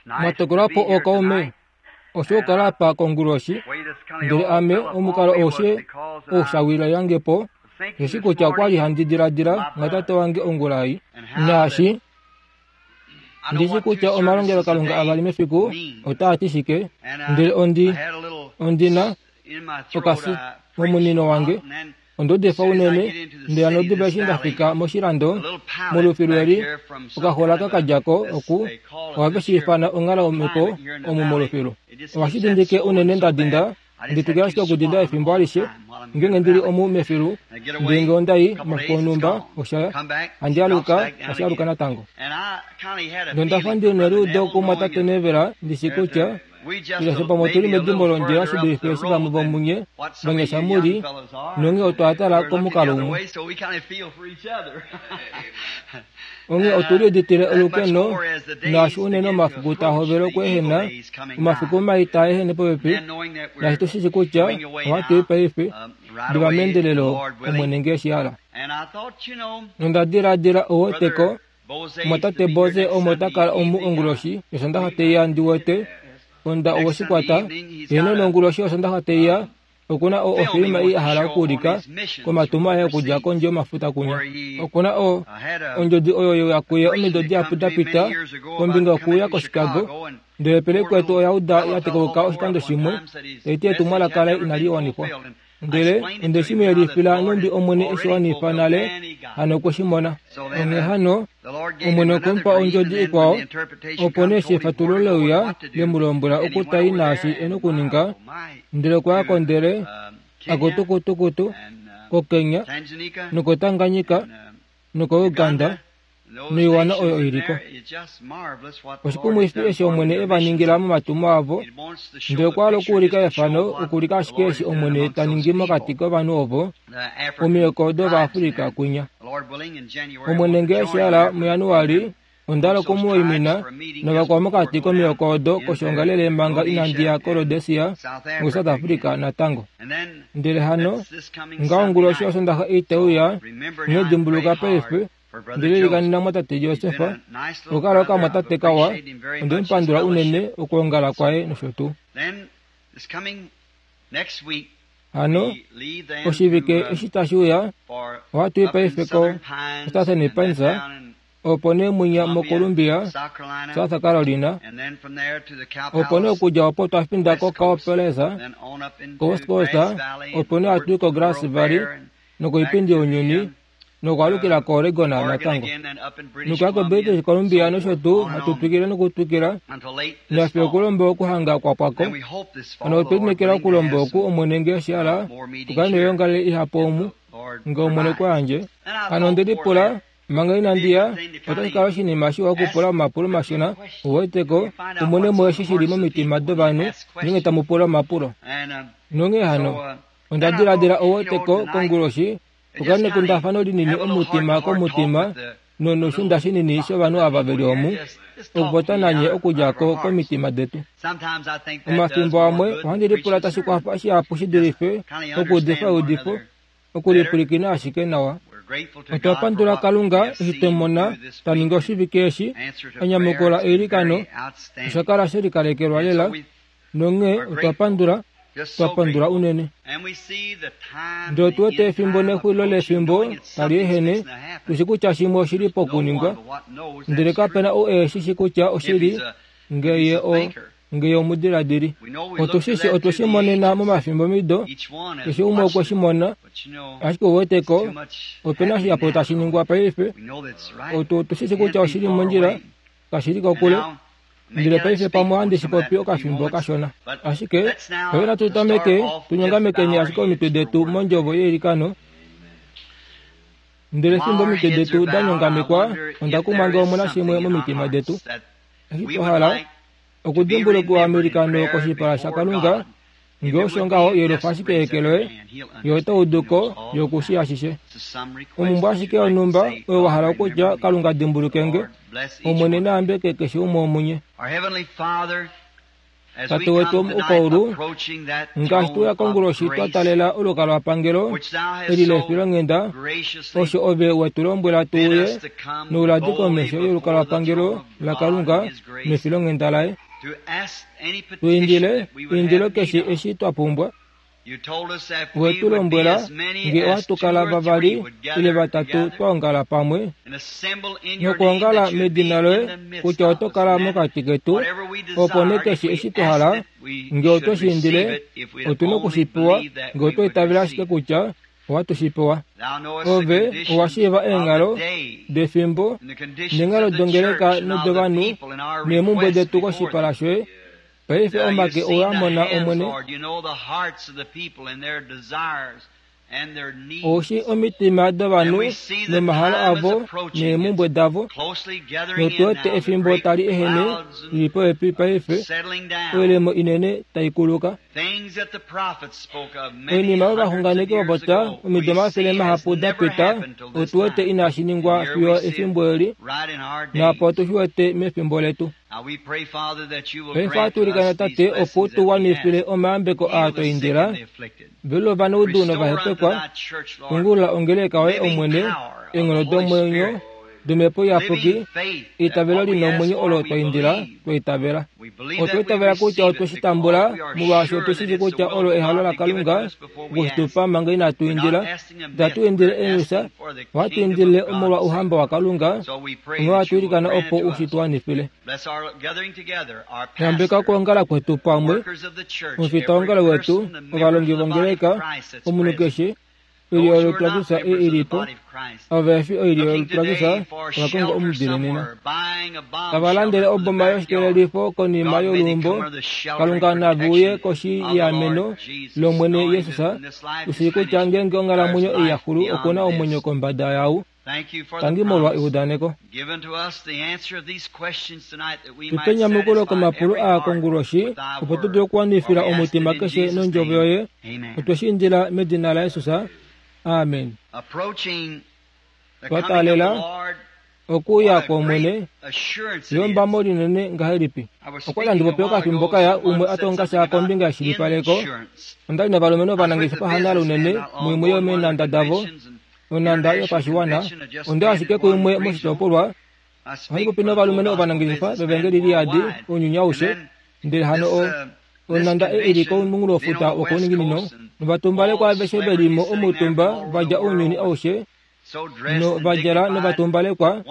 Mwa po ookaume osho okukala apa konguloshi, ndele ame omukalo aushe ou sha wila yange po, osheshi kutya okwa li handi diladila ngatate wange ongula ei. Naashi ndi shi kutya omalongelokalunga avali mefiku otaa ti shike, ndele ondi, ondi na okasi momunino wange. Onda udifa unene, ndele hano diva eshi nda fika moshilando, molufilu eli, okahola ka ka dja ko oku, ohave shi ifana onghalo yomhepo omu molufilu. Ohashi dindike unene nda dinda, ndi twikile ashike okudinda efimbo alishe, ngeenge ndi li omu mefilu, ndele nge onda i omafiku onhumba, osha, handi aluka, tashi aluka natango. Nonda fa ndi neliudo kumwatate Neville, ndi shi kutya Ile pamwe otu li medimbo londjila shi dulife eshi vamwe vomunye vanyasha mu li, nonghee otwa tala komukalo umwe. Onghee otu liuditile olukeno, naashi unene omafiku taa hovele okweehena, omafiku mai taa ehene popepi, naashi tu shi shi kutya ohatu i paife, diva meendelelo, Omwene nge eshi hala. Nonda diladila, Ou weteko, Omumwatate Boze omo ta kala omu onguloshi yOsondaxa tei ya ndi wete onda owe shi kwata. Heeno, nonguloshi yOsondaxa tei ya, oku na o, ofilima ei a hala okuulika komatumo aye okudja kondje yomafuta kunya. Oku na o, ondjodi oyo ye uya kuye omido dihapu da pita kombinga yokuuya koChicago, ndele pele kwetu oya uda ya tekauka oshikando shimwe, tai ti etumwalaka laye inali wanifwa. Ndele onde shi mu yelifila nhumbi Omwene e shi wanifa nale, hano okwe shi mona. Onghee hano, Omwene okwe mu pa ondjodi ikwao, opo nee eshi efatululo le uya, le mu lombwela oku ta i naashi e nokuninga, ndele okwa ya ko ndele akutukutukutu koKenya nokoTanganyika nokoUganda noiwana oyo i li ko. Oshikumwifi eshi Omwene e va ningila momatumo avo, ndele okwa hala okuulika efano, okuulika ashike eshi Omwene ta ningi mokati kovanhu ovo, omihoko dOvaafrika kwinya. Omwene nge eshi hala muJanuali, onda hala oku mu waimina navakwao mokati komihoko odo koshoongalele manga inandi ya koRhodesia nokuSouth Africa natango. Ndele hano, ngaho onguloshi yOsondaxa ei tai uya, ino dimbuluka paife, Ndele ilikanena mwatate Josef, okukala okamwatate kawa, onde mu pandula unene okwoongala kwaye nosho tuu. Hano, oshivike eshi tashi uya, ohatu i paife ko Southern Pines, opo nee mwinya moColumbia, South Carolina, opo nee okudja opo twa finda koCow Palace, koWest Coast, opo nee hatu i koGrass Valley nokoipindi younyuni, nokwaalukila koOregon natango, nokuya koBritish Columbia nosho tuu, hatu twikile nokutwikila nafye okulomba okuhanga kwa pwa ko. Hano otwe lineekela okulomba oku, Omwene nge eshi hala, tu kale noyoongalele ihapu omu, nge Omwene kwa yandje. Hano onde lipula, manga inandi ya, otashi kala oshinima shiwa okupula omapulo mashona, u weteko, u mone mo eshi shi li momitima dovanhu ngeenge tamu pula omapulo. Nonghee hano, onda diladila u weteko, konguloshi, Okukala nekundafano linini omutima komutima nonoshunda shinini shovanhu ava ve li omu, okupopya nanye okudja ko komitima detu. Omafimbo amwe ohandi lipula tashi kwafa shihapu shi dulife okuudifa eudifo, okulipwilikina ashike nawa. Otwa pandula Kalunga eshi twe mona ta ningi oshivike eshi, a nyamukula eilikano, osha kala she likalekelwa lela, Nonghee otwa pandula, twa pandula unene. Ndele otu wete efimbo nexulilo lefimbo tali ehene, tu shi kutya shimwe oshi li pokuningwa, ndele kape na ou e shi shi kutya oshili, nge ye o, nge ye omudiladili. Otu shi shi, otwe shi monena momafimbomido, keshe umwe okwe shi mona, ashike ou wete ko, ope na shihapu tashi ningwa paife. Otu, otu shi shi kutya oshi li mondjila, kashi li kokule. Ndele paife pamwe ohandi shi popi okafimbo kashona. Ashike, paife natu tameke, tu nyongamekeni ashike omitwe detu mondjovo yeilikano. Ndele fimbo omitwe detu da nyongamekwa, onda kumwa nge omu na shimwe momitima detu, eshi twa hala okudimbulukiwa meilikano koshipala shaKalunga, Nge osho ngaho, yelufa ashike eke loye, ye ota udu ko, ye oku shii ashishe. Omhumbwe ashike yonhumba oyo wa hala okutya, Kalunga dimbuluke nge, Omwene na yambeke keshe umwe womunye. Tate wetu womuukwaulu, ngaashi tuya konguloshi twa talela olukalwapangelo eli lefilonghenda, osho ove we tu lombwela tu uye nouladi komesho yolukalwapangelo laKalunga nefilonghenda laye. Tu indile eindilo keshe eshi twa pumbwa. We tu lombwela nge ohatu kala vavali ile vatatu twa ongala pamwe nokwoongala medina loye kutya oto kala mokati ketu, opo nee keshe eshi twa hala nge otwe shi indile, otu na oku shi pewa nge otwa itavela ashike kutya ohatu shi pewa. Ove owa shiiva eenghalo defimbo neenghalo dongeleka nodovanhu neemhumbwe detu koshipala shoye. Paife omake owe a mona, Omwene. Ou shii omitima dovanhu nomahalo avo neemhumbwe davo. Notu wete efimbo tali ehene lili popepi paife, oilemo inene tai kuluka. Oinima oyo ovaxunganeki va popya omido omafele mahapu da pita, otu wete inashi ningwa fiyo efimbo eli, naapo otu shi wete mefimbo letu. Paife ohatu ilikana, Tate, opo u tu wanifile omayambeko aa twa indila, velula ovanaudu novahepekwa, tungulula ongeleka yoye, Omwene, eenghono domwenyo domhepo iyapuki, eitavelo li nomwenyo olo twa indila, twa itavela. Otwa itavela kutya otwe shi tambula, molwaashi otu shi shii kutya olo ehalo laKalunga oku shi tu pa manga inatu indila. Itatu indile eenyusha, ohatu indile omolwa Ouhamba waKalunga, onghee ohatu ilikana opo u shi tu wanifile. Yambeka okwoongala kwetu pamwe, omufitaongalo wetu, ovalongi vongeleka, omunhu keshe, oilyo yolutu laKristus ei i li po, ava vehe fi oilyo yolutu laKristus, ova konga omudile nena. Tava landele oboma yoshikelelifo konima yoluumbo, Kalunga nave uye koshi yeameno lOmwene Jesus, tu shii kutya ngeenge onghalamwenyo ei ya xulu oku na omwenyo kombada yau. Tangi molwa eudaneko. Tu pe enyamukulo komapulo aa konguloshi, opo tu dule okuwanifila omutima keshe nOndjovo yoye. Otwe shi indila medina laJesus. Amen. Twa taalela okuuya kwOmwene. Eyombamo linene ngahelipi! Okwa li handi popi okafimbo kaya umwe a tonga sha kombinga yeshilipaleko. Onda li novalumenhu ovanangeshefa hanale unene muimwe yomeenhanda davo, nonhanda yopashiwana. Onda ashike kuimwe moshitopolwa. Ohandi popi novalumenhu ovanangeshefa vevangeli li yadi ounyuni aushe, ndele hano o, onhanda ei i li komunghulofuta wokouninginino, novatumbalekwa aveshe ve li mo omutumba va dja ounyuni aushe, nova djala novatumbalekwa.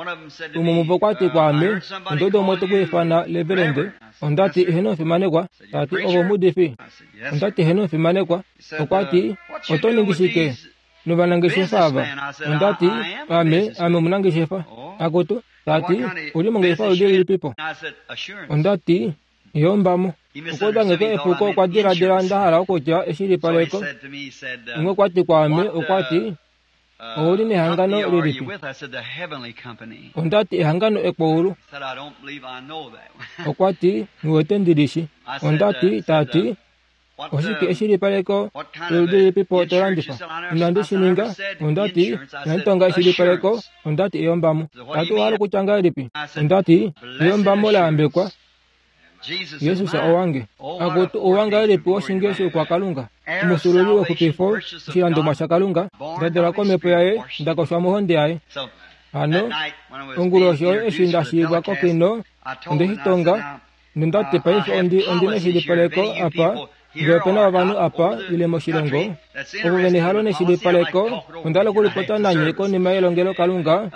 Umwe womuvo okwa ti kwaame, Onda uda umwe te ku ifana Reverende. Onda ti, Eheno omufimanekwa. Ta ti, Ove omuudifi? Onda ti, Eheno omufimanekwa. Okwa ti, Oto ningi shike novanangeshefa ava? Onda ti, Ame, ame omunangeshefa. Akutu, ta ti, Ou li mongeshefa yoludi lilipipo? Onda ti, Yombamo. Okwa uda nge epuko okwa diladila nda hala okutya eshilipaleko. Umwe okwa ti kwaame, okwa ti, Ou li nehangano lilipi? Onda ti, Ehangano ekwaulu. Okwa ti, Nghi wete ndi li shi. Onda ti, ta ti, Oshike eshilipaleko loludi lilipipo to landifa? Inandi shi ninga. Onda ti, Inandi tonga eshilipaleko. Onda ti, Eyombamo. Ta ti, Owa hala okutya ngahelipi? Onda ti, Eyombamo la yambekwa. Jesus owange. Akutu, ouwa ngahelipi woshinge shoukwakalunga, omusululi wexupifo, oshilandomwa shaKalunga, nda dalwa komhepo yaye, nda koshwa mohonde yaye. Hano, onguloshi oyo eshi nda shiivwa kokino, onde shi tonga, nonda ti, Paife ondi, ondi neshilipaleko apa, ngee ope na ovanhu apa, ile moshilongo, ovo ve nehalo neshilipaleko, onda hala okulipopya nanye konima yelongelokalunga,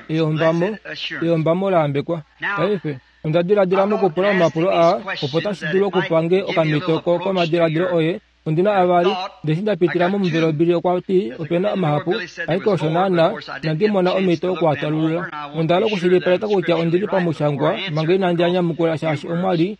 eyombamo, eyombamo la yambekwa. Paife, Onda diladila mokupula omapulo aa opo tashi dulu okupa nge okamhito ko komadiladilo oye. Ondi na avali, ndele eshi nda pitila momuvelo Billy okwa ti ope na mahapu, ashike osho naana inandi mona omhito oku a talulula. Onda hala okushilipaleka kutya ondi li pamushangwa manga inandi a nyamukula shaashi omwa li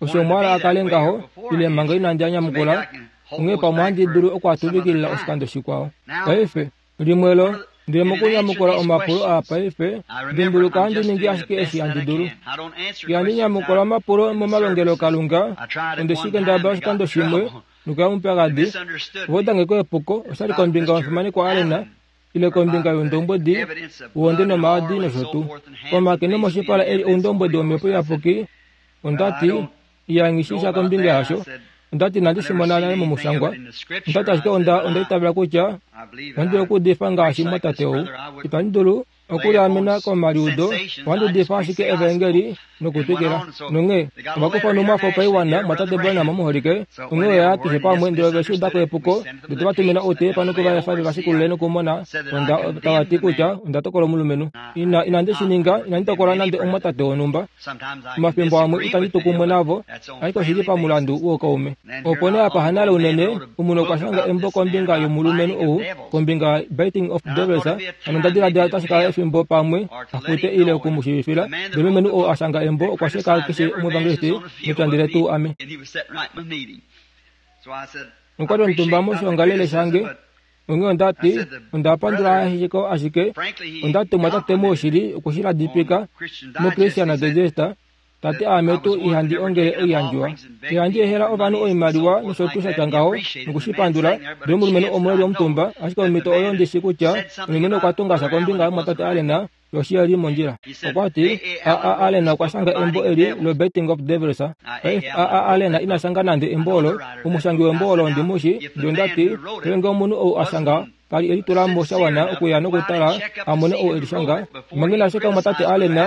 osho omwa hala a kale ngaho, ile manga inandi a nyamukula, onghee pamwe ohandi dulu oku a tuvikilila oshikando shikwao. Paife, Limwe lo, ndele mokunyamukula omapulo aa paife, dimbuluka handi ningi ashike eshi handi dulu. Ihandi nyamukula omapulo momalongelokalunga, onde shi kendabala oshikando shimwe, nokuya mupyakadi. Ova uda nge ko epuko, oshali kombinga yomufimanekwa Allen, ile kombinga youndombwedi wohonde nomaadi nosho tuu. Komake nomoshipala e li oundombwedi wOmhepo Iyapuki, onda ti, Iya, nghi shii sha kombinga yasho. Onda ti inandi shi mona nale momushangwa. Onda ti ashike onda, onda itavela kutya ohandi dulu okuudifa ngaashi mumwatate ou. Itandi dulu okuliamena komaliudo, ohandi udifa ashike Evaengeli nokutwikila. Nonghee ova kufa onhumwafo paiwana, Mumwatate Branham omuholike, onghee oya ya keshe pamwe, ndele ove shi uda ko epuko, ndele tova tumina outeepa noku va efa ve va shikulule nokumona onda, tava ti kutya onda tokola omulumenhu. Ina, inandi shi ninga, inandi tokola nande omumwatate wonhumba. Omafimbo amwe itandi tu kumwe navo, ashike oshi li pamulandu woukaume. Opo nee apa hanale unene, omunhu okwa shanga embo kombinga yomulumenhu ou, kombinga Biting of Devils, hano onda diladila otashi kala efimbo pamwe a fute ile oku mu shiivifila. Ndele omulumenhu ou a shanga embo okwa sheka keshe omuevangelisti mepya ndele tuu ame. Nokwa li omutumba moshiongalele shange. Onghee onda ti, Onda pandula ashike, ashike onda tumwa tate moushili oku shi ladipika muChristian Digest, ta ti aame tuu ihandi ongele oiyandjiwa. Ihandi ehela ovanhu oimaliwa nosho tuu sha tya ngaho, noku shi pandula. Ndele omulumenhu omwe e li omutumba, ashike omhito oyo ndi shi kutya omulumenhu okwa tunga sha kombinga yomumwatate Allen, Yoshi li mondjila. Okwa ti, A. A. Allen okwa shanga embo eli lo-Betting of Devils. Paife, A. A. Allen ina shanga nande embo olo. Omushangi wembo olo ondi mu shi. Ndele onda ti, Ndele ngee omunhu ou a shanga ka li e litula mo sha wana okuya nokutala a mone ou e li shanga, manga ina sheka omwatate Allen,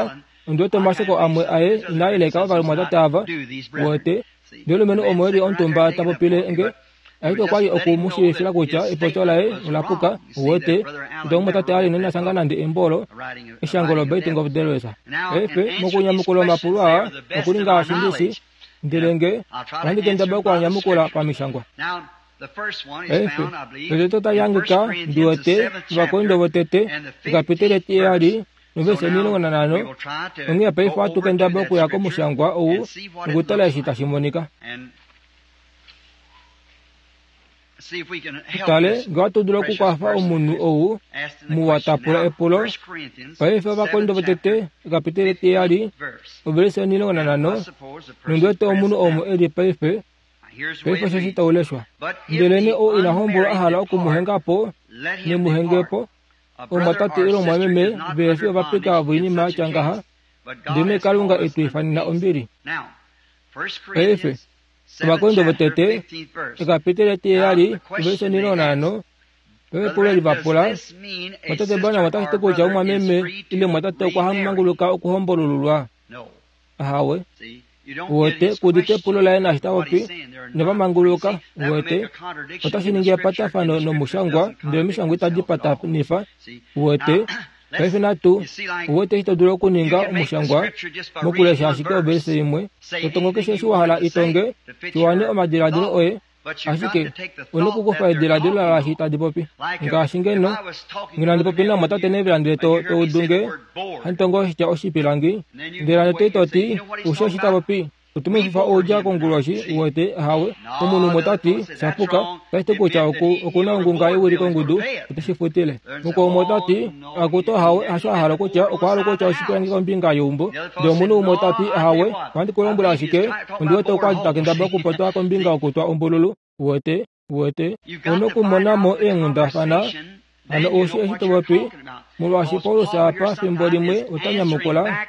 ondi wete omasheko amwe aye inaa yeleka ovalumwatate ava. Uwete? Ndele omulumenhu omo e li omutumba ta popile nge, Ashike okwa li oku mu shiivifila kutya epopyo laye ola puka, uwete, kutya omumwatate a li ina shanga nande embo olo, eshango lo-Baiting of Delwes. Paife, mokunyamukula omapulo aa, oku li ngaashi ndi shi, ndele nge ohandi kendabala oku a nyamukula pamishangwa. Paife, lotete otali hangika, ndi wete, Ovakorinto votete, ekapiteli etiheyali, novesi 15, onghee paife ohatu kendabala okuya komushangwa ou nokutala eshi tashi monika. Tale, nge ohatu dulu okukwafa omunhu ou muwa ta pula epulo. Paife Ovakorinto votete, ekapiteli etiheyali, ovelise 15, nondi wete omunhu omo e li paife, paife osheshi tau leshwa. Ndelenee ou ina hombolwa a hala oku mu henga po, ne mu henge po. Omumwatate ile omumwameme vehe fi ovapika voinima ya tya ngaha, ndelenee Kalunga e tu ifanena ombili. Paife, Ovakorinto votete, ekapiteli etiheyali, ovelise 15, Epulo eli va pula, Mwatate Branham otashi ti kutya omumwameme ile omumwatate okwa manguluka okuhombolululwa? Ahawe. Uwete, ku udite epulo laye naashi ta popi, inava manguluka, uwete. Otashi ningi epatafano nomushangwa, ndele omishangwa itadi patanifa, uwete. Paife natu uwete eshi to dulu okuninga omushangwa mokulesha ashike ovelise imwe. To tongo keshe eshi wa hala i tonge, shi wane omadiladilo oye, ashike u na okukufa ediladilo laashi tadi popi. Ngaashi ngeno, ngeno handi popi namwatate Neville ndele to, to udu nge handi tongo oshitya oshipilangi, ndele hano to i to ti, Oushi eshi ta popi? Otumefifa oudja konguloshi, uwete, ahawe. Omunhu umwe ota ti, Sha puka. Otashi ti kutya oku, oku na ongunga yewilikongudu, ote shi futile. Mukwao umwe ota ti, Akutu, ahawe, hasho a hala okutya, okwa hala okutya oshipilangi kombinga yeumbo. Ndele omunhu umwe ota ti, Ahawe, ohandi ku lombwele ashike, ondi wete okwa li ta kendabala okupopya kombinga yokutwa ombululu. Uwete? Uwete? Ou na okumona mo eenghundafana. Hano ou shii eshi to popi, molwaashi Paulus apa fimbo limwe ota nyamukula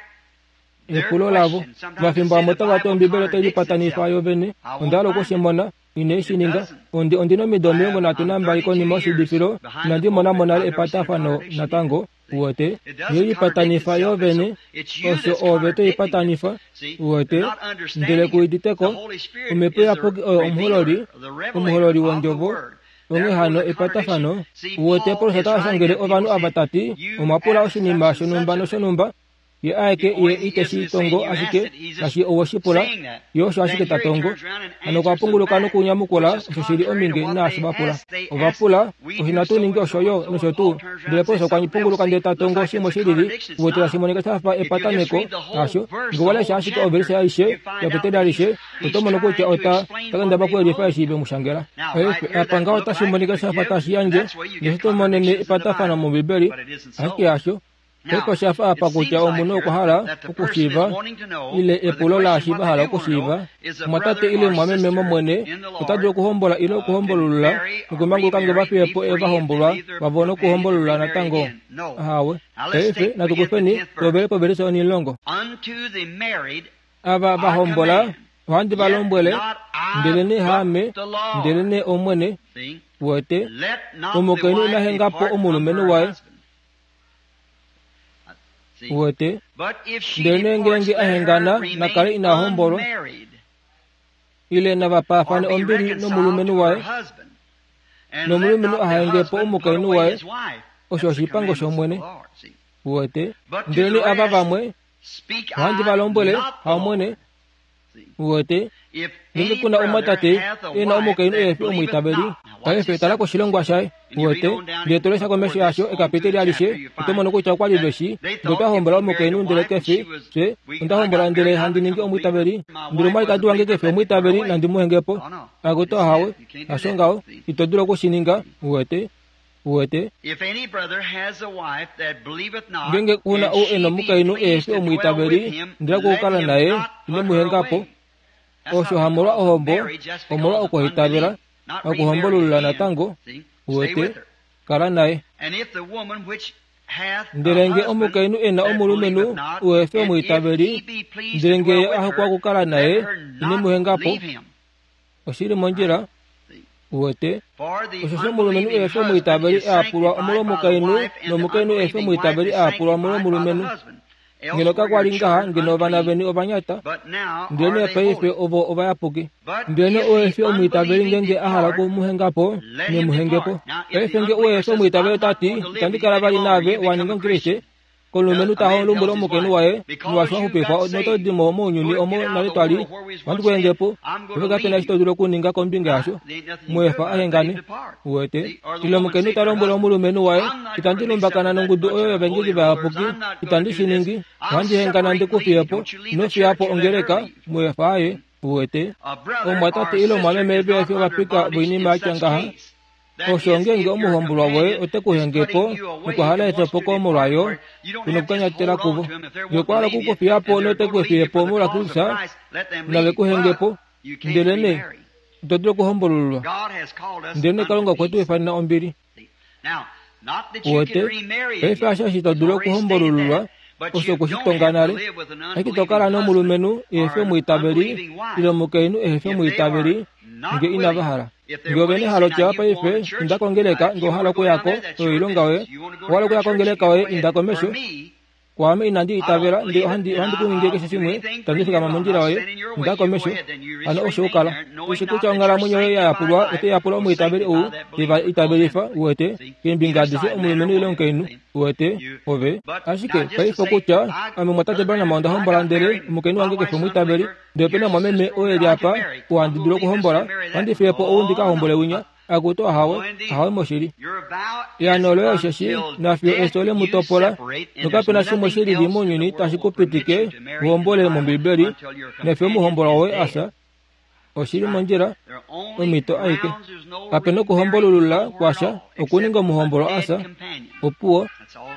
epulo lavo. Omafimbo amwe otava ti Ombibeli otai lipatanifa yo vene. Onda hala oku shi mona. Ine shi ninga. Ondi, ondi na omido 32 konima yoshidifilo, inandi mona mo nale epatafano natango. Uwete? Ye lipatanifa yo vene. Osho ove to ipatanifa. Uwete? Ndele ku udite ko, Omhepo Iyapuki oyo omuhololi, omuhololi wOndjovo. Onghee hano epatafano. Uwete, Paulus ota shangele ovanhu ava ta ti, Omwa pula oshinima shonhumba noshonhumba, Ye aeke ye ite shi tongo ashike ngaashi owe shi pula, ye osho ashike ta tongo. Hano okwa punguluka nokunyamukula osho shi li ominge naashi va pula. Ova pula, Osho inatu ningi osho yo, nosho tuu. Ndele Paulus okwa punguluka ndele ta tongo shimwe shi lili, uwete tashi monika sha fa epataneko, hasho? Nge owa lesha ashike ovelise aishe, yapitele alishe, oto mono kutya ota ta kendabala okuyelifa eshi ve mu shangela. Paife, apa ngaho otashi monika sha fa tashi yandje, ngeshi to monene epatafano mOmbibeli, ashike hasho. Paife osha fa apa kutya omunhu okwa hala okushiiva ile epulo laashi va hala okushiiva. Omwatate ile omumwameme mOmwene ota dulu okuhombola ile okuhombolulula nokumanguluka nge va fiye po ovahombolwa vavo nokuhombolulula natango? Ahawe. Paife natu kufeni tu hovele povelise onhilongo. Ava va hombola. Ohandi va lombwele, ndelenee haame, ndelenee Omwene, uwete, omukainhu ina henga po omulumenhu waye. Uwete, ndelenee ngeenge a hengana, na kale ina hombolwa, ile nava paafane ombili nomulumenhu waye, nomulumenhu aha henge po omukainhu waye, osho oshipango shOmwene. Uwete, ndelenee ava vamwe, ohandi va lombwele, haOmwene, uwete, ngeenge ku na omumwatate e na omukainhu ehe fi omwiitaveli, paife tala koshilongwa shaye, uwete, ndele to lesha komesho yasho ekapiteli alishe, oto mono kutya okwa li ve shi, ndele otwa hombola omukainhu ndele ke fi, fye, onda hombola ndele handi ningi omwiitaveli, ndele omwalikadi wange ke fi omwiitaveli, nandi mu henge po. Akutu ahawe, hasho ngaho, ito dulu oku shi ninga, uwete. Uwete? Ngeenge ku na ou e na omukainhu ehe fi omwiitaveli, ndele okukala naye, ine mu henga po. Osho hamolwa ohombo, omolwa okuhaitavela, hakuhombolulula natango. Uwete? Kala naye. Ndele nge omukainhu e na omulumenhu uhe fi omwiitaveli, ndele nge ye a hokwa okukala naye, ine mu henga po. Oshi li mondjila. Uwete? Osheshi omulumenhu ehe fi omwiitaveli a yapulwa omolwomukainhu, nomukainhu ehe fi omwiitaveli a yapulwa omolwomulumenhu. Ngeno kakwa li ngaha, ngeno ovana veni ovanyata, ndelenee paife ovo ovayapuki. Ndelenee ou ehe fi omwiitaveli ngeenge a hala oku mu henga po, ne mu henge po. Paife nge ou ehe fi omwiitaveli ota ti, Itandi kala vali naave, wa ninga Omukriste, Komulumenhu ta lombwele omukainhu waye, Molwaashi wa xupifwa noto di mo mounyuni omo nale twa li, ohandi ku henge po. Paife kape na eshi to dulu okuninga kombinga yasho. Mu efa a hengane. Uwete? Ile omukainhu ta lombwele omulumenhu waye, Itandi lumbakana nongudu oyo yovaengeli vayapuki. Itandi shi ningi. Ohandi hengana ndi ku fiye po. Ino fiya po ongeleka. Mu efa a ye. Uwete? Omumwatate ile omumwameme ve fi ovapika voinima ya tya ngaha. Osho ngeenge omuhombolwa woye ote ku henge po nokwa hala etopoko molwayo, ku nokukanyatela kuvo. Ngee okwa hala oku ku fiya po note ku fiye po molwa Kristus, nave ku henge po. Ndelenee, ito dulu okuhombolululwa. Ndelenee Kalunga okwe tu ifanena ombili. Uwete, paife hasho eshi to dulu okuhombolululwa, osho okwe shi tonga nale. Ashike to kala nomulumenhu ehe fi omwiitaveli ile omukainhu ehe fi omwiitaveli nge inava hala. Nge ove nehalo tya paife inda kongeleka nge owa hala okuya ko, oyo oilonga yoye. Owa hala okuya kongeleka yoye, inda komesho. Kwaame inandi itavela, ndele ohandi, ohandi ku ningi keshe shimwe, itandi fikama mondjila yoye. Inda komesho. Hano osho u kala. Ushi kutya onghalamwenyo yoye ya yapulwa otai yapula omwiitaveli ou te va itavelifa, uwete, keembinga adishe omulumenhu ile omukainhu, uwete, ove. Ashike, paife okutya, ame Mumwatate Branham onda hombola ndele omukainhu wange ke fi omwiitaveli, ndele ope na omumwameme oo e li apa, oo handi dulu okuhombola, ohandi fiye po ou ndi ka hombole winya. Akutu ahawe, ahawe moshili. Eano loye osheshi nafiyo efyo le mu topola, nokape na shimwe shi lili mounyuni tashi ku pitike u hombole mOmbibeli nefyo omuhombolwa woye a fya. Oshi li mondjila, omhito aike. Kape nokuhombolulula kwasha okuninga omuhombolwa a fya. Opuwo,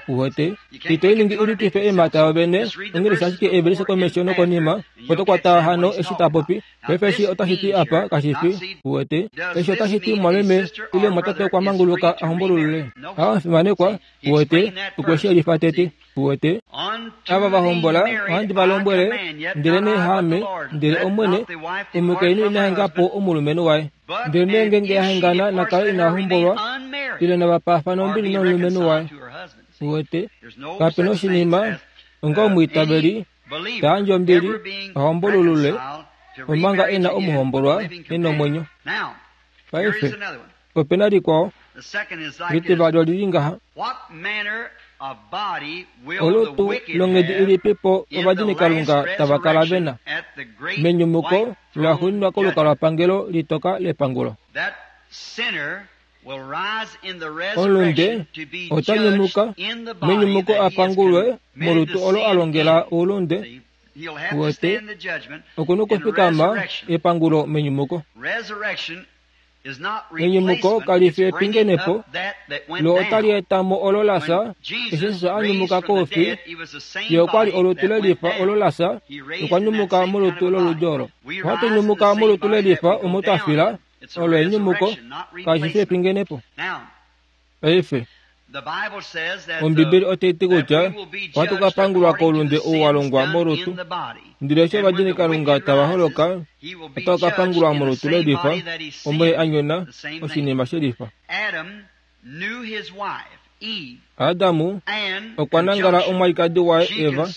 uwete. Ito i ningi u litife eemhata yovene, onghee ashike eevelishe komesho nokonima, oto kwata hano eshi ta popi. Paife eshi otashi ti apa, kashi fi, uwete. Eshi otashi ti mumwameme ile mumwatate okwa manguluka a hombolulule. A omufimanekwa, uwete, okwe shi yelifa tete, uwete. Ava va hombola, ohandi va lombwele, ndelenee haame, ndele Omwene, omukainhu ina henga po omulumenhu waye. Ndelenee ngeenge a hengana, na kale ina hombolwa, ile nava paafane ombili nomulumenhu waye. Uwete, kape na oshinima, onga omwiitaveli, ta yandje ombili, a hombolulule, omanga e na omuhombolwa e nomwenyo. Paife, ope na likwao litivali oli li ngaha. Olutu longhedi ilipi po ovadinikalunga tava kala ve na menyumuko laxuuninwa kolukalwapangelo litoka lepangulo? Omulunde ota nyumuka menyumuko a pangulwe molutu olo a longela oulunde. Uwete, oku nokufikama epangulo menyumuko. Enyumuko kali fi epingenepo, lo otali eta mo olo la fya. Eshi Jesus a nyumuka koufi, ye okwa li olutu le lifa olo la fya, nokwa nyumuka molutu loludi olo. Ohatu nyumuka molutu le lifa omo twa fila, olo enyumuko, kashi fi epingenepo. Paife. Ombibeli otai ti kutya ohatu ka pangulwa koulunde ou wa longwa molutu, ndele eshi ovadinikalunga tava holoka, otava ka pangulwa molutu lelifa omo ye a nyona oshinima shelifa. Adamu okwa nangala omwalikadi waye Eva,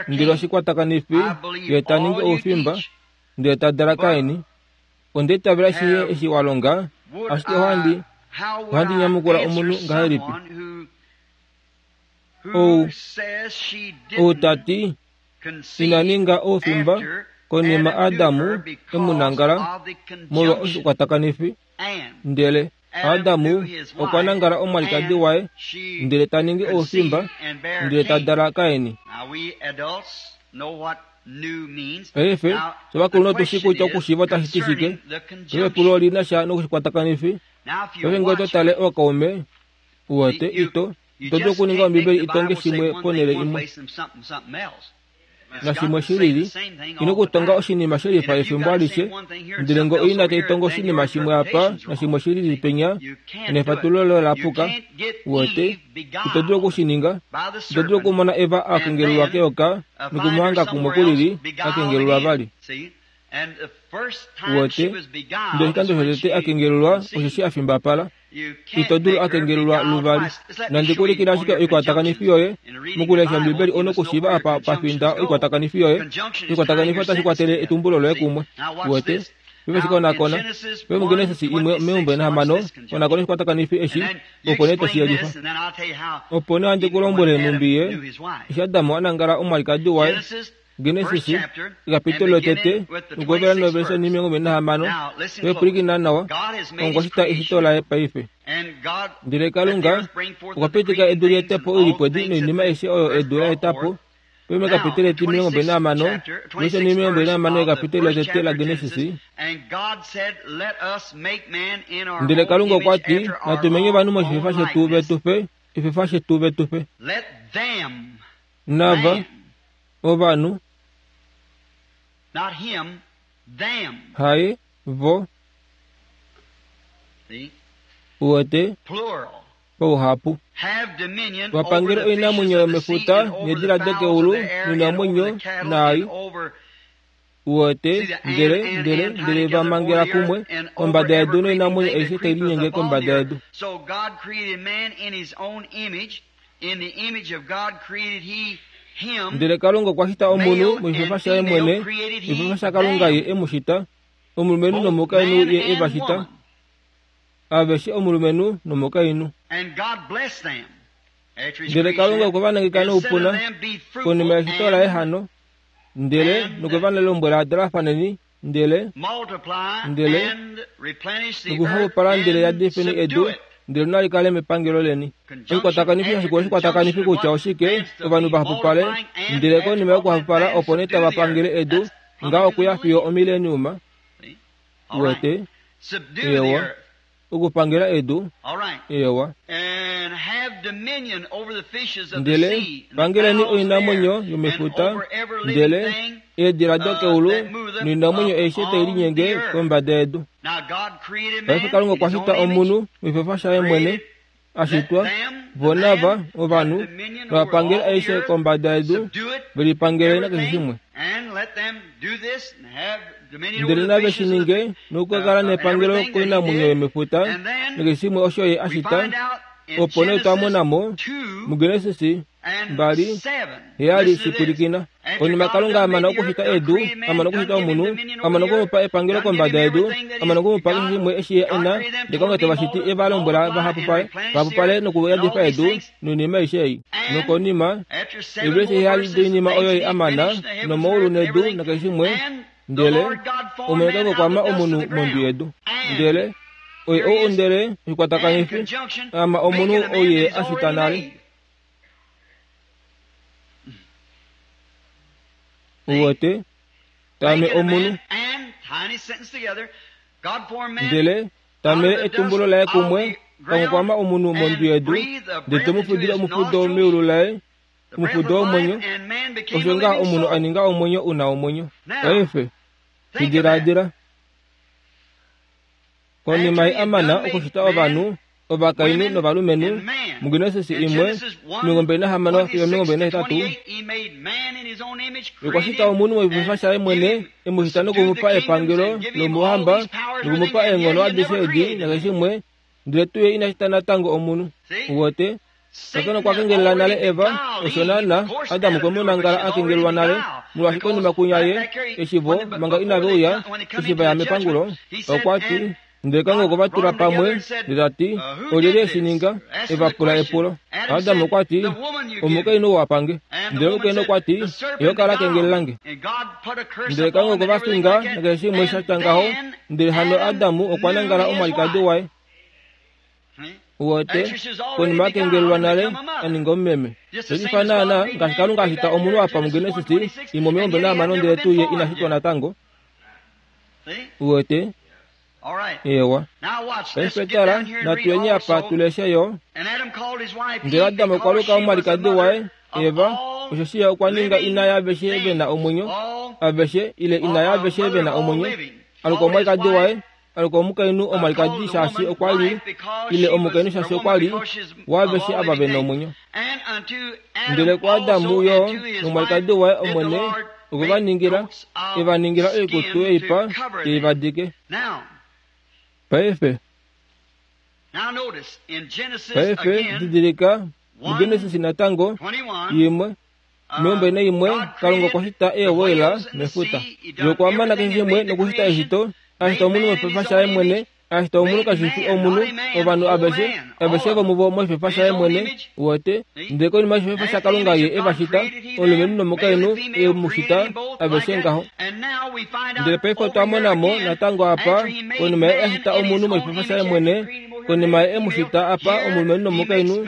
ndele oshikwatakanifi ye ta ningi oufimba, ndele ta dala Kain. Onda itavela shihe eshi wa longa, ashike ohandi ohandi nyamukula omunhu ngahelipi? Ou ou ta ti ina ninga oufimba konima Adamu e mu nangala molwa oshikwatakanifi, ndele Adamu okwa nangala omwalikadi waye ndele ta ningi oufimba ndele ta dala Kain. Paife, ovakulunhu otu shii kutya okushiiva otashi ti shike. Paife epulo oli na sha noshikwatakanifo. Paife ngee oto tale ookaume, u wete, ito, ito dulu okuninga Ombibeli i tonge shimwe ponhele imwe nashimwe shi lili. Ino okutonga oshinima she lifa efimbo alishe. Ndele ngee oina tai tongo oshinima shimwe apa nashimwe shi lili penya, nefatululo loye ola puka. U wete, ito dulu oku shi ninga. Ito dulu okumona Eva a kengelelwa keyoka nokumuhanga kumwe kulili a kengelelwa vali. Uwete, ndele oshikando shotete a kengelelwa osheshi a fimbapala. Ito dulu a kengelelwa luvali. Nandi ku ulikile ashike oikwatakanifi yoye. Mokulesha Ombibeli ou na okushiiva apa pa finda oikwatakanifi yoye. Oikwatakanifi otashi kwatele etumbulo loye kumwe. Uwete? Paife shi konakona. Paife muGenesis imwe meumbo enahamano, konakona oshikwatakanifi eshi, opo nee to shi yelifa. Opo nee ohandi ku lombwele nhumbi ye, eshi Adam a nangala omwalikadi waye, Genesis, ekapitolo lotete, nokuhovela noverse 26. Paife pwilikina nawa, okwa shita eshito laye paife. Ndele Kalunga okwa pitika edu li ete po oilipwedi noinima aishe oyo edu la eta po. Paife mekapitolo etimilongo verse 26 yekapitolo lotete laGenesis. Ndele Kalunga okwa ti, Natu menye ovanhu moshifefa shetu ve tu fe, efefa shetu ve tu fe. Nava, ovanhu, haye, vo, uwete, pauhapu. Va pangele oinamwenyo yomefuta needila dokeulu noinamwenyo naai, uwete, ndele, ndele, ndele va mangela kumwe kombada yedu noinamwenyo aishe tai linyenge kombada yedu. Ndele Kalunga okwa shita omunhu moshifefa shaye mwene, moshifefa shaKalunga ye e mu shita, omulumenhu nomukainhu ye e va shita, aveshe omulumenhu nomukainhu. Ndele Kalunga okwe va nangeka noupuna konima yeshito laye hano, ndele nokwe va lombwela dalafaneni ndele ndele nokuhapupala ndele yadifeni edu ndele nali kale mepangelo leni. Oshikwatakanifi hashi oshikwatakanifo kutya oshike ovanhu va hapupale, ndele konima yokuhapupala opo nee tava pangele edu ngaho okuya fiyo omileniuma. Uwete? Eewa. Okupangela edu. Eewa. Ndele pangeleni oinamwenyo yomefuta, ndele eedila dokeulu noinamwenyo aishe tai linyenge kombada yedu. Paife Kalunga okwa shita omunhu mefefa shaye mwene, a shitwa, vo nava, ovanhu, nova pangele aishe kombada yedu, ve lipangele nakeshe shimwe. Ndele nave shi ninge nokukakala nepangelo koinamwenyo yomefuta nakeshe shimwe osho ye a shita. Opo nee twa mona mo muGenesis 2, 7 Shipwilikina. Konima Kalunga a mana okushita edu, a mana okushita omunhu, a mana oku mu pa epangelo kombada yedu, a mana oku mu pa keshe shimwe eshi ye e na, ndele Kalunga te va shiti e va lombwela va hapupale, va hapupale nokuyadifa edu noinima aishe ei. Nokonima, eevelise heyali doinima oyo ye a mana, nomaulu nedu nakeshe shimwe, ndele Omwene Kalunga okwa ma omunhu mondwi yedu. Ndele oye ou ndele oshikwatakanifo, a ma omunhu ou ye a shita nale. Uwete, tame omunhu. Ndele tamele etumbulo laye kumwe, pakukwama omunhu mondwi yedu, ndele te mu fudile omufudo meulu laye, omufudo womwenyo, osho ngaha omunhu a ninga omwenyo u na omwenyo. Paife, shi diladila. Konima ye a mana okushita ovanhu, Ovakainhu novalumenhu, muGenesis 1, 26 fiyo 28, Okwa shita omunhu moshifefa shaye mwene, e mu shita noku mu pa epangelo lomouhamba, noku mu pa eenghono adishe edi nakeshe ndele tuu ye ina shita natango omunhu. Uwete? Satana okwa kengelela nale Eva, osho naana Adam okwe mu nangala a kengelelwa nale, molwaashi konima kunya ye, eshi vo, manga inave uya, eshi va ya mepangulo, okwa ti, Ndele Kalunga okwe va tula pamwe, ndele ta ti, Olyelye e shi ninga? E va pula epulo. Adam okwa ti, Omukainhu ou a pa nge. Ndele omukainhu okwa ti, Eyoka la kengelela nge. Ndele Kalunga okwe va finga nakeshe shimwe sha tya ngaho, ndele hano Adam okwa nangala omwalikadi waye. Uwete, konima a kengelelwa nale, a ninga omumeme. Osha naana ngaashi Kalunga a shita omunhu apa muGenesis 1:26 ndele tuu ye ina shitwa natango. Uwete? Eewa. Paife tala, natu yeni apa tu leshe yo. Ndele Adam okwa luka omwalikadi waye, Eva, osheshi ye okwa ninga ina yaaveshe ve na omwenyo, aveshe, ile ina yaaveshe ve na omwenyo. A luka omwalikadi waye, a luka omukainhu omwalikadi shaashi okwa li, ile omukainhu shaashi okwa li waaveshe ava ve na omwenyo. Ndele kuAdam yo nomwalikadi waye Omwene okwe va ningila, e va ningila oikutu yoipa te i va dike. Paife, paife didilika muGenesis natango, 1, 21, Kalunga okwa shita eewhale mefuta. Ye okwa mana keshe shimwe nokushita eshito, a shita omunhu moshipefa shaye mwene, a shita omunhu kashi fi omunhu, ovanhu aveshe, aveshe vomuvo moshipefa shaye mwene, uwete. Ndele konima yoshipefa shaKalunga ye e va shita, omulumenhu nomukainhu e mu shita, aveshe ngaho. Ndele paife otwa mona mo natango apa, konima ye a shita omunhu moshipefa shaye mwene, konima ye e mu shita apa omulumenhu nomukainhu,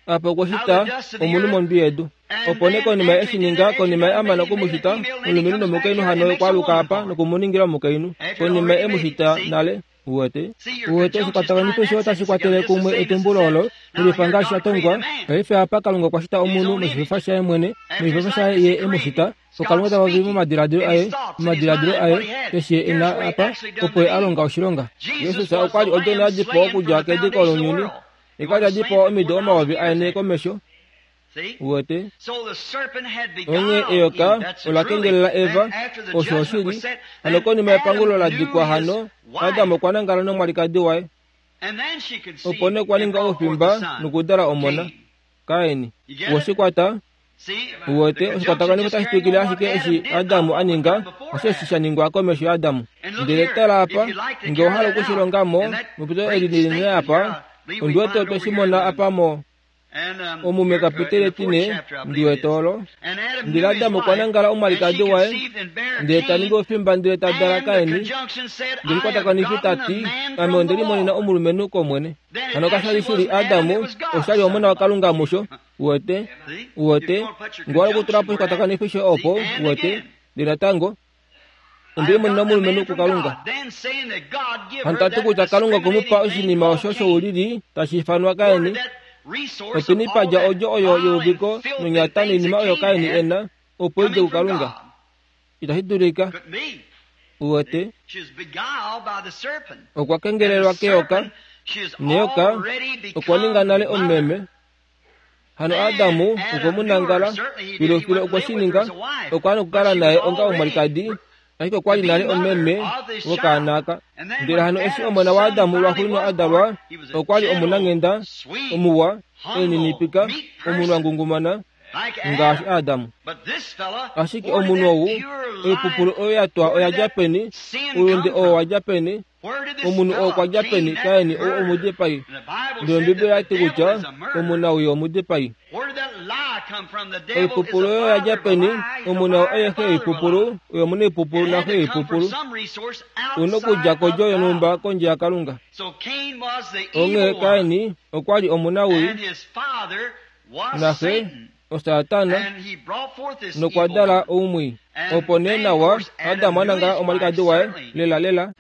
apa okwa shita omunhu mondwi yedu. Opo nee konima ye eshi ninga, konima ye a mana oku mu shita, omulumenhu nomukainhu hano okwa aluka apa noku mu ningila omukainhu, konima ye e mu shita nale. Uwete? Uwete, oshikwatakanifo eshi otashi kwatele kumwe etumbulo olo, lelifa ngaashi sha tongwa. Paife apa Kalunga okwa shita omunhu moshifefa shaye mwene, moshifefa shaye ye e mu shita. Okalunga ta popi momadiladilo aye, momadiladilo aye, eshi ye e na apa, opo ye a longa oshilonga. Jesus okwa li odjona ya dipawa okudja kediko lounyuni. Okwa li a dipawa omido 4000 komesho. Uwete? Onghee eyoka ola kengelela Eva, osho oshili. Hano konima yepangulo la dikwa hano, Adam okwa nangala nomwalikadi waye. Opo nee okwa ninga oufimba nokudala omona, Kain. Owe shi kwata? Uwete, oshikwatakanifo otashi twikile ashike eshi Adam a ninga, osheshi sha ningwa komesho yaAdam. Ndele tala apa, nge owa hala oku shi longa mo, mepito eli linene apa, ondi wete otwe shi mona apa mo, Omume kapitele tine, ndi wete olo. Ndele Adam okwa nangala omwalikadi waye, ndele ta ningi ofimba ndele ta dala Kaini. Ndele omukwatakanifi ta ti, Ame onde limonena omulumenhu kOmwene. Hano kasha li shili Adam, osha li Omona waKalunga musho. Uwete? Uwete? Nge owa hala okutula po oshikwatakanifo shoye opo, uwete, ndele natango, Onde limonena omulumenhu kuKalunga. Hano ta ti kutya Kalunga okwe mu pa oshinima osho shoulili tashi ifanwa Kaini. Openi pa dja odjo oyo yeuviko nonyata noinima oyo Kaini e na, opo i dje kuKalunga? Itashi dulika. Uwete? Okwa kengelelwa keyoka, neyoka okwa ninga nale omumeme. Hano Adamu okwe mu nangala, filufilu okwe shi ninga, okwa nokukala naye onga omwalikadi, ashike okwa li nale omeme wokaana aka. Ndele hano eshi omona waAdamu lwaxuuninwa a dalwa, okwa li omunanghenda, omuwa, e lininipika, omunhu a ngungumana, ngaashi Adamu. Ashike omunhu ou, oipupulu oyo ya twa oya dja peni? Oulunde oo owa dja peni? Omunhu oo okwa dja peni? Kain ou omudipai. Ndele Ombibeli oya ti kutya omunawii omudipai. Oipupulu oyo oya dja peni? Omunhu oo oye xe yoipupulu, oye omunaipupulu naxe yoipupulu. U nokudja kodjo yonhumba kondje yaKalunga. Onghee Kain okwa li omunawii, naxe oSatana, nokwa dala oumwii. Opo nee nawa, Adam a nangala omwalikadi waye, lelalela.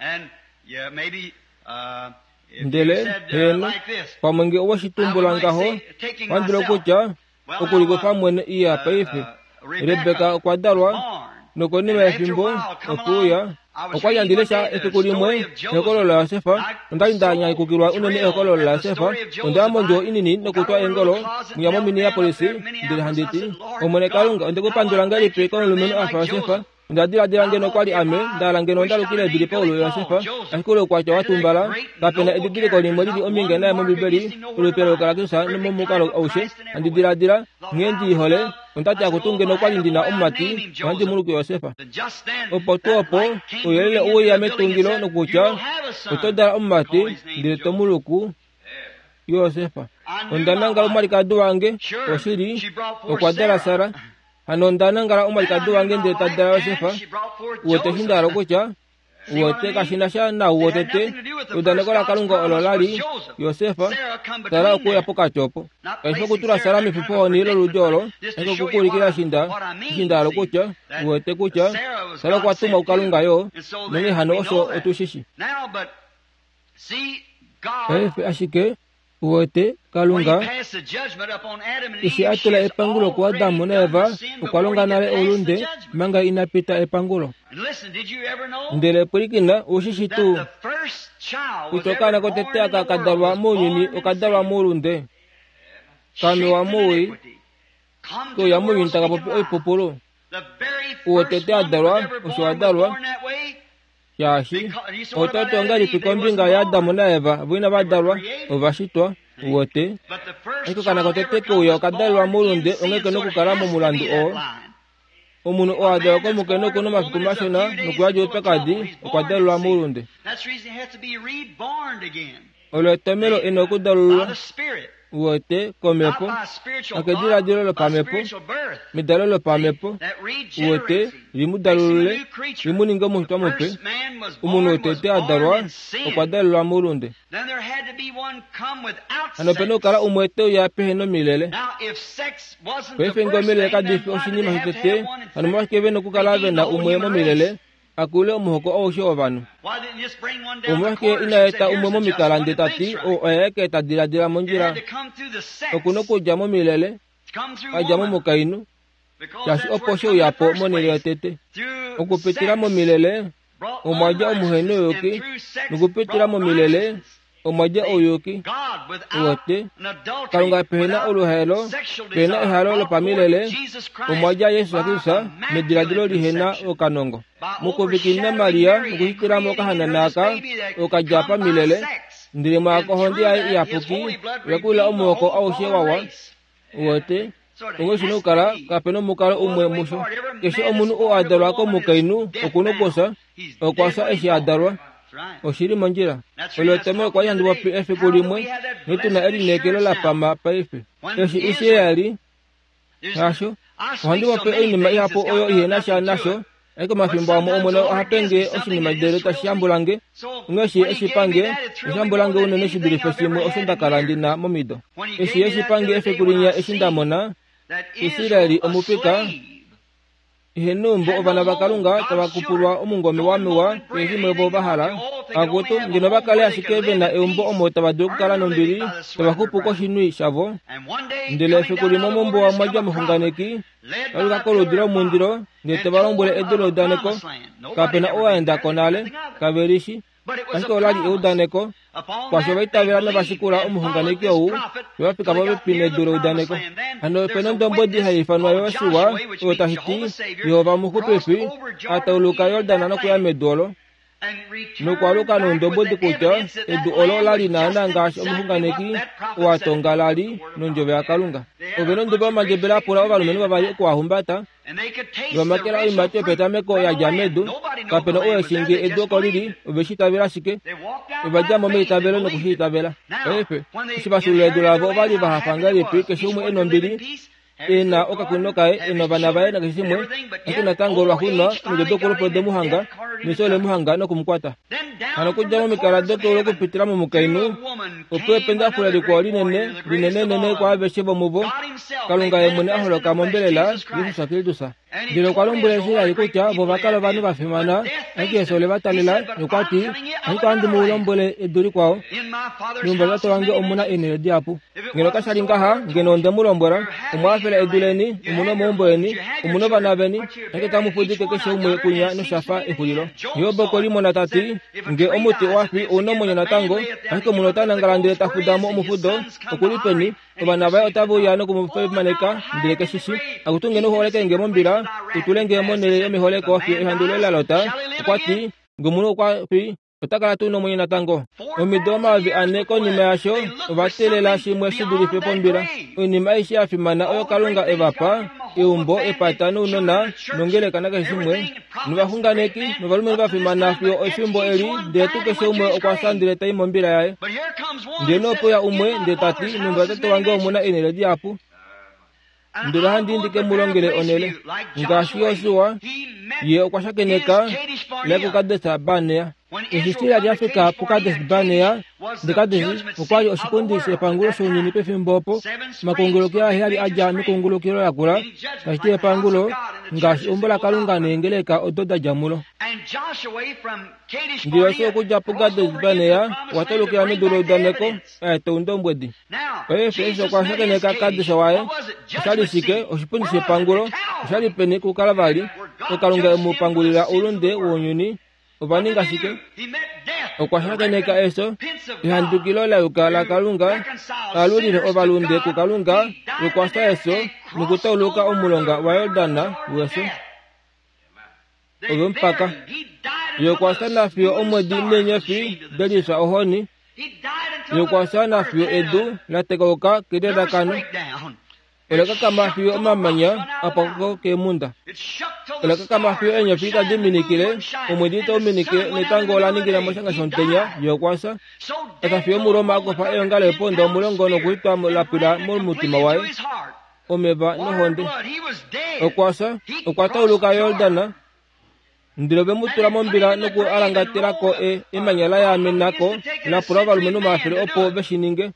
Ndele, heeno, pamwe nge owe shi tumbula ngaho, ohandi dulu okutya, Okulikufa mwene iya paife. Rebeka okwa dalwa. Nokonima yefimbo, okwe uya. Okwa li handi lesha efiku limwe ehokololo laJosef, nonda li nda nyakukilwa unene ehokololo laJosef. Onda ya mondjuwo inini nokutwa eengolo mwiya moMinneapolis, ndele handi ti, Omwene Kalunga, onde ku pandula ngahelipi komulumenhu a fa Josef? Onda diladila ngeno kwa li ame nda hala ngeno onda lukile Billy Paul Josef, ashike oukwatya wa tumbala. Kape na edidiliko limwe li li omhinge naye mOmbibeli, olupe loukalakusa nomomukalo aushe. Handi diladila, nghee ndi i hole, onda ti akutu ngeno kwa li ndi na omumati, ohandi mu luku Josef. Opo tuu opo, ouyelele owe uya metungilo nokutya, Oto dala omumati, ndele to mu luku Josef. Onda nangala omwalikadi wange, oshili, okwa dala Sara. Hano onda nangala omwalikadi wange ndele ta dala Josef. Uwete eshi nda hala okutya? Uwete, kashi na sha naau wotete. Eudaneko laKalunga olo la li Josef, Sara okwe uya pokati opo. Kashi fi okutula Sara mefifohoni loludi olo, ashike oku ku ulikila eshi nda, eshi nda hala okutya. Uwete kutya Sara okwa tumwa kuKalunga yo, nonghee hano osho otu shi shi. Paife ashike, uwete, Kalunga, eshi a tula epangulo kuAdam naEva, okwa longa nale oulunde manga ina pita epangulo. Ndele pwilikina, ou shi shi tuu kutya okaana kotete aka ka dalwa mounyuni oka dalwa moulunde? Ka mewa mowii, ke uya mounyuni taka popi oipupulu. Uwotete a dalwa, osho a dalwa. Shaashi, oto ti ongahelipi kombinga yaAdam naEva vo inava dalwa? Ova shitwa, u wete. Ashike okaana kotete ke uya oka dalelwa moulunde, onghee ke nokukala momulandu oo. Omunhu oo a dalwa komukainhu oku na omafiku mashona nokuyadi oupyakadi, okwa dalelwa moulunde. Olo etomhelo e na okudalululwa, uwete, kOmhepo, hakediladilo lopamhepo, medalo lopamhepo, uwete, li mu dalulule, li mu ninge omushitwa mupe. Omunhu wotete a dalwa, okwa dalelwa moulunde. Hano ope na okukala umwe te uya pehe nomilele. Paife ngee omilele kadi fi oshinima shotete, hano omolwashike ve na okukala ve na umwe momilele? a kule omuhoko aushe wovanhu. Omolwashike ina eta umwe momikala ndee ta ti, Ou oye aeke ta diladila mondjila? Oku nokudja momilele, a dja momukainhu, shaashi opo she uya po monhele yotete. Okupitila momilele omwa dja omuhenouyuki, nokupitila momilele omwa dja ouyuki. Uwete, Kalunga pehe na oluhaelo, pehe na ehalo lopamilele, omwa dja Jesus Kristus nediladilo lihe na okanongo. Mokuvikilina Maria nokushitila mo okahanana aka, oka dja pamilele, ndele mwaako ohonde yaye iyapuki oya kulila omuhoko aushe wawa. Uwete, onghee shi nokukala kape nomukalo umwe musho. Keshe omunhu oo a dalwa komukainhu oku nokufya, okwa fya eshi a dalwa. Oshi li mondjila. Olo etomhelo okwa li handi popi efiku limwe, nghee tu na elineekelo la pama paife. Eshi Israel, hasho. Ohandi popi oinima ihapu oyo ihe na sha nasho, ashike omafimbo amwe Omwene oha pe nge oshinima ndele tashi yambula nge. Onghee eshi e shi pa nge, osha yambula nge unene shi dulife shimwe osho nda kala ndi na momido. Eshi e shi pa nge efiku linya eshi nda mona Israel omupika, Ihe neumbo ovana vaKalunga tava kupulwa omungome wa mewa keshe shimwe vo va hala. Akutu, ngeno va kale ashike ve na eumbo omo tava dulu okukala nombili, tava xupu koshinwi shavo. Ndele efiku limwe mombuwa omwa dja omuxunganeki, ta luka koludi lomundilo, ndele te va lombwele edu leudaneko. Kape na ou a enda ko nale, kave li shi. Ashike ola li eudaneko. Kwaasho va itavela nova shikula omuxunganeki ou, yo va fika popepi nedu leudaneko. Hano ope na ondombwedi hai ifanwa Josua, oyo tashi ti, Jehova Omuxupifi, a tauluka Jordan nokuya medu olo, nokwaaluka noundombwedi kutya edu olo ola li naanaa ngaashi omuxunganeki oo a tonga la li nondjovo yaKalunga. Ove nonduba yomandjebele a pula ovalumenhu vavali oku a humbata, Vamakela oiimati yopetameko ya dja medu, kape na ou e shii ngee edu oko li li, ove shi itavela ashike. Ova dja mo meitavelo noku shi itavela. Paife, eshi va fyuulula edu lavo ova li va hafa ngahelipi keshe umwe e nombili, e na okakunino kaye, e na ovana vaye nakeshe shimwe, ashike natango lwaxuuninwa omido dokulupa ode mu hanga, nefyo ole mu hanga noku mu kwata. Hano okudja momikala dokeulu okupitila momukainhu, opo ependafule likwao linene, linenenene kwaaveshe vomuvo, Kalunga Ye mwene a holoka mombelela, Jesus Kristus. Ndele okwa lombwela Israel kutya vo ova kala ovanhu va fimana, ashike efyo ole va talela, nokwa ti, Ashike ohandi mu lombwele edu likwao, meumbo latate wange omu na eenhele dihapu. Ngeno kasha li ngaha, ngeno onde mu lombwela, Omwa hafela edu leni, omu na omaumbo eni, omu na ovana veni, ashike tamu fudike keshe umwe kunya nosha fa exulilo. Job okwe limona ta ti, Nge omuti owa fi ou na omwenyo natango, ashike omunhu ota nangala ndele ta fuda mo omufudo, oku li peni? Ovana vaye otave uya noku mu fimaneka, ndele ke shi shii. Akutu ngeno u holeke nge mombila, u tule nge monhele yomeholeko fiyo ehandu loye la lota. Okwa ti, Nge omunhu okwa fi, ota kala tuu nomwenyo natango? Omido 4000 konima yaasho, ova teelela shimwe shi dulife pombila. Oinima aishe ya fimana oyo Kalunga e va pa, eumbo, epata nounona, nongeleka nakeshe shimwe, novaxunganeki novalumenhu va fimana fiyo efimbo eli, ndele tuu keshe umwe okwa fya ndele ta i mombila yaye. Ndele nee ope uya umwe ndele ta ti, Meumbo latate wange omu na eenhele dihapu, ndele ohandi i ndi ke mu longele onhele. Ngaashi Josua, ye okwa shakeneka le kuKades Barnea. Eshi Israel ya fika puKades Barnea, Ndekadesi okwa li oshipundi shepangulo shounyuni pefimbo opo omakungulukilo aheyali a dja mekungulukilo lakula, tashi ti epangulo, ngaashi eumbo laKalunga neengeleka odo da dja mulo. Ndele Josua okudja puKades Barnea okwa taulukila medu leudaneko, a eta oundombwedi. Paife eshi okwa shakeneka Kades waye, osha li shike? Oshipundi shepangulo. Osha li peni kukala vali, oKalunga e mu pangulila oulunde wounyuni Ova ninga shike? Okwa shakeneka efyo, ehandukilo la yuka laKalunga, a lulile ovalunde kuKalunga, nokwa fya efyo nokutauluka omulonga waJordan wefyo. Ove mu paka. Ye okwa fya nafiyo omwedi neenyofi de lifya ohoni. Ye okwa fya nafiyo edu la tekauka kelelakano. Ola kakama fiyo omamanya a pwako keemhunda. Ola kakama fiyo eenyofi tadi minikile, omwedi tau minikile netango ola ningina moshanga shomutenya, ye okwa fya. Efa fiyo Omuroma a kufa eonga leeponda omulongo nokulitwa la pwila momutima waye, omeva nohonde. Okwa fya, okwa tauluka Yordan, Ndele ove mu tula mombila noku alangatela ko e, emanya la yaamena ko, la pula ovalumenhu omafele opo ve shi ninge.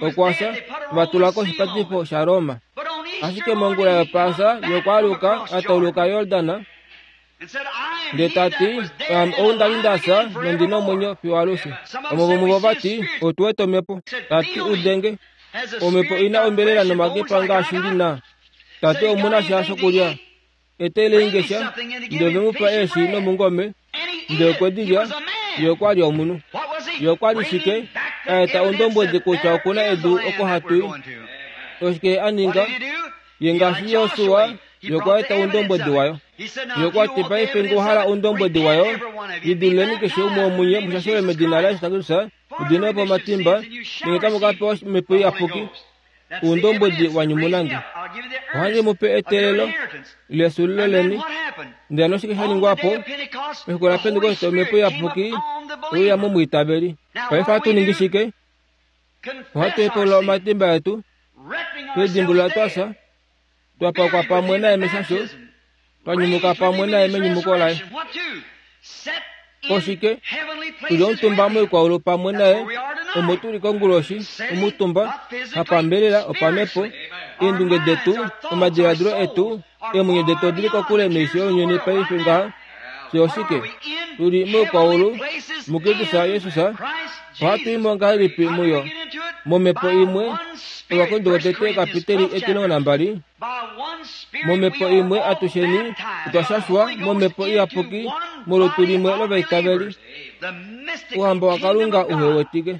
Okwa fya, va tula koshipatifo shaRoma. Ashike mongula yOpaasa ye okwa aluka, a tauluka Yordan, ndele ta ti, Aame ou nda li nda fya nondi na omwenyo fiyo alushe. Vamwe vomuvo va ti, Otu wete omhepo. Ta ti, Udenge, omhepo i na ombelela nomakepa ngaashi ndi na. Ta ti, Omu na sha shokulya? Etelei nge sha, ndele ove mu pa eeshi nomungome, ndele okwe di lya. Ye okwa li omunhu. Ye okwa li shike? A eta ondombwedi kutya oku na edu oko hatu i. Oshike ye a ninga? Ye ngaashi Josua, ye okwa eta oundombwedi wayo. Ye okwa ti, Paife nge owa hala oundombwedi wayo, lidiluleni keshe umwe womunye mu shashelwe medina laJesus Kristus, mu diminwe po omatimba, nenge tamu ka pewa Omhepo Iyapuki. Oundombwedi wa nyumuna nge. Ohandi mu pe eteelelo lesulilo leni. Ndele noshike sha ningwa po? Mefiku laPentekoste Omhepo Iyapuki oye uya momwiitaveli. Paife ohatu ningi shike? Ohatu hepaulula omatimba etu, twe lidimbulula twa fya, twa pakwa pamwe naye meshasho, twa nyumuka pamwe naye menyumuko laye. Oshike? Tu li omutumba moikwaulu pamwe naye, omo tu li konguloshi, omutumba, hapambelela, opamhepo. Eendunge detu, omadiladilo etu, eemwenyo detu odi li kokule noisho younyuni paife ngaha. Fye oshike? Tu li moikwaulu, muKristus Jesus. Ohatu i mo ngahelipi muyo? Momhepo imwe, Ovakorinto votete kapiteli 12. Momhepo imwe atusheni otwa shashwa momhepo iyapuki molutu limwe lovaitaveli. Ouhamba waKalunga uhe wetike.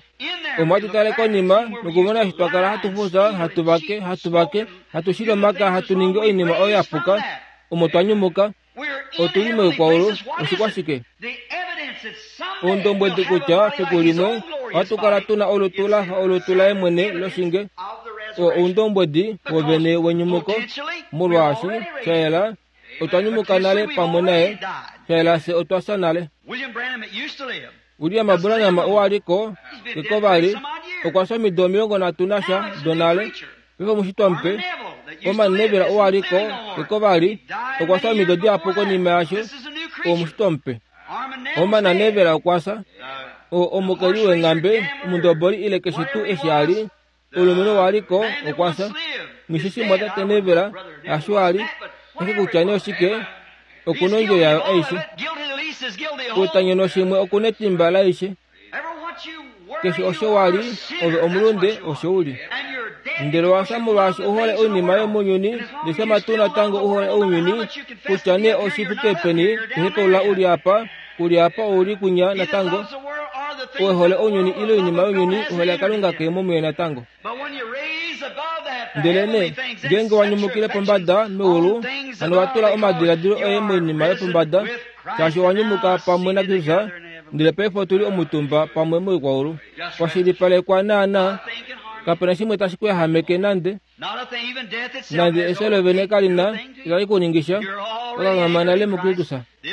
Omo hatu tale konima nokumona eshi twa kala hatu fufya, hatu vake, hatu vake, hatu shili omaka, hatu ningi oinima oyo ya puka, omo twa nyumuka. Otu li moikwaulu, oshikwashike? Oundombwedi kutya fiku limwe ohatu kala tu na olutu la fa olutu laye mwene loshinge. Oo oundombwedi wovene wenyumuko, molwaashi sha yela otwa nyumuka nale pamwe naye, sha yela fye otwa fya nale. William Branham oo a li ko keko vali, okwa fya omido 30 nasha donale. Paife omushitwa mupe, Orman Neville oo a li ko keko vali, okwa fya omido dihapu konima yaasho, oo omushitwa mupe. Orman Neville okwa fya, oo omukeli weenghambe, omundoboli ile keshe tuu eshi a li, omulumenhu oo a li ko okwa fya. Nghi shi shii Tate Neville, hasho a li. Ashike kutya nee oshike, oku na ondjo yayo aishe. Outanyono shimwe oku na etimba laaishe. Keshe osho wa li, ove omulunde, osho u li. Ndele owa fya molwaashi u hole oinima yomounyuni, ndele shama tuu natango u hole ounyuni, kutya nee oshi fike peni to hepaulula u li apa, ku li apa ou li kwinya natango, ou e hole ounyuni ile oinima younyuni, ohole yaKalunga ke mo muye natango. Ndelenee ngeenge wa nyumukile pombada meulu, hano wa tula omadiladilo oye moinima yopombada, shaashi owa nyumuka pamwe naKristus, ndele paife otu li omutumba pamwe moikwaulu. Kwa shilipalekwa naanaa, kape na shimwe tashi ku yahameke nande. Nande efyo lovene kali na itali ku ningi sha, wa kanghama nale muKristus.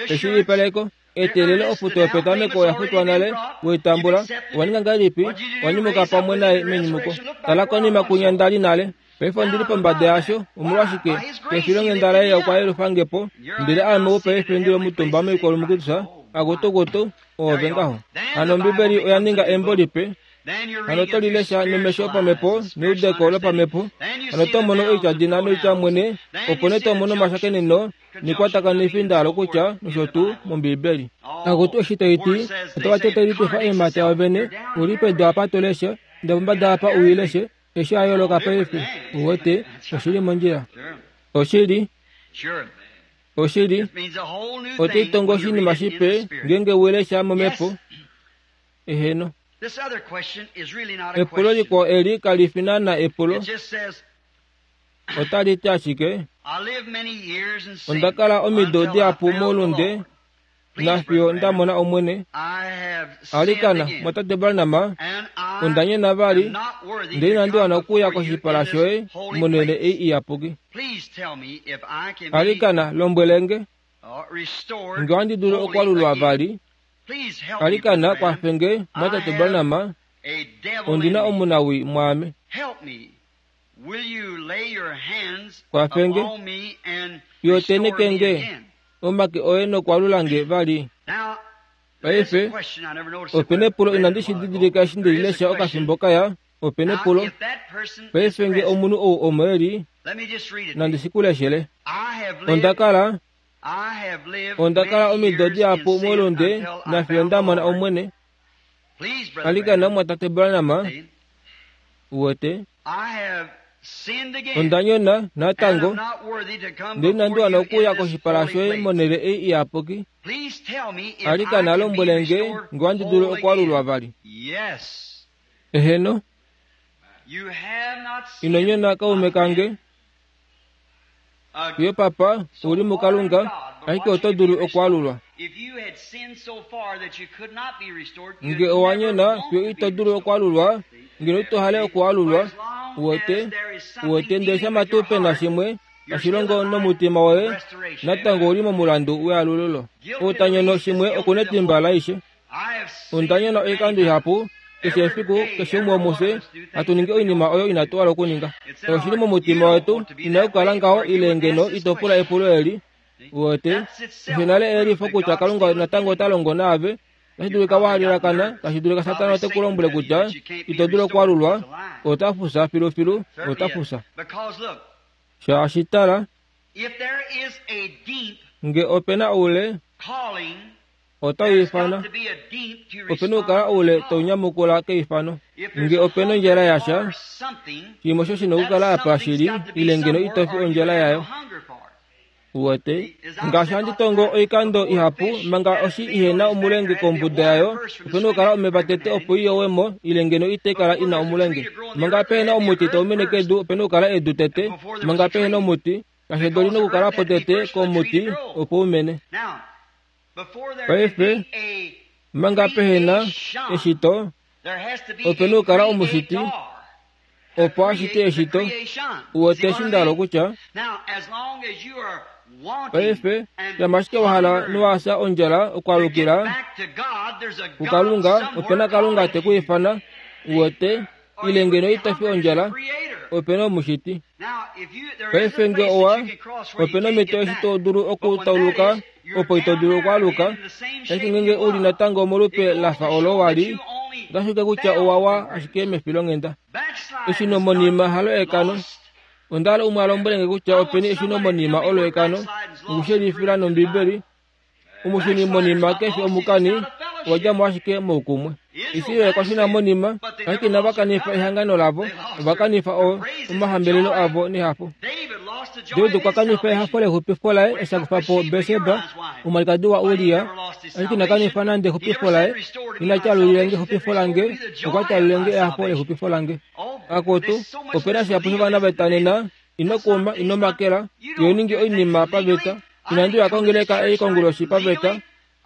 Eshilipaleko. Eteelelo ofuto yopetameko oya futwa nale, we i tambula. Owa ninga ngahelipi? Owa nyumuka pamwe naye menyumuko. Tala konima kwinya nda li nale. Paife ondi li pombada yasho. Omolwashike? Kefilonghenda laye okwa yelufa nge po, ndele ame ou paife ndi li omutumba moikwalumukutusa, akutukutu, oove ngaho. Hano Ombibeli oya ninga embo lipe. Hano oto li lesha nomesho opamhepo neudeko lopamhepo. Hano oto mono oityadina noitya mwene, opo nee to mono omashakeneno nekwatakanifi nda hala okutya nosho tuu mOmbiibeli. Akutu eshi tai ti, otava ti otai litufa eemhata yavo vene, u li pedu apa to leshe, ndele pombada apa u i leshe, eshi a yooloka paife. Uwete, oshi li mondjila. Oshili. Oshili. Otai tongo oshinima shipe ngeenge we lesha momhepo. Eheno. Epulo likwao eli kali fi naana epulo. Otali ti ashike, Onda kala omido dihapu moulunde nafiyo nda mona Omwene. Alikana, mwatate Branham, onda nyona vali, ndele inandi wana okuuya koshipala shoye monhele ei iyapuki. Alikana, lombwele nge, nge ohandi dulu okwalulwa vali. Alikana, kwafe nge, mwatate Branham, ondi na omunawii mwaame. Kwafe nge, yo teneke nge omake oye nokwalula nge vali. Paife, ope nepulo inandi shi didilika eshi nde li lesha okafimbo kaya. Ope nepulo. Paife nge omunhu ou omo e li, nandi shi ku leshele. Onda kala, onda kala omido dihapu moulunde nafiyo nda mona Omwene. Alikana omumwatate Branham, uwete, onda nyona natango, ndele inandi wana okuuya koshipala shoye monhele ei iyapuki. Alikana lombwele nge nge ohandi dulu okwaalulwa vali. Eheno. Ino nyona kaume kange. Yo papa, u li muKalunga, ashike oto dulu okwaalulwa. Nge owa nyona fiyo ito dulu okwaalulwa, ngeno ito hale okwaalulwa, uwete, uwete, ndele shama tuu pe na shimwe tashi longo nomutima woye, natango ou li momulandu wealululo. Ou ta nyono shimwe oku netimba laaishe. Onda nyona oikando ihapu, keshe efiku, keshe umwe womufye, hatu ningi oinima oyo inatu hala okuninga. Oshi li momutima wetu, ina okukala ngaho ile ngeno ito pula epulo eli. Uwete, osho nale eyelifo kutya Kalunga natango ota longo naave. Otashi dulika wa halelakana, tashi dulika Satana ote ku lombwele kutya ito dulu okwaalulwa, ota fufya filufilu, ota fufya. Shaashi tala, nge ope na oule, otau ifana. Ope na okukala oule tau nyamukula keifano. Nge ope na ondjala yasha, shimwe osho shi na okukala apa shili, ile ngeno ito fi ondjala yayo. Uwete, ngaashi handi tongo oikando ihapu, manga oshi ihe na omulenge kombuda yayo, ope na okukala omeva tete opo i yowe mo, ile ngeno itai kala i na omulenge. Manga pehe na omuti tau mene kedu, ope na okukala edu tete. Manga pehe na omuti, kashi edu oli na okukala po tete komuti opo u mene. Paife, manga pehe na eshito, ope na okukala omushiti opo a shite eshito. Uwete eshi nda hala okutya? Paife, shama ashike wa hala nowa fya ondjala okwaalukila kuKalunga, ope na Kalunga te ku ifana. Uwete? Ile ngeno ito fi ondjala, ope na omushiti. Paife nge owa, ope na omhito eshi to dulu okutauluka opo ito dulu okwaaluka, ashike ngeenge u li natango molupe la fa olo wa li, otashi ulike kutya owa wa ashike mefilonghenda. Eshinomonima halo ekano. Onda hala umwe a lombwele nge kutya openi eshunomonima olo ekano, nokushelifila nOmbibeli. Omushuni monima kefi omukani, owa dja mo ashike moukumwe. Israel okwa shuna monima, ashike inava kanifa ehangano lavo, ova kanifa o, omahambelelo avo nehafo. David okwa kanifa ehafo lexupifo laye eshi a kufa po Batseba, omwalikadi waUria, ashike ina kanifa nande exupifo laye. Ina tyalulile nge exupifo lange, okwa tyalulile nge ehafo lexupifo lange. Akutu, ope na shihapu shovana veta nena, ino kuma, ino makela, iho ningi oinima paveta. Inandi uya kongeleka ei konguloshi paveta.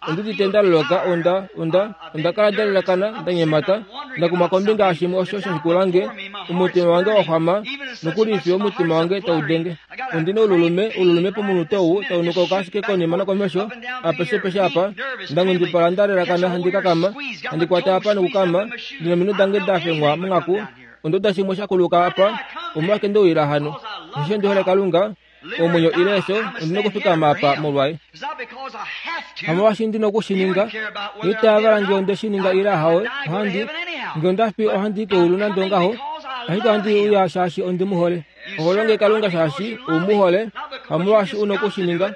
Ondi udite nda loloka, onda, onda, onda kala nda lelakana, nda nyemata, nda kumwa kombinga yashimwe osho sha shikula nge, omutima wange wa xwama, nokuli fiyo omutima wange tau denge. Ondi na oululume, oululume pomunute ou, tau nukauka ashike konima nokomesho, apeshepeshe apa, nda nghundipala nda lelakana handi kakama, handi kwata apa nokukama, ndi nominwe dange da fengwa monghaku, onda uda shimwe sha kuluka apa, omolwashike nde uyila hano? Osheshi ondi hole Kalunga, omwenyo ile efyo, ondi na okufikama apa molwaye. Hamolwaashi ndi na oku shi ninga, itava nge onde shi ninga ile ahawe, ohandi, nge onda fi ohandi i keulu nande ongaho, ashike ohandi uya shaashi ondi mu hole. Oho longe Kalunga shaashi u mu hole, hamolwaashi u na oku shi ninga,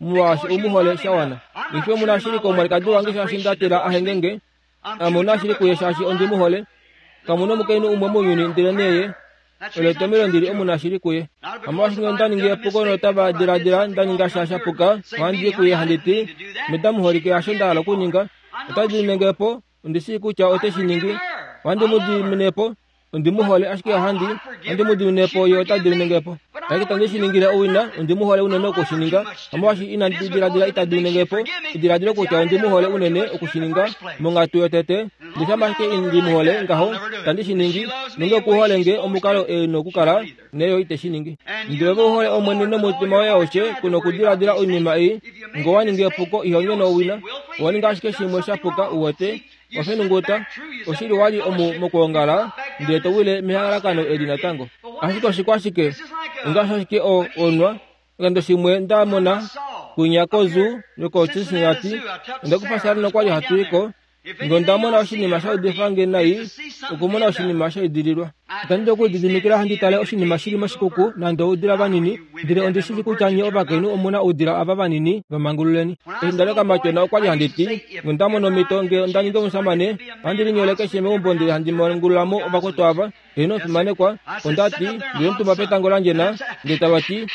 molwaashi u mu hole sha wana. Ife omu na shili komwalikadi wange shaashi nda tila a henge nge, Ame omu na shili kuye shaashi ondi mu hole. Kamu na omukainhu umwe mounyuni ndelenee ye. Olo etomhelo ndi li omunashili kuye. Omolwaashi ngeno nda ningi epuko notava diladila nda ninga sha sha puka, ohandi i kuye handi ti, Meda muholike, hasho nda hala okuninga. Ota dimine nge po, ondi shii kutya ote shi ningi. Ohandi mu dimine po, ondi mu hole, ashike ohandi, ohandi mu dimine po, ye ota dimine nge po. Ashike itandi shi ningile owina, ondi mu hole unene oku shi ninga. Omolwaashi inandi diladila ita dimine nge po, ediladilo kutya ondi mu hole unene oku shi ninga monghatu yotete, Ndele shama ashike ndi mu hole ngaho, itandi shi ningi, nenge oku hole nge omukalo e nokukala, neyo ite shi ningi. Ndele ove u hole Omwene nomutima woye aushe, ku nokudiladila oinima ei, nge owa ningi epuko, iho nyono owina, owa ninga ashike shimwe sha puka, uwete, wa fenunguta, oshili wa li omu mokwoongala, ndele to wile mehalakano eli natango. Ashike oshikwashike? Ongaashi ashike o, onwa, Oshikando shimwe nda mona kwinya kozoo yokoCincinnati, onda kufa Sarah nokwa li hatu i ko. Nge onda mona oshinima sha udifa nge nai, okumona oshinima sha idililwa. Itandi dulu okulididimikila handi tale oshinima shi li moshikuku nande oudila vanini, ndele ondi shii kutya nye ovakainhu omu na oudila ava vanini, va mangululeni. Eshi nda li okamatyona okwa li handi ti, nge onda mono omhito, nge onda ningi omushamane, ohandi linyole keshe meumbo ndele handi mangulula mo ovakwetu ava. Heeno omufimanekwa, onda ti, ndi li omutumba petango la ndjena, ndele tava ti,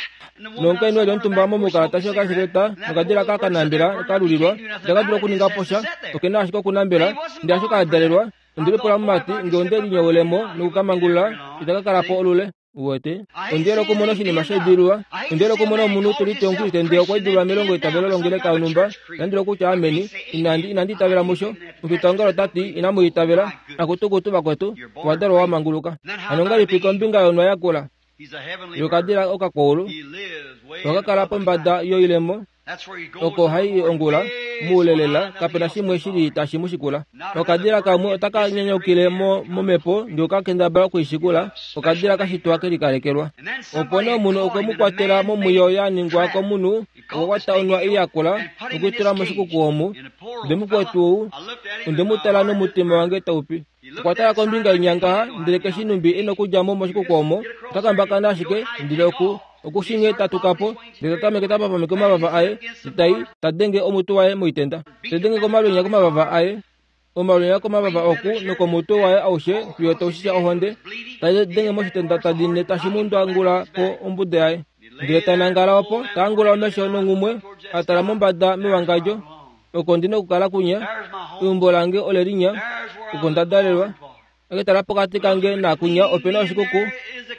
Nomukainhu e li omutumba momukala ta shi okashileta, nokadila ka ka nambela ka lulilwa, itaka dulu okuninga po sha, oke na ashike okunambela. Ndele asho ka dalelwa, ondi lipula mumati, nge onde linyowele mo noku ka mangulula, itaka kala po olule. Uwete? Ondi hole okumona oshinima sha idililwa. Ondi hole okumona omunhu te liti Omukriste ndele okwa idililwa melongo eitavelo longeleka yonhumba. Inandi dula okutya ameni. Inandi, inandi itavela musho. Omufitaongalo ota ti, Inamu itavela. Akutukutu vakwetu, owa dalwa wa manguluka. Hano ongahelipi kombinga yonhwa yakula yokadila okakwaulu, oka kala pombada yoilemo, oko hai i ongula, moule lela, kape na shimwe shi li tashi mu shikula. Okadila kamwe otaka nyanyaukile mo momhepo ndele oka kendabala oku i shikula, okadila ka shitwa ke likalekelwa. Opo nee omunhu okwe mu kwatela momwiyo ya ningwa komunhu, okwa kwata onhwa ei yakula noku i tula moshikuku omu. Ndele mukwetu ou, onde mu tala nomutima wange tau pi. Okwa tala kombinga inya ngaha, ndele keshi numbi e nokudja mo moshikuku omo, ota kambakana ashike, ndele oku, oku shii nghee ta tuka po, ndele ta tameke ta papameke omavava aye, ndele ta i, ta denge omutwe waye moitenda. Te denge komalwenya komavava aye, omalwenya komavava oku nokomutwe waye aushe fiyo tau shisha ohonde, ta denge moshitenda ta dine tashi mu ndwangula po ombuda yaye. Ndele ta nangala opo, ta angula omesho nonghumwe, a tala mombada mewangadjo, Oko ndi nokukala kunya, eumbo lange ole linya, oko nda dalelwa. Eke tala pokati kange naakunya ope na oshikuku,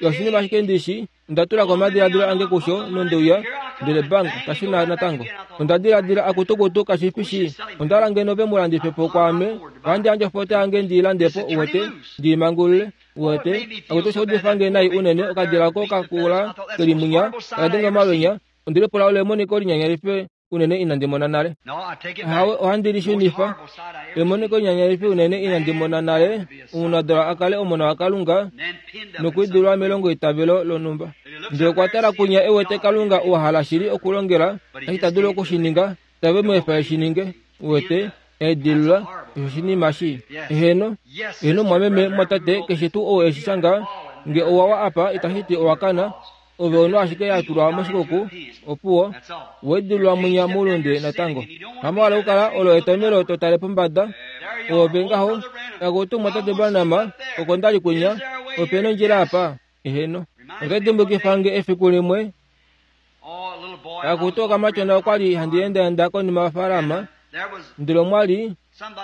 yo oshinima ashike ndi shi, onda tula ko omadiladilo ange kusho nonde uya, ndele bang, ta shuna natango. Onda diladila, Akutukutu, kashi fi shii. Onda hala ngeno ve mu landife po kwaame, ohandi yandje ofoto yange ndi i lande po, uwete, ndi i mangulule. Uwete, akutu osha udifa nge nai unene, okadila oko ka kula ke li munya, taka denge omalwenya. Onde lipula olo emoniko linyanyalife unene inandi mona nale. Ahawe, ohandi li shunifa. Emoniko linyanyalifi unene inandi mona nale, omunadolwa a kale omona waKalunga nokwiidilwa melongoitavelo lonhumba. Ndele okwa tala kwinya e wete Kalunga ua hala shili okulongela, eshi ta dulu oku shi ninga, itave mu efa e shi ninge. Uwete, eedililwa, osho oshinima shii. Eheno, eheno mumwameme, mumwatate, keshe tuu ou e shi shanga, Nge owa wa apa itashi ti owa kana, ove ono ashike ya tulwa moshikuku, opuwo, weedililwa mwinya moulunde natango. Hamo hala okukala olo etomelo to tale pombada, oove ngaho, akutu Mumwatate Branham, oko nda li kwinya, ope na ondjila apa? Eheno. Otai dimbukifa nge efiku limwe, akutu okamatyona okwa li handi endaenda konima yofaalama, ndele omwa li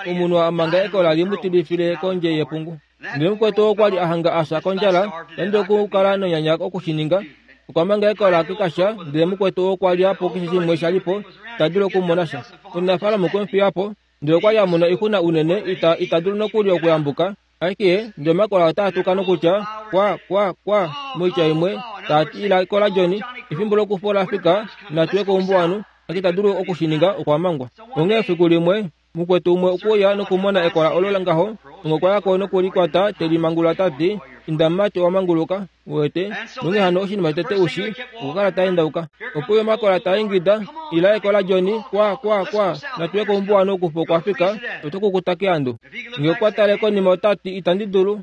omunhu a manga ekola li mu tilifile kondje yepungu. Ndele mukwetu okwa li a hanga a fya kondjala, ta dulu okukala nonyanya oku shi ninga. Okwa manga ekola kekasha, ndele mukwetu okwa lya po keshe shimwe sha li po, ta dulu okumona sha. Omunafaalama okwe mu fiya po, ndele okwa li a mona oixuna unene ita, ita dulu nokuli okuyambuka. Ashike ndele omakola otaa tuka nokutya, Kwa, kwa, kwa, moitya imwe, taa ti ila kola Johnny, efimbo lokufa ola fika, natu ye koumbuwanhu. Ashike ita dulu oku shi ninga, okwa mangwa. Onghee efiku limwe, Mukwetu umwe okwe uya nokumona ekola olo langaho, onghee okwa ya ko noku li kwata, te li mangulula ta ti, Inda mumati, owa manguluka. Uwete? Nonghee hano oshinima shotete u shii, okwa kala ta endauka. Opo uya omakola taa ingida, Ila ekola Johnny, kwa, kwa, kwa, natu ye koumbuwanhu okufa okwa fika, oto kukuta keandu. Nge okwa tale konima ota ti, Itandi dulu.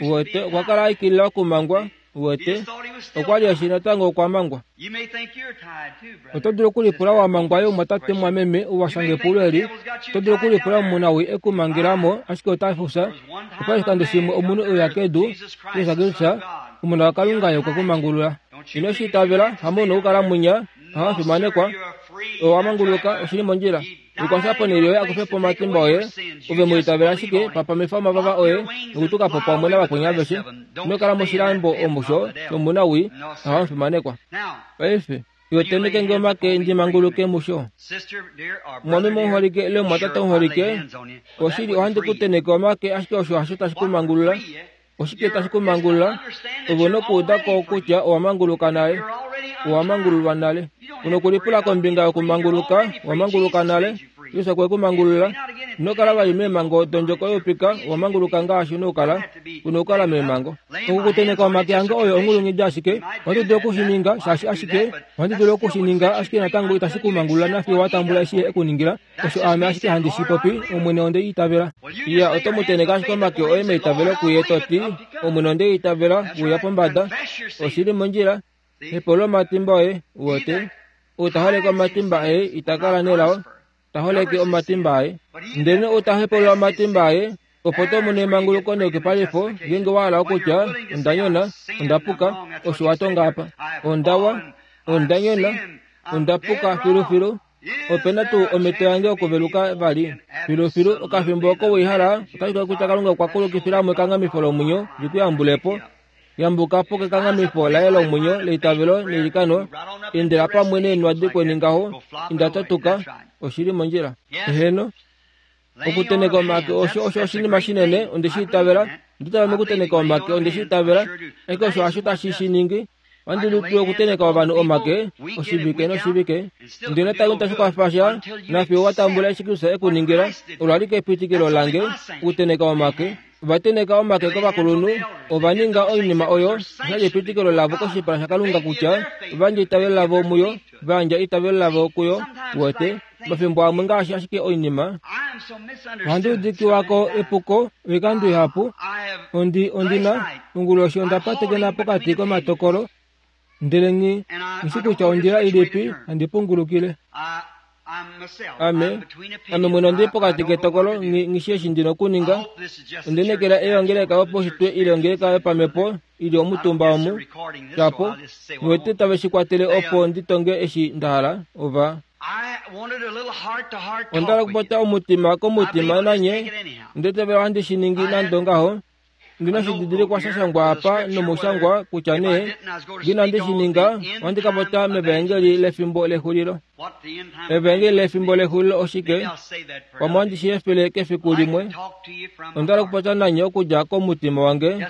Uwete, okwa kala a ikilila okumangwa. Uwete, okwa li eshi natango okwa mangwa. Oto dulu okulipula wa mangwa yo mwatate mwameme ou wa shanga epulo eli. Oto dulu okulipula omunawii e ku mangela mo, ashike ota fufya. Opa li oshikando shimwe omunhu e uya kedu, Jesus Kristus, Omona waKalunga, ye okwe ku mangulula. Ino shi itavela, hamo u na okukala mwinya, ohawa fimanekwa, owa manguluka, oshi li mondjila. Likwafela ponhele yoye a kufe po omatimba oye, ove mu itavela ashike, papamifa omavava oye nokutuka po pamwe navakweni aveshe. Ino kala moshilambo omo sho shomunawii nohamu fimanekwa. Paife, iwe tenheke nge omake ndi manguluke musho. Mumwameme omuholike ile mumwatate omuholike, oshili ohandi ku tenheke omake ashike osho hasho tashi ku mangulula. Oshike tashi ku mangulula? Ove u na okuuda ko kutya owa manguluka nale. Owa mangululwa nale. U na okulipula kombinga yokumanguluka. Owa manguluka nale. Jesus okwe ku mangulula. Ino kala vali meemhango dondjoko youpika. Owa manguluka ngaashi u na okukala. U na okukala meemhango. Okukuteneka omake ange oyo onghulunghedi ashike. Ohandi dulu oku shi ninga, shaashi ashike ohandi dulu oku shi ninga, ashike natango itashi ku mangulula nafiyo wa tambula eshi Ye e ku ningila. Osho aame ashike handi shi popi, Omwene onde itavela. Iya, oto mu tenheke ashike omake oye meitavelo kuye to ti, Omwene onde itavela, uya pombada. Oshi li mondjila. Hepaulula omatimba oye, uwete. Ou ta holeke omatimba aye ita kala nelao, ta holeke omatimba aye. Ndelenee ou ta hepaulula omatimba aye, opo to mono emanguluko neyukipalifo, ngeenge wa hala okutya, Onda nyona, onda puka, osho wa tonga apa. Onda wa, onda nyona, onda puka filufilu. Ope na tuu omhito yange yokuveluka vali? Filufilu, okafimbo oko we i hala, otashi dulika kutya Kalunga okwa kulukifila mo ekanghamifo lomwenyo li ku yambule po. Yambuka po kekanghamifo laye lomwenyo leitavelo neilikano, endela pamwe neenwa dikweni ngaho, inda to tuka, oshi li mondjila. Eheno. Okuteneka omake osho osho oshinima shinene, onde shi itavela. Onda itavela mokuteneka omake, onde shi itavela. Ashike osho hasho tashi shi ningi. Ohandi dulu tuu okuteneka ovanhu omake oshivike noshivike, ndele natango itashi kwafa sha, nafiyo wa tambula eshi Kristus e ku ningila. Olo alike epitikilo lange, okuteneka omake. Ova teneka omake kovakulunhu, ova ninga oinima oyo, osha li epitikilo lavo koshipala shaKalunga kutya ova yandja eitavelo lavo muyo, va yandja eitavelo lavo kuyo. Uwete? Omafimbo amwe ngaashi ashike oinima, ohandi udikiwa ko epuko oikando ihapu. Ondi, ondi na, onguloshi onda patekena pokati komatokolo, ndele nghi, nghi shi kutya ondjila ilipi handi pungulukile. Ame, ame mwene ondi li pokati ketokolo, nghi, nghi shi eshi ndi na okuninga. Onde nekela eongeleka yopaushitwe ile ongeleka yopamhepo i li omutumba omu, shapo, nghi wete tave shi kwatele opo ndi tonge eshi nda hala. Ova. Onda hala okupopya omutima komutima nanye, ndele tave ohandi shi ningi nande ongaho. Ndi na oshididilikwa sha shangwa apa nomushangwa kutya nee, nge inandi shi ninga, ohandi ka popya mevaengeli lefimbo lexulilo. Evaengeli lefimbo lexulilo oshike? Pamwe ohandi shi efele kefiku limwe. Onda hala okupopya nanye okudja komutima wange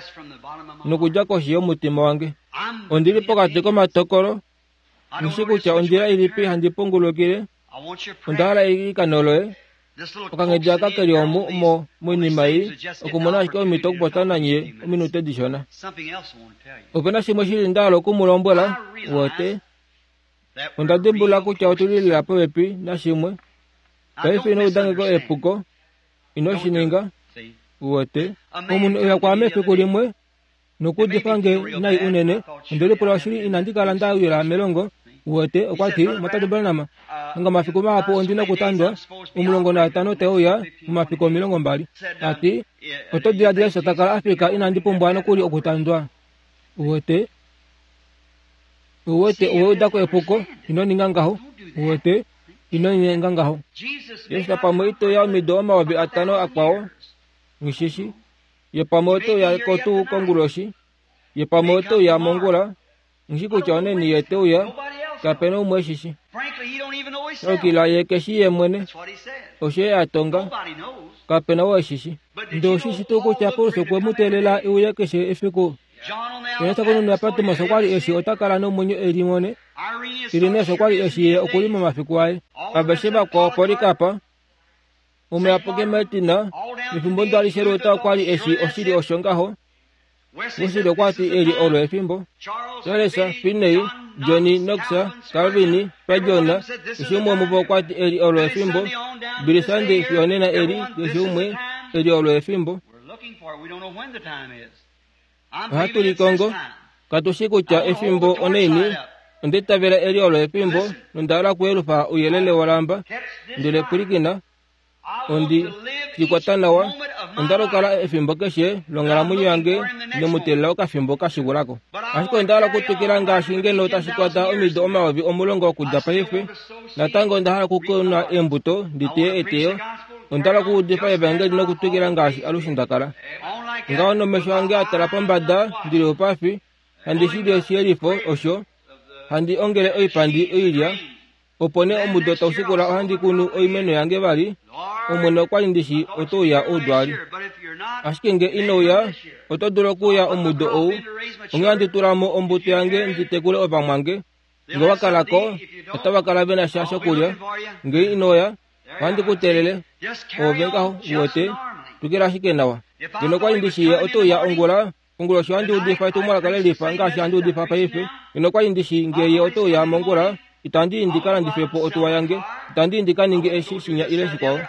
nokudja koshi yomutima wange. Ondi li pokati komatokolo. Nghi kutya ondjila ilipi handi pungulukile. Onda hala eilikano loye. Okanghedi aka ke li omu mo moinima ei, okumona ashike omhito okupopya nanye ominute dishona. Ope na shimwe shili nda hala oku mu lombwela, uwete. Onda dimbulula kutya otu li lela popepi nashimwe. Paife ino uda nge ko epuko. Ino shi ninga. Uwete. Omunhu e uya kwaame efiku limwe. Nokuudifa nge nai unene, onde lipula oshili inandi kala nda wila melongo. Uwete, okwa ti, Mwatate Branham, hanga omafiku mahapu ondi nokutandwa, 15 te uya, momafiku 20. Ta ti, Oto diladila eshi ta kala a fika inandi pumbwa nokuli okutandwa? Uwete? Uwete, owe uda ko epuko. Ino ninga ngaho. Uwete? Ino ninga ngaho. Jesus pamwe ito ya omido 5000 akwao. Nghishishi. Ye pamwe ote uya ko tuu konguloshi. Ye pamwe ote uya mongula. Nghi kutya oneni ye te uya. Kape na umwe eshi shi. Shokila ye ke shi ye mwene. Osho ye a tonga. Kape na oo eshi shi. Ndele oshi shi tuu kutya Paulus okwe mu teelela e uye keshe efiku? Johannes konima yaPatmos okwa li eshi ota kala nomwenyo e limone. Irenaeus okwa li eshi ye oku li momafiku aye. Aveshe vakwao Polycarp, Omuyapuki Martin, nefimbo ndo alishe Luther okwa li eshi oshili osho ngaho. Wesley okwa ti eli olo efimbo. Charles, Finney, Johnny Knox, Calvin, Spurgeon, keshe umwe womuvo okwa ti eli olo efimbo. Billy Sunday fiyo nena eli, keshe umwe, eli olo efimbo. Ohatu likongo. Katu shii kutya efimbo onaini. Onda itavela eli olo efimbo, nonda hala okuyelufa ouyelele wolamba. Ndele pwilikina, ondi shi kwata nawa. Onda hala okukala efimbo keshe longhalamwenyo yange nemuteelela okafimbo ka shikula ko. Ashike onda hala okutwikila ngaashi ngeno tashi kwata omido 10,000 okudja paife. Natango onda hala okukuna eembuto ndi teye eteyo. Onda hala okuudifa evangeli nokutwikila ngaashi alushe nda kala. Ngaho nomesho ange a tala pombada ndi li oupafi, handi shili oshiyelifo osho, handi ongele oipandi oilya, opo nee omudo tau shikula ohandi kunu oimeno yange vali. Omwene okwa li ndi shi oto uya oudwaali. Ashike nge ino uya, oto dulu okuuya omudo ou, onghee handi tula mo ombuto yange ndi tekule ovamwange. Nge owa kala ko, otava kala ve na sha shokulya. Nge ino uya, Ohandi ku teelele, oove ngaho, uwete, twikila ashike nawa. Ngeno okwa li ndi shii oto uya ongula, konguloshi ohandi udifa etumwalaka le lifa ngaashi handi udifa paife. Ngeno okwa li ndi shii nge ye ote uya mongula, itandi i ndi ka landife po otuwa yange, itandi i ndi ka ninge eshi, shinya ile shikwao.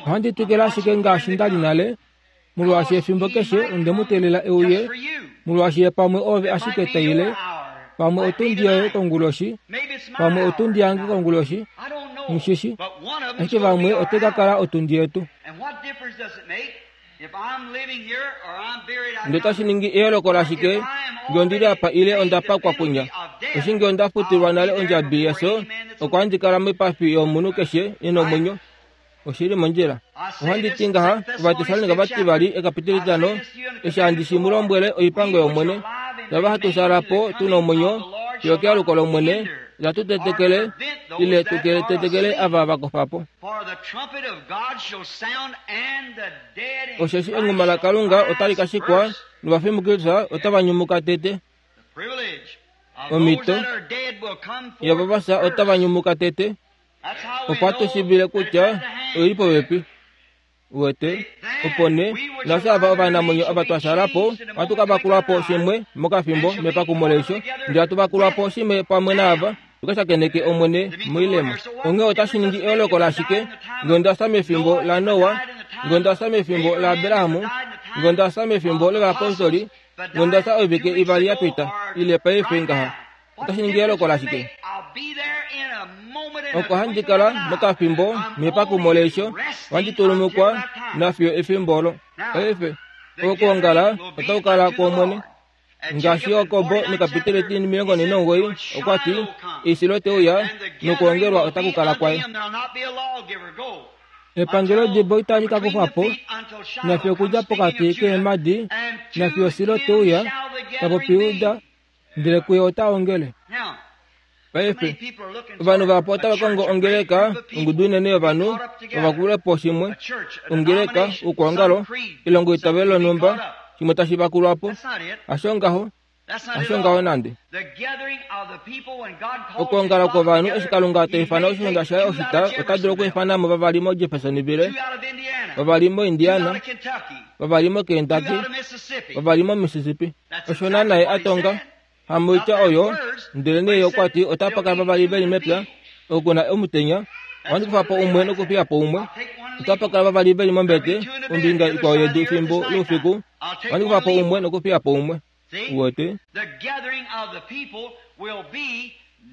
Ohandi twikile ashike ngaashi nda li nale, molwaashi efimbo keshe onde mu teelela e uye, molwaashi ye pamwe oove ashike ta ile, pamwe otundi yoye konguloshi, pamwe otundi yange konguloshi, nghi Ashike vamwe ote ka kala otundi yetu. Ndele otashi ningi eyooloko lashike nge ondi li apa ile onda pakwa kwinya? Eshi nge onda futilwa nale ondjabi yefyo, oko handi kala moipafi yomunhu keshe e na omwenyo. Oshi li mondjila. Ohandi ti ngaha, Ovatessalonika vativali, ekapiteli etitano, eshi handi shi mu lombwele oipango yOmwene, Tava hatu sala po tu na omwenyo fiyo kealuko lOmwene, itatu tetekele ile tu tetekele ava va kofa po. Osheshi enghuma laKalunga otali ka shikwa, novafi muKristus otava nyumuka tete. Omhito yavo va fya otava nyumuka tete, opo hatu shiivile kutya oi li popepi. Uwete? Opo nee, nafye ava ovanamwenyo ava twa shala po, ohatu ka vakulwa po shimwe mokafimbo mepakumo leisho, ndele hatu vakulwa po shimwe pamwe naava, tu ka shakeneke Omwene moilemo. Onghee otashi ningi eyooloko lashike nge onda fya mefimbo laNoa, nge onda fya mefimbo laAbraham, nge onda fya mefimbo lovayapostoli, nge onda fya oivike ivali ya pita, ile paife ngaha? Otashi ningi eyooloko lashike? Oko handi kala mokafimbo mepakumo leisho, ohandi tulumukwa nafiyo efimbo olo. Paife, okwoongala otaku kala kwOmwene. Ngaashi Jakob mekapiteli 49 okwa ti, Eisilo te uya, nokwoongelwa otaku kala kwaye. Epangelo dibo itali ka kufwa po, nafiyo okudja pokati keemhadi, nafiyo Silo te uya, ta popi Juda, ndele kuye ota ongele. Paife, ovanhu vahapu otava kongo ongeleka, ongudu inene yovanhu, va vakule po shimwe, ongeleka, oukwaongalo, elongoitavelo lonhumba, shimwe tashi vakulwa po. Hasho ngaho, hasho ngaho nande. Okwoongala kwovanhu, eshi Kalunga ta ifana oshiunda shaye oshita, ota dulu okwiifana mo vavali moJeffersonville, vavali moIndiana, vavali moKentucky, vavali moMississippi. Osho naana ye a tonga. Hamoitya oyo, ndelenee ye okwa ti otapa kala vavali ve li mepya, oku na omutenya, ohandi kufa po umwe nokufiya po umwe. Otapa kala vavali ve li mombete kombinga ikwao yedu efimbo loufiku, ohandi kufa po umwe nokufiya po umwe. Uwete?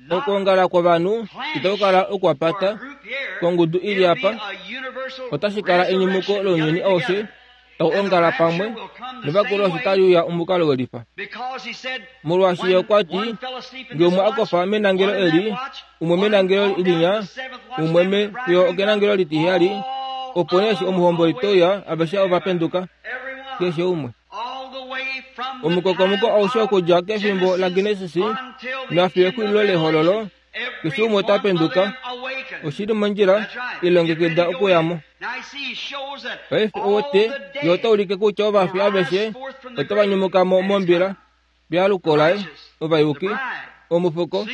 Okwoongala kwovanhu itaku kala okwapata kongudu i li apa. Otashi kala enyumuko lounyuni aushe tau ongala pamwe novakulu osho tali uya omukalo welifa. Molwaashi ye okwa ti, Nge umwe a kofa menangelo eli, umwe menangelo linya, umwe me fiyo okenangelo litiheyali, opo nee eshi omuhomboli te uya, aveshe ova penduka, keshe umwe. Omukokomoko aushe okudja kefimbo laGenesis nafiyo exulilo lehololo, keshe umwe ota penduka. Oshi li mondjila, ilongekida okuya mo. Paife ouwete, ye ota ulike kutya ovafi aveshe otava nyumuka mo mombila, pealuko laye, ovayuki, omufuko,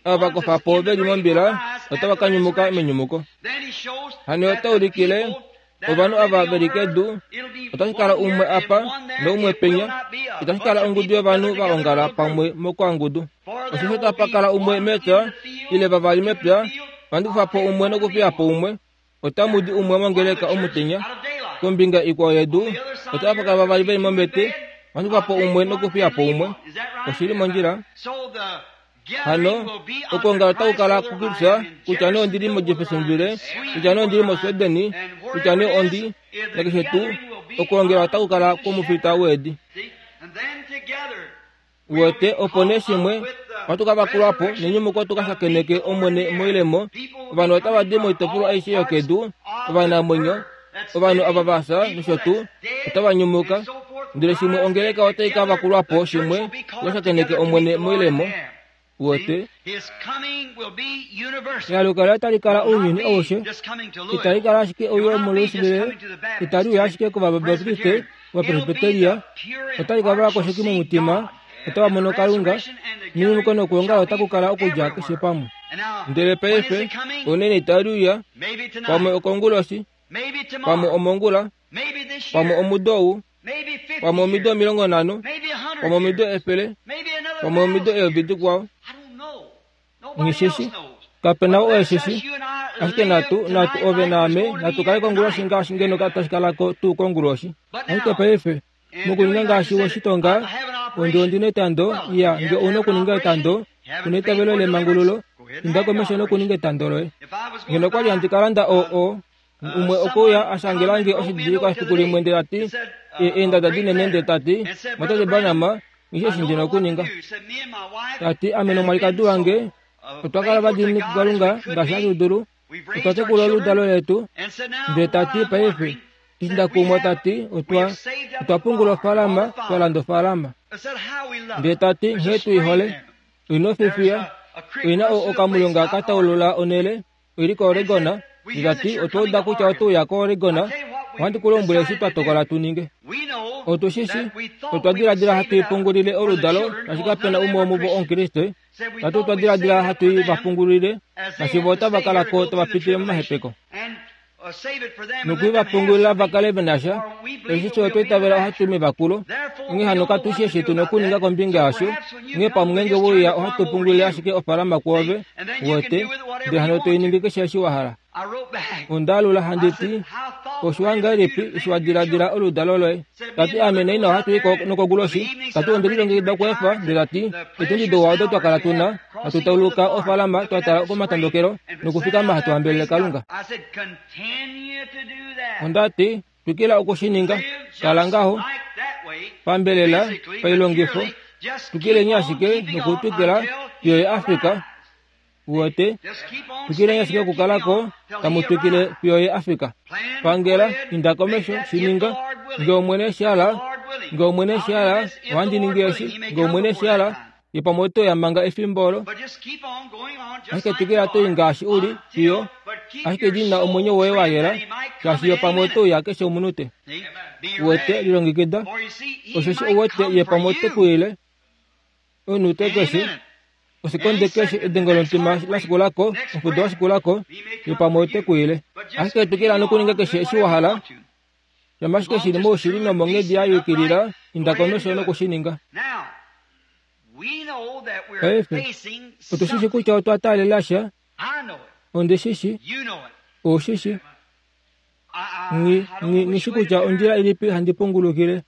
ava va kofa po ve li mombila otava ka nyumuka menyumuko. Hano ye ota ulikile ovanhu ava ve li kedu, otashi kala umwe apa noumwe penya, itashi kala ongudu yovanhu va ongala pamwe mokwangudu. Osheshi otapa kala umwe mepya, ile vavali mepya, ohandi kufa po umwe nokufiya po umwe. Otamu di umwe mongeleka omutenya, kombinga ikwao yedu, otava kala vavali ve li mombete, ohandi kufa po umwe nokufiya po umwe. Oshi li mondjila. Hano, okwoongala otaku kala kukupya, kutya nee ondi li moJeffersonville, kutya nee ondi li moSweden, kutya nee ondi, nakeshe tuu, okwoongela otaku kala kwomufita weedi. Uwete, opo nee shimwe, ohatu ka vakulwa po nenyumuko tu ka shakeneke Omwene moilemo. Ovanhu otava di moitopolwa aishe yokedu, ovanamwenyo, ovanhu ava va fya nosho tuu, otava nyumuka. Ndele shimwe ongeleka otai ka vakulwa po shimwe tu ka shakeneke Omwene moilemo. Uwete? Ealuko laye otali kala ounyuni aushe. Itali kala ashike ouyo muLouisville, itali uya ashike kOvabaptiste, Ovapresbiteria, otali kala ovakoshoki momutima, otava mono Kalunga, nenyumuko nokwoongala otaku kala okudja keshe pamwe. Ndele paife, ounene itali uya, pamwe okonguloshi, pamwe omongula, pamwe omudo ou, pamwe omido 50, pamwe omido 100, pamwe omido eyovi dikwao. Nghi shi shi. Kape na ou e shi shi. Ashike natu, natu ove naame, natu kale konguloshi ngaashi ngeno tashi kala ko tuu konguloshi. Ashike paife, mokuninga ngaashi we shi tonga, ondi ondi na etando, iya, nge ou na okuninga etando, u na eitavelo lemangululo, inda komesho nokuninga etando loye. Ngeno okwa li handi ka landa o, o, Umwe okwe uya a shangela nge oshididilikwa efiku limwe ndele ta ti, eendada dinene ndele ta ti, Mwatate Branham, nghi shii eshi ndi na okuninga. Ta ti, Ame nomwalikadi wange otwa kala ovadiinini kuKalunga ngaashi hatu dulu, otwa tekula oludalo letu. Ndele ta ti, Paife, eshi nda kumwa, ta ti, otwa, otwa pungula ofaalama, twa landa ofaalama. Ndele ta ti, Nghee tu i hole. Oi na ofifiya, oi na o, okamulonga ka taulula onhele. Oi li koOregon, nda ti, Otwa uda kutya oto uya koOregon. Ohandi ku lombwele eshi twa tokola tu ninge. Otu shi shi, otwa diladila hatu i pungulile oludalo, shaashi kape na umwe womuvo Omukriste. Tati otwa diladila hatu i va pungulile, shaashi vo otava kala ko tava pitile momahepeko. Noku i va pungulila va kale ve na sha. Eshi fye otwa itavela ohatu i mevakulo. Onghee hano katu shii eshi tu na okuninga kombinga yasho. Onghee pamwe ngeenge we uya ohatu pungulile ashike ofaalama kwoove, uwete, ndele hano to i ningi keshe eshi wa hala. Onda alula handi ti, Oshiwa ngahelipi eshi wa diladila oludalo loye? Ta ti, Ame naina ohatu i ko nokoguloshi. Ta ti, Onde lilongekida okweefa, ndele ta ti, Etundi douwa odo twa kala tu na, hatu tauluka ofaalama twa tala komatondokelo nokufikama hatu hambelele Kalunga. Onda ti, Twikila oku shi ninga. Kala ngaho, pambelela, pailongifo. Twikileni ashike nokutwikila fiyo ye a fika. Uwete? Twikileni ashike okukala ko, tamu twikile fiyo ye a fika. Pangela, inda komesho, shi ninga. Nge Omwene eshi hala, nge Omwene eshi hala, ohandi ningi eshi. Nge Omwene eshi hala, Ye pamwe oto ya manga efimbo olo. Ashike twikila to i ngaashi u li, fiyo, ashike dina omwenyo woye wa yela, shaashi ye pamwe oto uya keshe omunute. Uwete, lilongekida, osheshi uwete ye pamwe ote ku ile omunute keshe, osekonde keshe, edengo lomutima la shikula ko, omufudo wa shikula ko, ye pamwe ote ku ile. Ashike twikila nokuninga keshe eshi wa hala, Shama ashike shi li moushili nomonghedi ya yukilila, inda komesho noku shi ninga. Paife, otu shi shi kutya otwa taalela sha. Ondi shi shi. Ou shi shi. Nghi, nghi, nghi shi kutya ondjila ilipi handi pungulukile.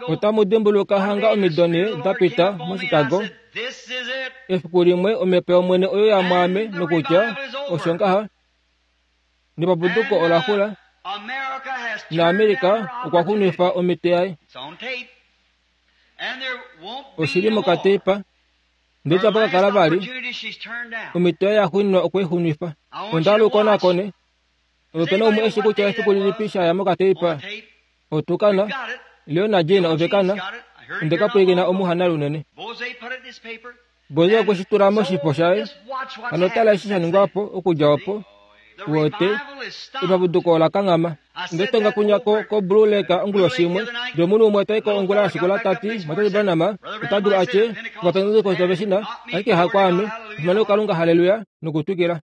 Otamu dimbuluka hanga omido 4 da pita moChicago. Efiku limwe omhepo yOmwene oyo ya mwaame nokutya osho ngaha. Nepapuduko ola xula. NaAmerika okwa xunifa omite yaye. Oshili mokateipa. Ndele itapa ka kala vali omhito yaye yaxuuninwa okwe i xunifa. Onda hala u konakone. Ope na umwe eshi kutya efiku lilipi sha ya mokateipa? Otukana, Leo naJean ove kana. Onde ka pwilikina omuhana lunene. Boze okwe shi tula moshifo shaye. Hano tala eshi sha ningwa po okudja opo. Wote, epapuduko ola kanghama. Onde tonga kunya ko, ko Blue Lake onguloshi imwe. Ndele omunhu umwe ota i ko ongula ya shikula ta ti, Mwatate Branham, ota dulu a tye, Ovapentekoste ove shi na, ashike hakwaame. Efimano kuKalunga, halleluya, nokutwikila.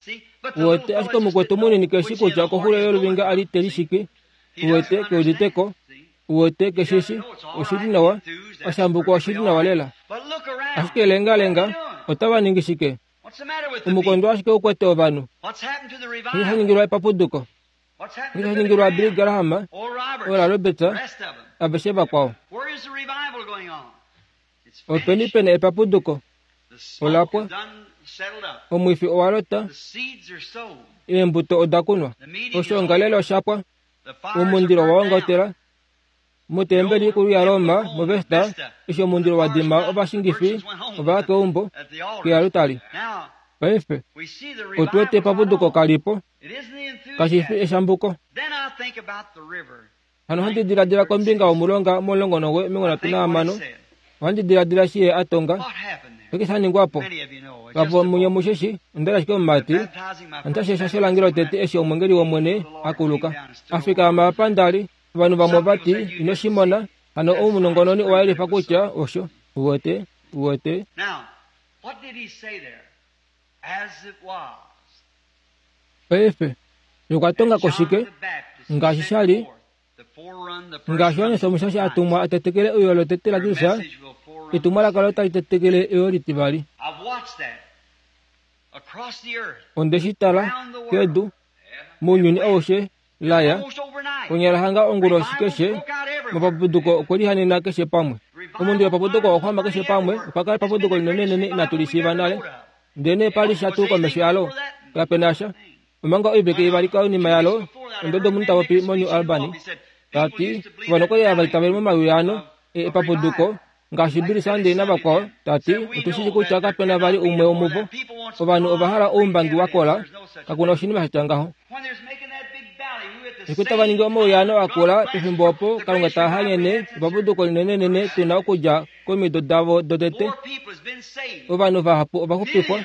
Uwete, ashike omukwetu munini ke shi kutya okoxulo yoluvinga a li te lishiki. Uwete, ke udite ko. Uwete, ke shi shi. Oshi li nawa. Oshambukwa oshi li nawa lela. Ashike lengalenga, otava ningi shike? Omukondo ashike u kwete ovanhu. Osho sha ningilwa epapuduko. Osho sha ningilwa Billy Graham, Oral Roberts, aveshe vakwao. Openi pe na epapuduko? Ola pwa. Omwifi owa lota. Eembuto oda kunwa. Oshoongalele osha pwa. Omundilo owa ongotela. Motembeli ikulu yaRoma, muVesta, eshi omundilo wa dima ovashingifi ova ya keumbo, kealutali. Paife, otu wete epapuduko kali po. Kashi fi eshambuko. Hano ohandi diladila kombinga womulonga momulongo 36. Ohandi diladila eshi ye a tonga. Oshike sha ningwa po? Vapo munye mushe shi, onda li ashike omumati. Onda shesha sho lange lotete eshi omwengeli wOmwene a kuluka. A fikama apa nda li. Ovanhu vamwe ova ti, Ino shi mona. Hano omunongononi owa yelifa kutya osho. Uwete? Uwete? Paife, ye okwa tonga ko shike? Ngaashi sha li, ngaashi Johannes Omushashi a tumwa a tetekele euyo lotete laJesus, etumwalaka olo tali tetekele euyo litivali. Onde shi tala kedu, mounyuni aushe, la ya konyala hanga onguloshi keshe mopapuduko okwe lihanena keshe pamwe. Omundilo wepapuduko owa xwama keshe pamwe. Opa kala epapuduko linenenene inatu li shiiva nale. Ndelenee pa li sha tuu komesho yalo? Kape na sha. Omanga oivike ivali konima yalo, ondodo omunhu ta popi moNew Albany, ta ti, Ovanhu okwa li hava itavele momawiyaano epapuduko, ngaashi Billy Sunday navakwao, ta ti, Otu shi shii kutya kape na vali umwe womuvo. Ovanhu ova hala oumbangi wa kola. Kaku na oshinima sha tya ngaho. Eshi tava ningi omauyaano a kula pefimbo opo Kalunga ta hanyene epapuduko linenenene tu na okudja komido davo dotete, ovanhu vahapu ova xupifwa,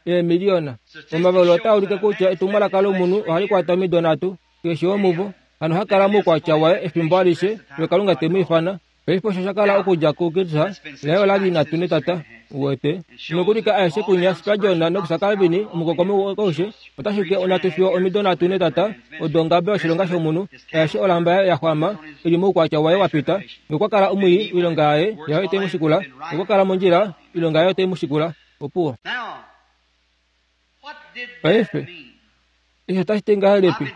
eemiliyona. Omavalulo otaa ulike kutya etumwalaka lomunhu ohali kwata omido nhatu. Keshe womuvo hano ha kala moukwatya waye efimbo alishe fiyo Kalunga te mu ifana. Paife osho sha kala okudja kuKirtza, laye ola li nhatu netata. Uwete? Nokulika aeshe kunya Spurgeon nokusa Calvin, omukokomi aushe, otashi ke onhatu fiyo omido nhatu netata, odo ongabe yoshilonga shomunhu, aeshe olamba yaye ya xwama, i li moukwatya waye wa pita. Nge okwa kala omwii, oilonga yaye, yaye otai mu shikula. Nge okwa kala mondjila, oilonga yaye otai mu shikula. Opuwo. Paife, eshi otashi ti ngahelipi?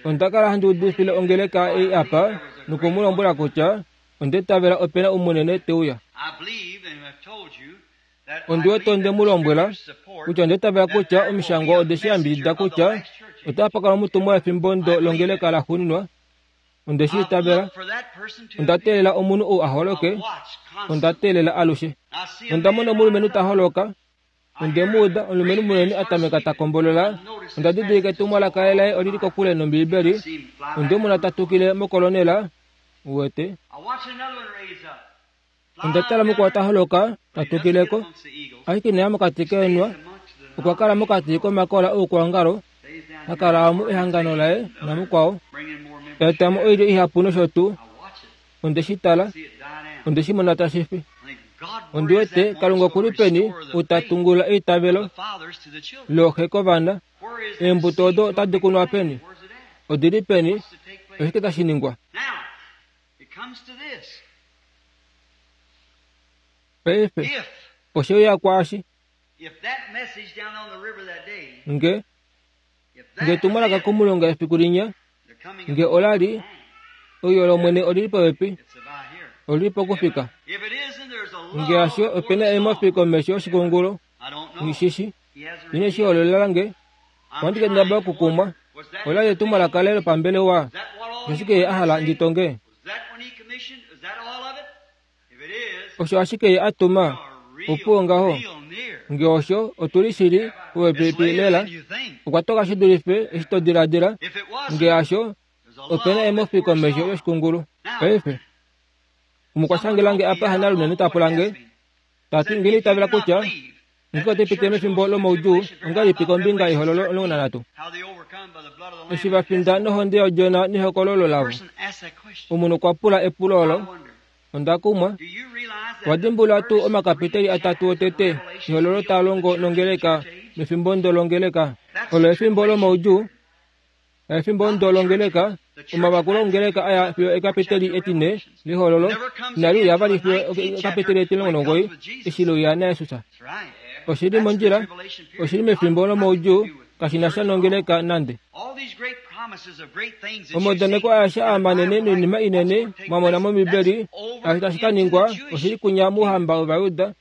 Onda kala handi udifile ongeleka ei apa noku mu lombwela kutya onda itavela ope na umunene te uya. Ondi wete onde mu lombwela kutya onda itavela kutya Omishangwa ode shi yambidida kutya otapa kala omutumwa wefimbo ndo longeleka laxuuninwa. Onde shi itavela. Onda teelela omunhu ou a holoke. Onda teelela alushe. Onda mona omulumenhu ta holoka. Onde mu uda omulumenhu munene a tameka ta kombolola. Onda didilika etumwalaka laye oli li kokule nOmbiibeli. Onde mu mona ta tukile mokolonela. Uwete? Onda tala mukwao ta holoka, ta tukile ko. Ashike ina ya mokati keenhwa. Okwa kala mokati komakola oukwaongalo, ha kala omu ehangano laye namukwao. Ta eta mo oilyo ihapu nosho tuu. Onde shi tala. Onde shi mona tashi fi. Ondi wete Kalunga oku li peni ou ta tungulula eitavelo looxe kovana? Eembuto odo otadi kunwa peni? Odi li peni? Oshike tashi ningwa? Paife, oshe uya kwaashi. Nge nge etumwalaka komulonga efiku linya, nge ola li, Euyo lOmwene oli li popepi, oli li pokufika. Nge hasho, ope na eemofi komesho yoshikungulu. Nghi shi shi. Ine shi hololela nge. Ohandi kendabala okukumwa. Ola li etumwalaka laye lopambelewa. Oshike ye a hala ndi tonge? Osho ashike ye a tuma. Opuwo ngaho. Nge osho, otu li shili popepi lela. Okwa toka shi dulife eshi to diladila. Nge hasho, ope na emofi komesho yoshikungulu. Paife, omukwashangela nge apa Hanalunene ta pula nge, ta ti, Nge itavela kutya nge ote pitile mefimbo lomaudjuu ongahelipi kombinga yehololo 13? Eshi va finda nohonde yOdjona nehokololo lavo. Omunhu okwa pula epulo olo. Onda kumwa. Owa dimbulula tuu omakapiteli atatu otete ehololo taa longo nongeleka mefimbo ndo longeleka? Olo efimbo lomaudjuu. Efimbo ndo longeleka, omavakulo ongeleka aya fiyo ekapiteli etine lehololo inali uya vali fiyo ekapiteli etilongo nomugoyi eshi leuya naJesus. Oshi li mondjila, oshi li mefimbo lomaudjuu, kashi na sha nongeleka nande. Omaudaneko aeshe aa manene noinima inene mwa mona mOmbibeli, aasho tashi ka ningwa, oshi li kunya mouhamba wOvayuda,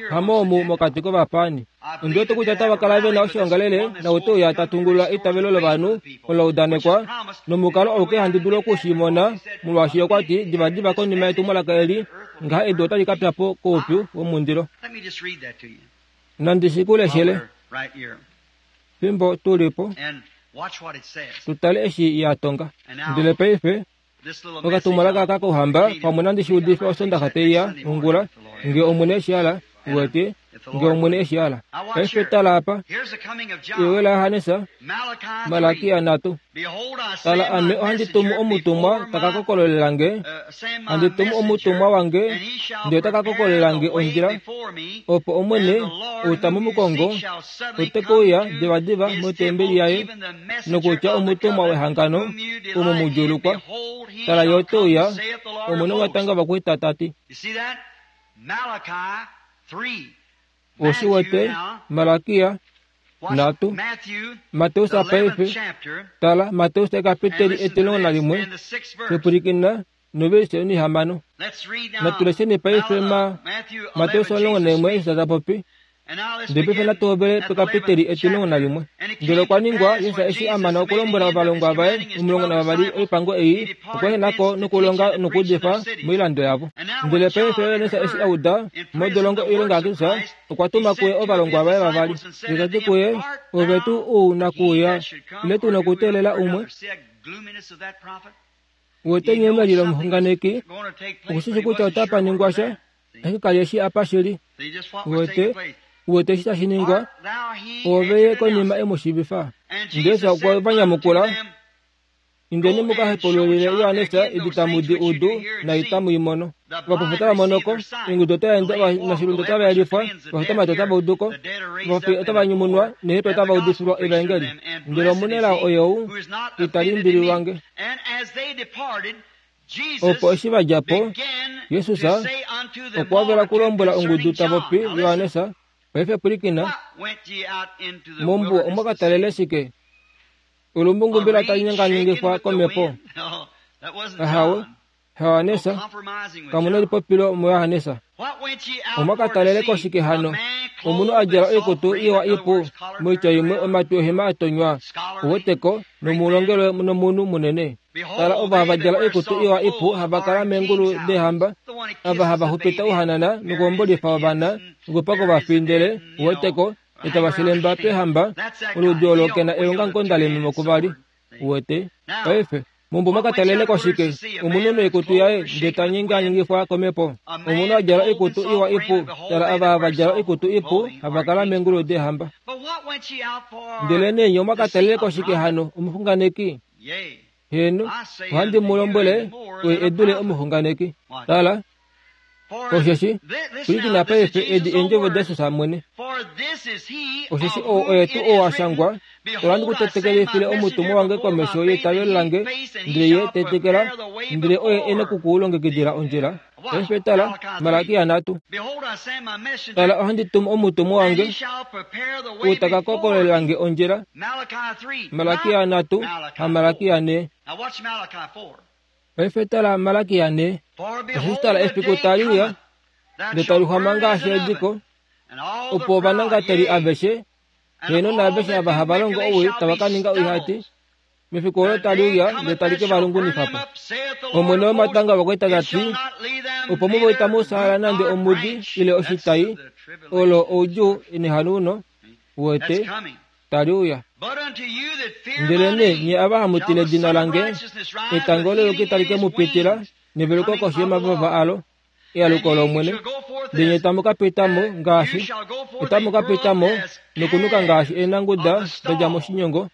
Hamoomu mokati kovapaani. Ondi wete kutya otava kala ve na oshoongalele naute uya ta tungulula eitavelo lovanhu olo la udanekwa, nomukalo auke handi dulu oku shi mona, molwaashi okwa ti, divadiva konima yetumwalaka eli, ngaha edu otali ka pya po koupyu womundilo. Nandi shi ku leshele fimbo tu li po, tu tale eshi ya tonga. Ndele paife, Okatumwalaka aka kOuhamba pamwe nandi shi udife Osondaxa tai ya ongula, nge Omwene e shi hala, uwete, nge Omwene e shi hala. Paife tala apa. Ewe laJohannes, Malakia nhatu. Tala, ame ohandi tumu omutumwa ta ka kokololela nge, handi tumu omutumwa wange, ndele ota ka kokololela nge ondjila, opo Omwene, ou tamu mu kongo, ote ke uya divadiva motembeli yaye, nokutya omutumwa wehangano omo mu djuulukwa. Tala, ye ote uya, Omwene womatanga ovakwaita ta ti. Ou shi wete, Malakia nhatu, Mateus paife, tala, Mateus ekapiteli etilongo nalimwe, shipwilikina novelishe onihamano. Natu lesheni paife ma Mateus 11 eshi ta popi. Ndele paife natu hovele pekapiteli etilongo nalimwe. Ndele okwa ningwa, Jesus eshi a mana okulombwela ovalongwa vaye 12 oipango ei, okwa ehena ko nokulonga nokuudifa moilando yavo. Ndele paife Johannes eshi a uda modolongo oilonga yaJesus, okwa tuma kuye ovalongwa vaye vavali, ndele ta ti kuye, Ove tuu ou na kuuya, ile tu na okuteelela umwe? Uwete nghee meli lomuxunganeki okushi shi kutya otapa ningwa sha, ashike ka li eshi apa shili. Uwete, uwete eshi tashi ningwa? Oove ye konima e mu shiivifa. Ndele Jesus okwe va nyamukula, Indeni mu ka hepaululile Johannes edi tamu di udu naitamu i mono. Ovapofi otava mono ko, eengudu otava ende, ovanashilundu otava yelifwa, ovafutamati otava udu ko, ovafi otava nyumunwa, neehepele otava udifilwa evaengeli. Ndele omunelao oyou, ita limbililwa nge. Opo eshi va dja po, Jesus okwa hovela okulombwela ongudu ta popi Johannes, Paife pwilikina, mombuwa omwa ka talele shike? Olumbungu mbela tali nyanganyangifwa komhepo? Ahawe, Johannes, kamu na elipopilo muJohannes. Omwa ka talele ko shike hano? Omunhu a djala oikutu iwa ipu, moitya imwe omatwi ohema a tonywa, uweteko, nomulongelwe nomunhu munene. Tala ovo hava djala oikutu iwa ipu hava kala meengulu deehamba, ava hava xupita ouhanana nokuhombolifa ovana nokupa kovafi ndele, uweteko, itava shilemba peehamba, oludi olo ke na eongamukonda lememo kuvali. Uwete? Paife, mombuwa mwa ka talele ko shike? Omunhu noikutu yaye nge ta nyenganyengifwa komhepo. Omunhu a djala oikutu iwa ipu. Tala ava hava djala oikutu ipu hava kala meengulu deehamba. Ndelenee nye omwa ka talele ko shike hano, omuxunganeki? Heeno, ohandi mu lombwele, oye e dule omuxunganeki. Tala, Osheshi, pwilikina paife edi eendjovo daJesus mwene. Osheshi ou oye tuu ou a shangwa, Ohandi ku tetekelifile omutumwa wange komesho yeitavelo lange, ndele ye tetekela, ndele oye e noku ku longekidila ondjila. Paife tala, Malakia nhatu. Tala, ohandi tumu omutumwa wange, ou ta ka kokolela nge ondjila. Malakia nhatu, haMalakia nhe. Paife tala Malakia nhe. Osheshi tala efiku tali uya, ndele tali xwama ngaashi ediko, opo ovanangateli aveshe, heeno naaveshe ava hava longo owii tava ka ninga oihati, mefiku olo tali uya ndele tali ke va lungunifa po. Omwene womatanga ovakwaita ta ti, Opo muvo itamu fyaala nande omudi ile oshitai, olo oudjuu nehanauno, wete, tali uya. Ndelenee nye ava hamu tila edina lange, etango leyoki tali ke mu pitila, neveluko koshi yomavava alo, ealuko lOmwene, ndele nye tamu ka pita mo ngaashi otamu ka pita mo nokunuka ngaashi eenanguda da dja moshinyongo,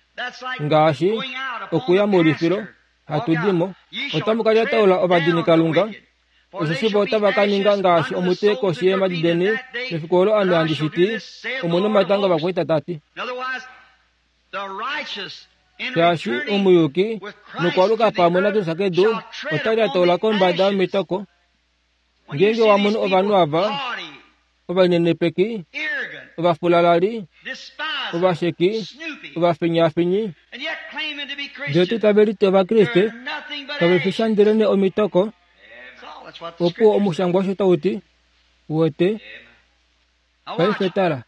ngaashi okuya moulifilo hatu di mo. Otamu ka lyataula ovadinikalunga, osheshi vo otava ka ninga ngaashi omute koshi yeemhadi deni mefiku olo ame handi shi ti, Omwene womatanga ovakwaita ta ti. Shaashi omuyuki nokwaluka pamwe naKristus kedu ota lyataula kombada yomitoko. Ngeenge wa mono ovanhu ava ovalinenepeki, ovafulalali, ovasheki, ovafinyaafinyi, ndele tuu tave liti Ovakriste, kave fi sha ndelenee omitoko, opuwo omushangwa osho tau ti, Uwete? Paife tala,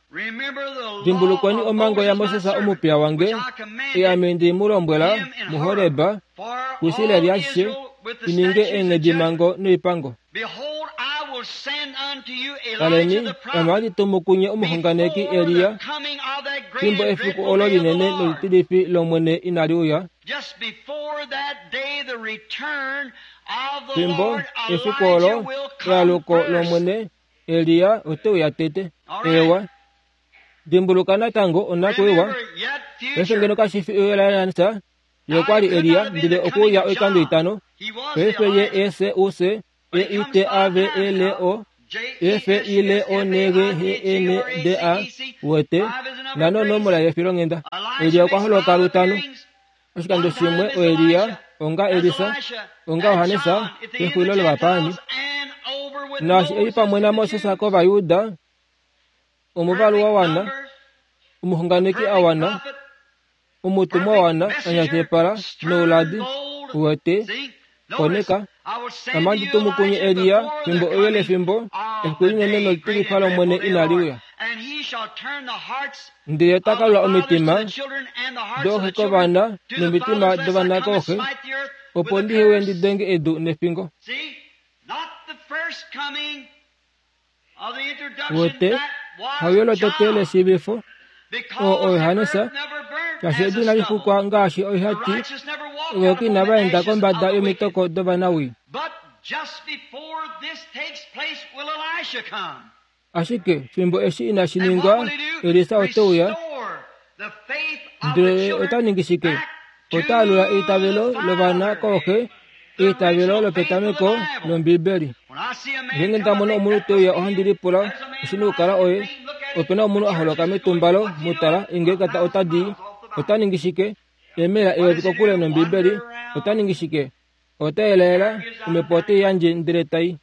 dimbulukweni omhango yaMoses omupiya wange, ei ame nde mu lombwela muHoreb, kuIsrael ashishe, i ninge eenghedimhango noipango. Taleni, ame ohandi tumu kunye omuxunganeki Elia, fimbo efiku olo linene nolitilifi lOmwene inali uya. Fimbo efiku olo ealuko lOmwene, Elia ote uya tete. Eewa. Dimbuluka natango onakwiiwa. Paife ngeno kashi fi euyo laElisa, ye okwa li Elia, ndele okwe uya oikando itano. Paife ye E C U C E I T A V E L O E F I L O N G H E N D A wete nano onomola yefilonghenda. Elia okwa holoka lutano. Oshikando shimwe oElia, onga Elisa, onga Johannes pexulilo lovapaani. Naashi e li pamwe naMoses kOvajuda, omuvalu wa wana, omuxunganeki a wana, omutumwa a wana, a nyatepala nouladi, uwete, koneka, Ame ohandi tumu kunye Elia fimbo euyo lefimbo, efiku linene nolitilifa lOmwene inali uya. Ndele ta ka lula omitima dooxe kovana nomitima dovana kooxe, opo ndi uye ndi denge edu nefingo. Wete, hauyo lotete leshiivifo, oo oJohannes, shaashi edu inali xukwa ngaashi oihati, ovayuki inava enda kombada yomitoko dovanawii. Ashike fimbo eshi inashi ningwa, Elisa ote uya. Ndele ota ningi shike? Ota alula eitavelo lovana kooxe, eitavelo lopetameko lOmbiibeli. Ngeenge nda mono omunhu te uya ohandi lipula, Oshi na okukala oye? Ope na omunhu a holoka metumbalo, mu tala, eengeleka otadi i. Ota ningi shike? Eemaila eyovi kokule nOmbiibeli. Ota ningi shike? Ota elaela, omhepo ote i yandje ndele tai.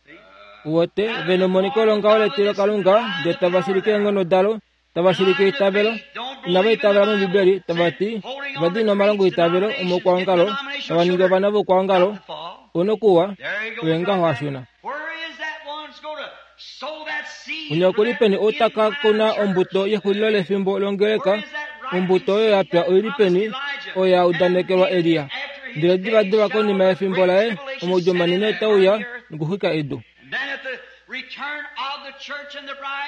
Uwete, ve nemoniko longaho letilokalunga, ndele tava shilike eenghono dalo, tava shilike eitavelo. Inava itavela mOmbibeli, tava ti, ova dina omalongo eitavelo omoukwaongalo, tava ningi ovana voukwaongalo. Onokuwa, oye ngaho a shuna. Unya oku li peni ou ta ka kuna ombuto yexulilo lefimbo longeleka? Ombuto oyo ya pya oi li peni, oyo ya udanekelwa Elia? Ndele divadiva konima yefimbo laye, omaudjuu manene otae uya nokuxwika edu.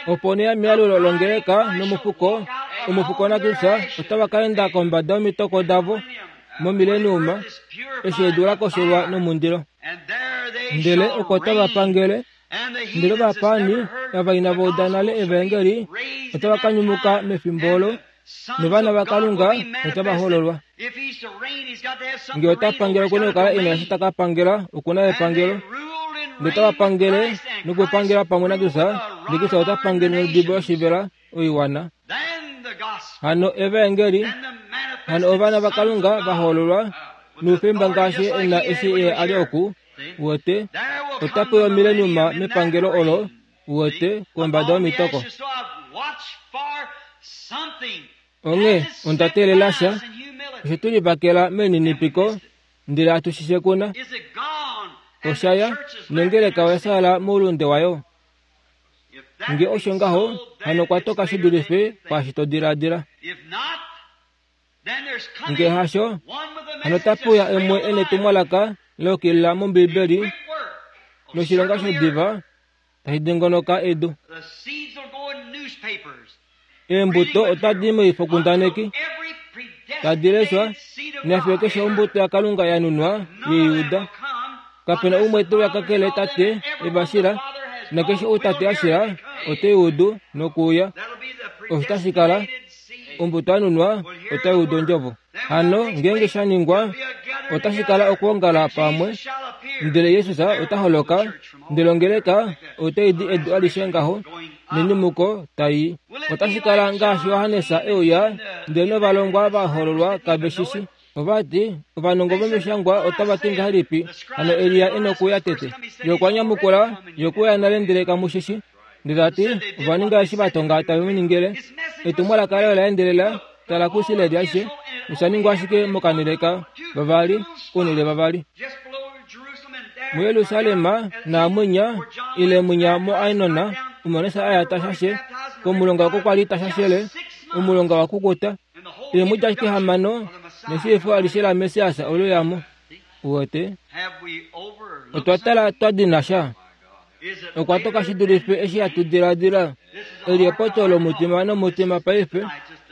Opo nee mealulo longeleka nomufuko, omufuko naKristus otava ka enda kombada yomitoko davo momileniuma, eshi edu la kosholwa nomundilo. Ndele oko tava pangele, ndele ovapaani ava inava uda nale evaengeli otava ka nyumuka mefimbo olo, novana vaKalunga otava hololwa. Nge ota pangele oku na okukala e na eshi ta ka pangela, oku na epangelo. Ndele otava pangele nokupangela pamwe naKristus, ndele Kristus ota pangele nodibo yoshivela oiwana. Hano evaengeli, hano ovana vaKalunga va hololwa noufemba ngaashi e na eshi ye a li oku, uwete. Ota pewa omileniuma mepangelo olo, uwete, kombada yomitoko. Onghee onda teelela sha, oshe tu livakela melininipiko, ndele hatu shi shekuna. Osha ya, nongeleka oya fyaala moulunde wayo. Nge osho ngaho, hano okwa toka shi dulife kwaashi to diladila. Nge hasho, hano otape uya umwe e netumwalaka la yukilila mOmbiibeli noshilonga shodiva tashi dingonoka edu. Eembuto otadi i moifokundaneki, tadi leshwa, nafiyo keshe ombuto yaKalunga ya nunwa yeiuda. Kape na umwe te uya kakele Tate e va shila, nakeshe ou Tate a shila ote i udu nokuuya. Osho tashi kala, ombuto ya nunwa otai udu ondjovo. Hano ngeenge sha ningwa, otashi kala okwoongala pamwe, ndele Jesus ota holoka, ndele ongeleka otai di edu alishe ngaho, nenyumuko tai i. Otashi kala ngaashi Johannes e uya, ndele novalongwa va hololwa kave shi shi. Ova ti, Ovanongo vomishangwa otava ti ngahelipi hano Elia e nokuuya tete? Ye okwa nyamukula, Ye okwe uya nale ndele kamu shi shi. Ndele ta ti, Ova ninga eshi va tonga tave mu ningile. Etumwalaka laye ola endelela, tala kuIsrael ashishe, nosha ningwa ashike mokanhele ka vavali, ounhele vavali. MuJerusalem naamwinya, ile mwinya muAinon, omo Johannes a ya ta shashe, komulonga oko kwa li ta shashele, omulonga wa kukuta. Eemwedi ashike hamano neshiifo alishe laMessias ole uya mo. Uwete? Otwa tala twa dina sha. Okwa toka shi dulife eshi hatu diladila. Eli epopyo lomutima nomutima paife,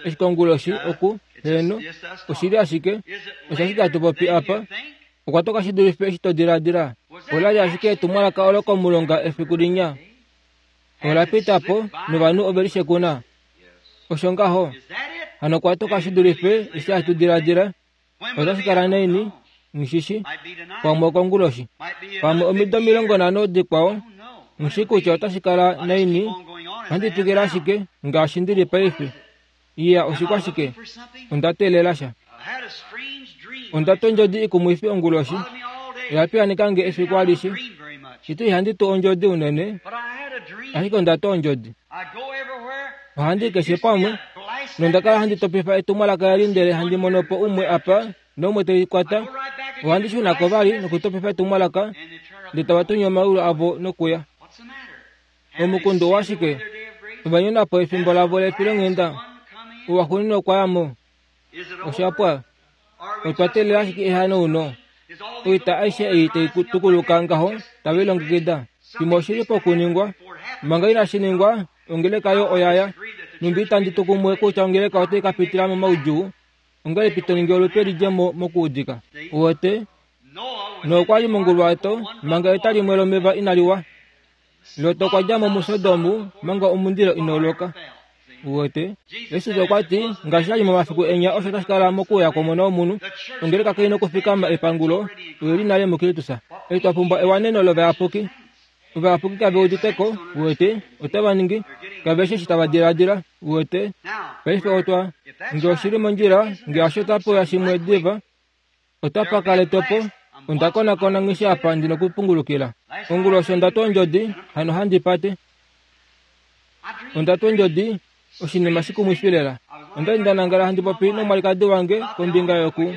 eshi konguloshi oku, heeno, oshili ashike, osha ashike hatu popi apa. Okwa toka shi dulife eshi to diladila. Ola li ashike etumwalaka olo komulonga efiku linya. Ola pita po, novanhu ove li shekuna. Osho ngaho. Hano okwa toka shi dulife eshi hatu diladila. Otashi kala naini? Nghi Pamwe okonguloshi. Pamwe omido 50 dikwao. Nghi kutya otashi kala naini. Ohandi twikile ashike ngaashi ndi li paife. Iya, oshikwashike? Onda teelela sha. Onda twa ondjodi ikumwifi onguloshi. Oya piyaaneka nge efiku alishe. Shito ihandi tu ondjodi unene, ashike onda twa ondjodi. Ohandi i keshe pamwe, nonda kala handi topifa etumwalaka lali ndele handi mono po umwe apa naumwe te li kwata. Ohandi shuna ko vali nokutopifa etumwalaka, ndele tava tunya omaulu avo nokuya. Omukundu owashike? Ova nyona po efimbo lavo lefilonghenda. Owaxuuninwa okwa ya mo. Osha pwa. Otwa teelela ashike ehanauno. Oita aishe ei tai tukuluka ngaho tave lilongekida. Shimwe oshi li pokuningwa. Manga inashi ningwa, ongeleka yo oya ya. Nhumbi itandi tu kumwe kutya ongeleka otai ka pitila momaudjuu, ongahelipi to ningi olupe li dje mo mokuudika? Uwete? Noa okwa li monguluwato manga eta limwe lomeva inali wa. Lot okwa dja mo muSodom manga omundilo inau loka. Uwete? Jesus okwa ti, Ngaashi sha li momafiku enya osho tashi kala mokuuya kwOmona wOmunhu. Ongeleka kai nokufikama epangulo, oyo li nale muKristus. Eshi twa pumbwa ewaneno lovayapuki. Ovayapuki kave udite ko, uwete, otava ningi, kave shi eshi tava diladila, uwete. Paife otwa, nge oshi li mondjila, nge hasho otape uya shimwe diva, Otapa kala etopo. Onda konakona ngishi apa ndi nokupungulukila. Onguloshi onda twa ondjodi, hano handi pate. Onda twa ondjodi, oshinima shikumwifi lela. Onda li nda nangala handi popi nomwalikadi wange kombinga yoku.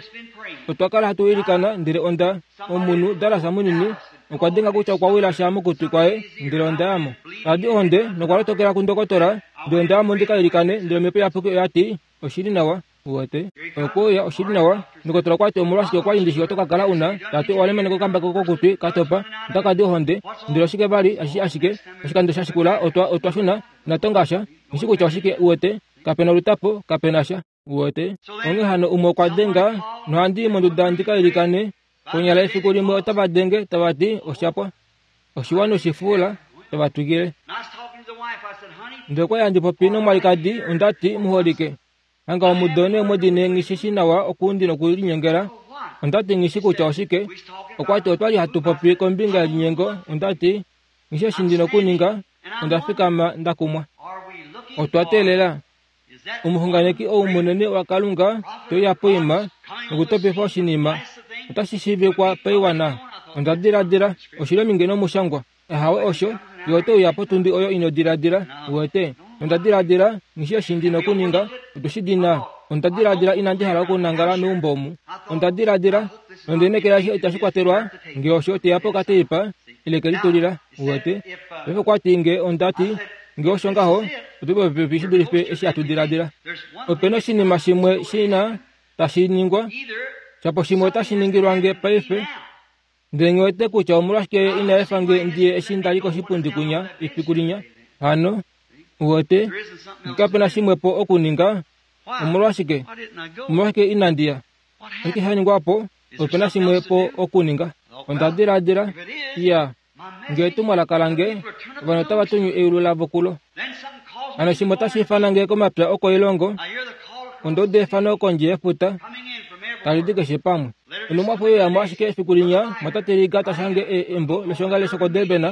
Otwa kala hatu ilikana, ndele onda, omunhu, Dallas munini, okwa denga kutya okwa wila sha mokutwi kwaye, ndele onda ya mo. Tadi ohonde, nokwa lotokela kundokotola, ndele onda ya mo ndi ka ilikane, ndele Omhepo Iyapuki oya ti, Oshi li nawa. Uwete? Okuuya oshi li nawa. Ndokotola okwa ti, Omolwashike okwa li ndi shi oto ka kala u na, ta ti, owa lemaneka okambako kokutwi ka topa, otaka di ohonde. Ndele oshike vali, ashi, ashike, oshikando sha shikula otwa, otwa shuna, inatonga sha. Nghi shi kutya oshike, uwete. Kape na olutapo, kape na sha. Uwete? Onghee hano umwe okwa denga, nohandi i monduda ndi ka ilikane. Konyala efiku limwe otava denge, tava ti, Osha pwa. Oshiwa noshifuula, tava twikile. Ndele okwa li handi popi nomwalikadi, onda ti, Muholike, hanga omudo neemwedi ne nghi shi shi nawa okuundi nokulinyengela. Onda ti, Nghi shi kutya oshike. Okwa ti, Otwa li hatu popi kombinga yelinyengo. Onda ti, Nghi shi eshi ndi nokuninga. Onda fikama nda kumwa. Otwa teelela. Omuxunganeki ou munene waKalunga te uya poima nokutopifa oshinima. Otashi shiivikwa paiwana. Onda diladila, Oshi li ominge nOmushangwa. Ahawe osho, ye ote uya potundi oyo ino diladila, uwete. Nonda diladila, Nghi shii eshi ndi nokuninga, otu shi dina. Onda diladila inandi hala okunangala meumbo omu. Onda diladila, Nonde lineekela eshi itashi kwatelwa, nge osho, teya po okateipa, ile ke litulila, uwete. Paife okwa ti nge onda ti, Nge osho ngaho, otu li popepi shi dulife eshi hatu diladila. Ope na oshinima shimwe shi na tashi ningwa, shapo shimwe otashi ningilwa nge paife. Ndele nghi wete kutya omolwashike Ye ina efa nge ndi ye eshi nda li koshipundi kunya efiku linya. Hano, uwete, nge kape na shimwe po okuninga, omolwashike, omolwashike inandi ya? Oshike sha ningwa po? Ope na shimwe po okuninga. Onda diladila, Iya, nge etumwalaka lange, ovanhu otava tunyu eulu lavo kulo. Hano shimwe otashi ifana nge komapya okoilongo, onda uda efano kondje yefuta, tali di keshe pamwe. Onhumwafo ye uya mo ashike efiku linya, mwatate Liga ta shange e, embo loshiongalele shokoDurban,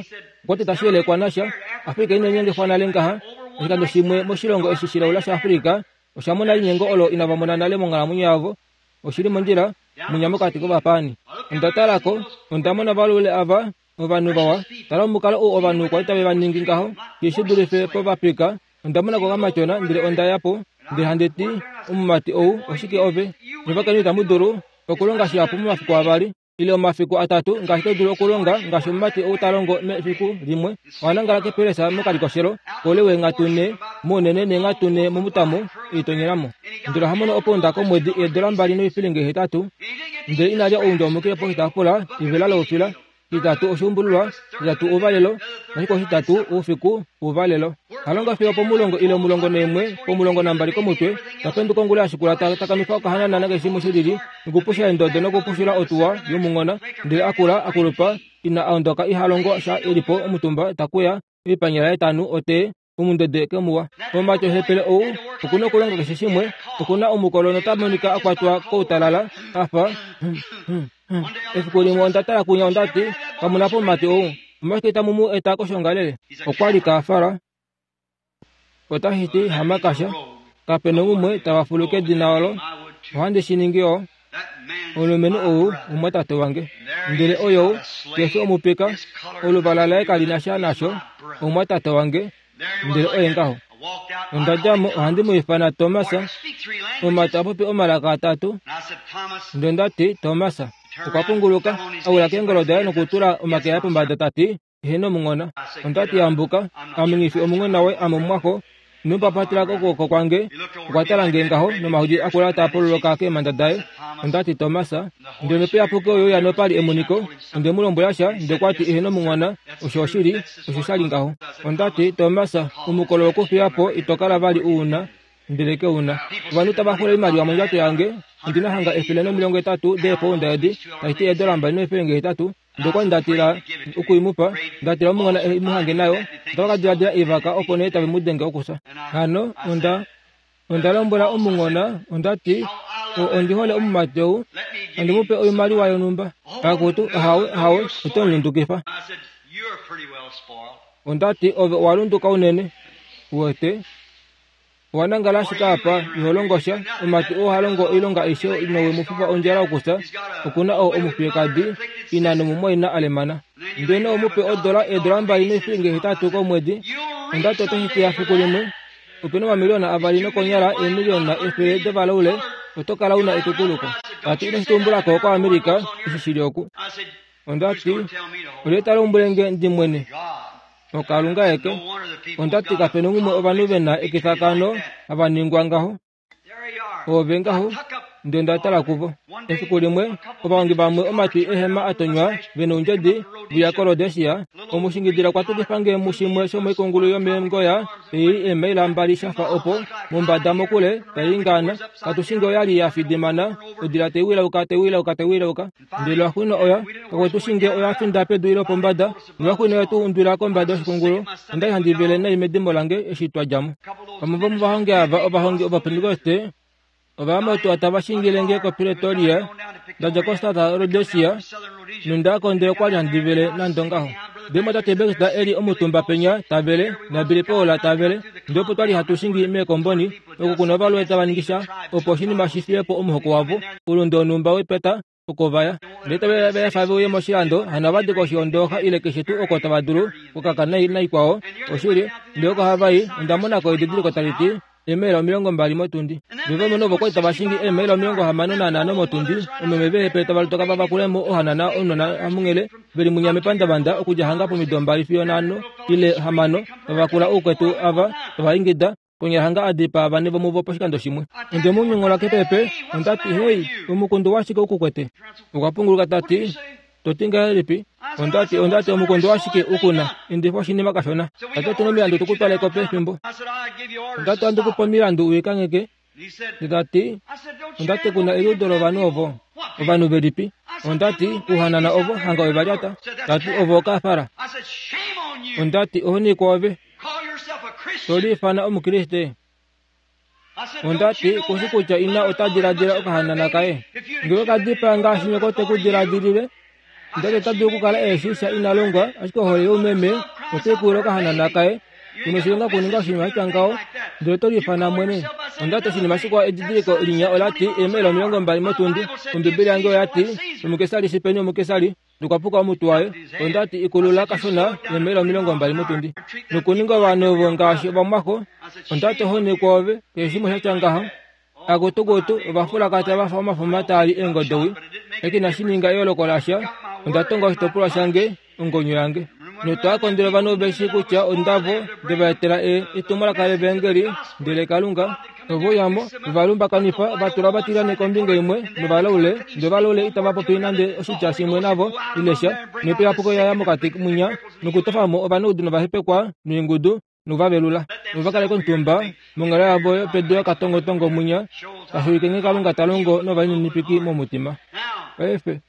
okwa ti tashi yelekwa nasha, Afrika ine linyengifwa nale ngaha, oshikando shimwe moshilongo eshi shilaula shaAfrika, osha mona elinyengo olo inava mona nale monghalamwenyo yavo. Oshi li mondjila, munya mokati kovapaani. Onda tala ko, onda mona ovalule ava, ovanhu vawa. Tala omukalo ou ovanhu kwa li tave va ningi ngaho, shi shi dulife povapika. Onda mona ko okamatyona, ndele onda ya po, ndele handi ti, Omumati ou, oshike ove? Nye ovakainhu itamu dulu okulonga shihapu momafiku avali. ile omafiku atatu ngaashi to dulu okulonga ngaashi omumati ou ta longo mefiku limwe. Oha nangala kepelesa mokalikoshelo koule weenghatu nhe mounene neenghatu nhe momutamo e litonyela mo. Ndele oha mono opounda komwedi eedola mbali noifilinga hetatu. Ndele ina lya oundja poshitaafula, evela loufila, shitatu oshuumbululwa, shitatu ouvalelo, nashikwao shitatu oufiku ouvalelo. Ha longa fiyo opomulongo ile omulongo naimwe pomulongo nambali komutwe, ta penduka ongula ya shikula ta takamifa okahanana nakeshe shimwe shi lili, nokupusha eendodo nokupushula otuwa yomunghona, ndele a kula a kulupa, ina a ondoka iha longo sha e li po omutumba ta kuya oipanyala yetanu ote omundede kemuwa. Omumati ohepele ou oku na okulonga keshe shimwe, oku na omukolo nota monika a kwatwa koutalala, a fa Efiku limwe onda tala kunya onda ti, Kamu na po omumati ou, omolwashike itamu mu eta koshoongalele? Okwa li kaafala. Otashi ti hamakasha. Kape noumwe tava fulu kedina olo. Ohandi shi ningi yo. Omulumenhu ou omumwatate wange. Ndele oyou, ke fi omupika, oluvala laye kali na sha nasho, omumwatate wange. Ndele oye ngaho. Onda dja mo, ohandi mu ifana Thomas. Omumati a popi omalaka atatu. Ndele onda ti, Thomas. Okwa punguluka, a wila keengolo daye nokutula omake aye pombada ta ti, Eheno omunghona. Onda ti, Yambuka, ame nghi fi omunghona woye, ame omumwaxo. Ino papatela kokwooko kwange. Okwa tala nge ngaho, nomahodi a kula taa pololoka keemhanda daye. Onda ti, Thomas, ndele Omhepo Iyapuki oye uya nopa li emoniko. Onde mu lombwela sha, ndele okwa ti, Eheno omunghona, osho oshili, osho sha li ngaho. Onda ti, Thomas, omukolo wokufiya po ito kala vali u na. Ndele ke u na. Ovanhu tava xula oimaliwa mondjato yange. Ondi na hanga 180 deepounda edi, tashi ti eedola mbali noifelenge hetatu. Ndele okwa li nda tila oku i mu pa, nda tila omunghona e mu hange nayo, otava ka diladila i vaka opo nee tave mu denge okusa. Hano onda, onda lombwela omunghona, onda ti, O, ondi hole omumati ou, andi mu pe oimaliwa yonhumba. Akutu, ahawe, ahawe, oto mu lundukifa. Onda ti, Ove owa lunduka unene. Uwete? Owa nangala ashike apa, iho longo sha. Omumati oo ha longo oilonga aishe nowe mu fifa ondjala okusa, oku na oo omufiyekadi, ina nomumwaina a lemana. Ndele nou mu pe odola, eedola mbali noifilinga hetatu komwedi, onda ti otashi teya fiku limwe. Ope na omamiliyona avali nokonyala eemiliyona efele dovalaule, oto kala u na etukuluko. Ta ti ino shi tumbula ko koAmerica, eshi shi li oku. Onda ti, Olye ta lombwele nge ndi mwene? OKalunga aeke. Onda ti kape nongumwe ovanhu ve na ekifakano hava ningwa ngaho. Ove ngaho, ndele onda tala kuvo. Efiku limwe, ovahongi vamwe omatwi ehema a tonywa ve noundjedi vuya koRhodesia, omushingidila okwa tukifa nge mushimwe shomoikungulu yomeengoya ei eemaila mbali sha fa opo, mombada mokule, tai ingaana. Katu shi nge oya li ya fidimana, odila tai wilauka, tai wilauka, tai wilauka. Ndele oxwino oya, kakwetu shi nge oya finda pedu ile opombada, noxwino oye tu undwila kombada yoshikungulu. Onda li handi vele nai medimo lange eshi twa dja mo. Vamwe vomovahongi ava, ovahongi Ovapentekoste, ova ya motuwa tava shingile nge koPretoria, nda dja koSouth Rhodesia, nonda ya ko ndele okwa li handi vele nande ongaho. Ndele mwatate Baxter e li omutumba penya ta vele, naBilly Paul ta vele, ndele opo twa li hatu shingi meekomboni, oko ku na ovalue tava ningi sha opo oshinima shi fiye po omuhoko wavo, oulunde wonhumba wepeta. Oko va ya, ndele tave va efa ve uye moshilando, hano ova dika oshihondooxa ile keshe tuu oko tava dulu, okukaka naikwao. Oshili, ndele oko hava i, onda mona ko edidiliko tali ti, Eemaila 20 motundi. Ndele ovalumenhu ovo kwa li tava shingi eemaila 65 motundi, omeme veehepele tava lotoka va vakule mo ohanana ounona hamunghele, ve li munya mepandavanda okudja hanga pomido 2 fiyo 5 ile 6, tava vakula oukwetu ava, tava ingida, Konyala hanga a dipaa vane vomuvo poshikando shimwe. Onde mu nyongola kepepe, onda ti, Hei, omukundu washike u ku kwete? Okwa punguluka ta ti, To ti ngahelipi? Onda ti, Onda ti, omukundu washike u ku na? Endifa oshinima kashona. Ta ti, Otu na omilandu tu ku twale ko pefimbo. Onda ti, Ohandi ku pe omilandu u i kangheke. Ndele ta ti, Onda ti, Ku na eliudo lovanhu ovo. Ovanhu velipi? Onda ti, Uhanana ovo, hanga ove va lyata. Ta ti, Ovo okafala. Onda ti, Ohoni kwoove. To liifana Omukriste? Onda ti, Kushi kutya ina ota diladila okahanana kaye. Ngee oka dipaa ngaashi nyoko te ku diladilile, ndele ota dulu okukala e shii sha ina longwa, ashike ohole youmeme otai kuwile okahanana kaye. Ku noshilonga okuninga oshinima sha tya ngaho, ndele oto liifana mwene. Onda ti oshinima shikwao edidiliko linya ola ti eemaila 20 motundi. Ombibeli yange oya ti, Omukesari shi peni omukesari. Nokwa puka omutwe waye. Onda ti, Ikulula kashona neemaila 20 motundi. Nokuninga ovanhu ovo ngaashi ovamwaxo. Onda ti, Ohoni kwoove, keshe shimwe sha tya ngaho. Akutukutu, ovafulakata va fa omafuma taa li eengodowi. Eke inashi ninga eyooloko lasha. Onda tonga oshitopolwa shange, ongonyo yange. Notwa kondela ovanhu ve shii kutya ondavo nde va etela e, etumwalaka lEvaengeli, ndele Kalunga, ove uya mo, va lumbakanifa, va tula ovatilyane kombinga imwe novalaule, ndele ovalaule itava popi nande oshitya shimwe navo, ile sha, noipiyapuko ya ya mokati mwinya, nokutofa mo ovanaudu novahepekwa noingudu, noku va velula, vo va kale komutumba monghalo yavo yopedu yokatongotongo mwinya, tashi ulike nghee Kalunga ta longo novalininipiki momutima. Paife,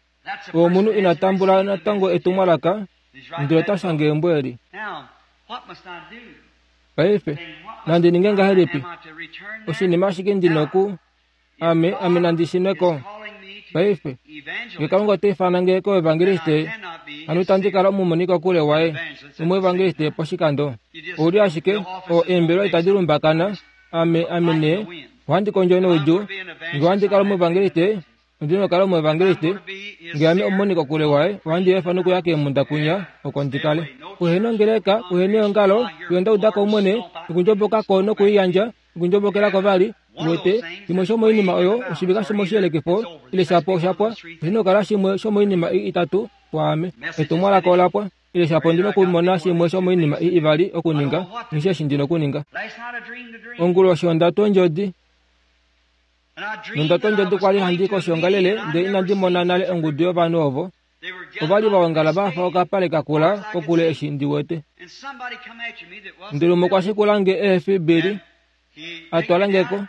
oo omunhu ina tambula natango etumwalaka, ndele ota shange embo eli. Paife, nandi ninge ngahelipi? Oshinima ashike ndi noku Ame, ame nandi shune ko. Paife, nge Kalunga ota ifana nge koevangeliste, hano itandi kala omumoni kokule waye, omuevangeliste poshikando. Ou li ashike, o, eembelwa itadi lumbakana, ame, ame nee, ohandi kondjo noudjuu. Nge ohandi kala omuevangeliste, ondi nokukala omuevangeliste. Nge ame omumoni kokule waye, ohandi efa nokuya keemhunda kwinya, oko ndi kale. Kuhe nongeleka, kuhe neongalo, fiyo nda uda ko Omwene, nokundjoboka ko nokuiyandja, Okundjobokela ko vali, uwete, shimwe shomoinima oyo oshivika shomoshiyelekifo, ile shapo osha pwa, oshi nokukala shimwe shomoinima ei itatu kwaame. Etumwalaka ola pwa, ile shapo ondi nokumona shimwe shomoinima ei ivali okuninga, nghi eshi ndi nokuninga. Onguloshi onda twa ondjodi. Nonda twa ondjodi kwa li handi koshiongalele ndele inandi mona nale ongudu yovanhu ovo. Ova li va ongala va fa okapale ka kula kokule eshi ndi wete. Ndele umwe okwa shikula nge ehe fi Billy, a twala nge ko,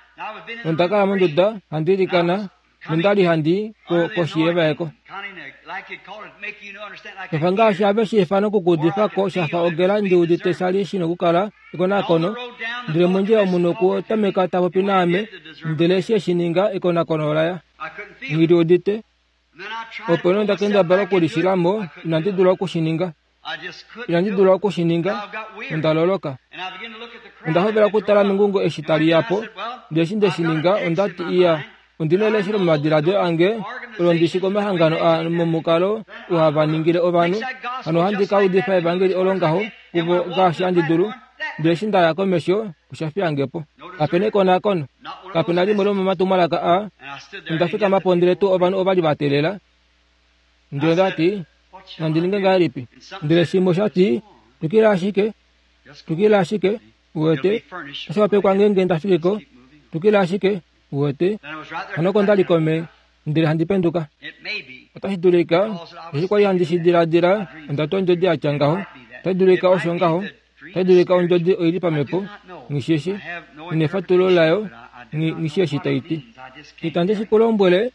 nonda kala monduda handi ilikana nonda li handi i ko koshi yevaeko. Shafa ngaashi have shi ifana okukuudifa ko sha fa ogela ndi udite sha li shi nokukala ekonakono, ndele mondjila omunhu okwa tameka ta popi naame, ndele eshi e shi ninga ekonakono ola ya. Nghi li udite. Opo nee onda kendabala okulishila mo, inandi dula oku shi ninga. Inandi dula oku shi ninga, onda loloka. Onda hovela okutala mengungo eshi tali ya po, ndele eshi nde shi ninga, onda ti, Iya, ondi na elesho lomomadiladilo ange, olo ndi shi komahangano aa momukalo u hava ningile ovanhu, hano ohandi ka udifa evangeli olo ngaho kuvo ngaashi handi dulu. Ndele eshi nda ya komesho, osha fiya nge po. Kape na ekonakono. Kape na limwe lomomatumwalaka aa. Onda fikama po ndele tuu ovanhu ova li va teelela. Ndele onda ti, Nandi ninge ngahelipi? Ndele shimwe osha ti, Twikila ashike. Twikila ashike. Uwete, otashi wapekwa ngeenge nda fiki ko. Twikila ashike. Uwete? Hano oko nda li kome, ndele handi penduka. Otashi dulika, eshi kwa li handi shi diladila, onda twa ondjodi ya tya ngaho. Otashi dulika osho ngaho. Otashi dulika ondjodi oi li pamhepo, nghi shi shi. Nghi nefatulo layo, nghi, nghi shi eshi tai ti. Itandi shi ku lombwele,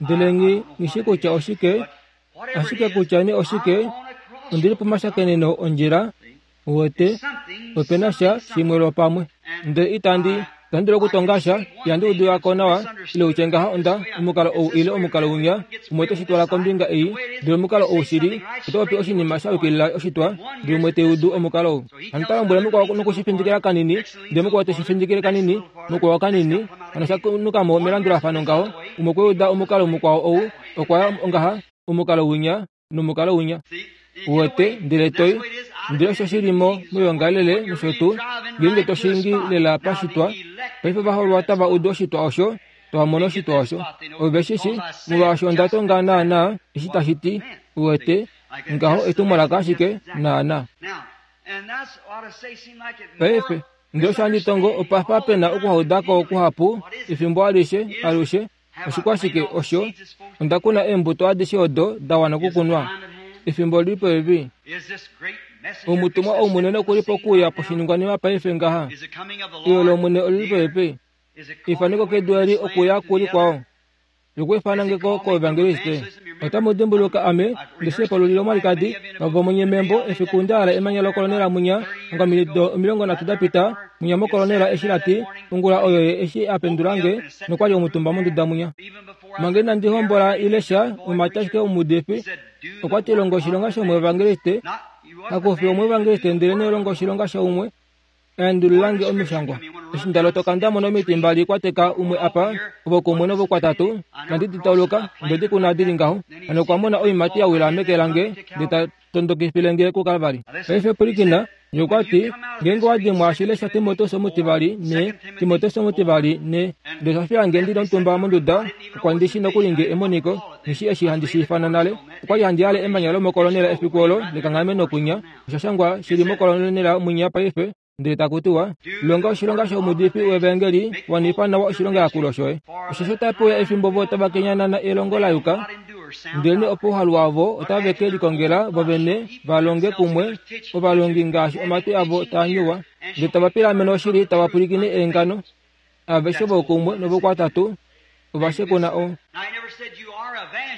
ndele nghi, nghi shi kutya oshike, ashike kutya nee oshike, ondi li pomashakeneno ondjila, uwete, ope na sha shimwe lwopamwe. Ndele itandi. Itandi dulu okutonga sha, ihandi udu ko nawa, ile utye ngaha onda, omukalo ou ile omukalo winya, umwe ote shi twala kombinga ei, ndele omukalo ou shili, oto popi oshinima sha yukilila oshitwa, ndele umwe te udu omukalo ou. Hano ta lombwele mukwao noku shi findikila kanini, ndele mukwao te shi findikile kanini, mukwao kanini, hano sha nuka mo melandulafano ngaho, umwe okwe uda omukalo mukwao ou, okwa ya ongaha, omukalo winya, nomukalo winya. Uwete, ndele toi, ndele osho shi li mo moyoongalele nosho tuu, ngeenge to shingi lela pashitwa, paife ovaholwa otava udu oshitwa osho, tava mono oshitwa osho. Ove shi shi, molwaashi onda tonga naanaa eshi tashi ti, uwete, ngaho etumwalaka ashike, naanaa. Paife, ndele osho handi tongo opa fa pe na okuhaudako kuhapu efimbo alishe, alushe, Oshikwashike osho? Onda kuna eembuto adishe odo da wana okukunwa. Efimbo oli li popepi. Omutumwa ou munene oku li pokuuya poshiningwanima paife ngaha. Eyo lOmwene oli li popepi. Efaneko kedu eli okuya ku likwao. Lokuifana nge ko koevangeliste. Otamu dimbuluka ame nde shi epolulila omwalikadi vavomunye membo efiku nda hala emanya lokolonela munya ongamido 30 da pita munya mokolonela eshi la ti ongula oyo ye eshi a pendula nge nokwa li omutumba monduda munya. Manga inandi hombola ile sha, omumati ashike omuudifi okwa ti longa oshilonga shomuevangeliste, hakufi omuevangeliste ndelenee longa oshilonga shaumwe. Endulula nge omishangwa. Eshi nda lotoka nda mona omiti mbali kwa teka umwe apa, ovokumwe novokwatatu, nandi di tauluka, nde di kuna di li ngaho. Hano okwa mona oiimati ya wila meke lange, nde ta tondokifile nge kuKalvari. Paife pwilikina, ye okwa ti, Ngeenge wa dimwa shi lesha Timoteus omutivali ne, Timoteus omutivali ne. Ndele osha fiya nge ndi li omutumba monduda, okwa ndi shi nokuli nge emoniko, nghi shi eshi handi shi ifana nale. Okwa li handi yale emanya lomokolonela efiku olo lekanghameno kwinya, Osha shangwa shi li mokolonela mwinya paife, ndele taku tiwa, Longa oshilonga shomuudifi wevaengeli, wanifa nawa oshilongayakulo shoye. Osheshi otape uya efimbo vo tava kenyanana elongo la yuka, ndelenee opouhalu wavo otave ke likongela vo vene va longe kumwe ovalongi ngaashi omatwi avo taa nyuwa, ndele tava pilamene oshili tava pwilikine eengano. Aveshe voukumwe novokwatatu ova shekuna o.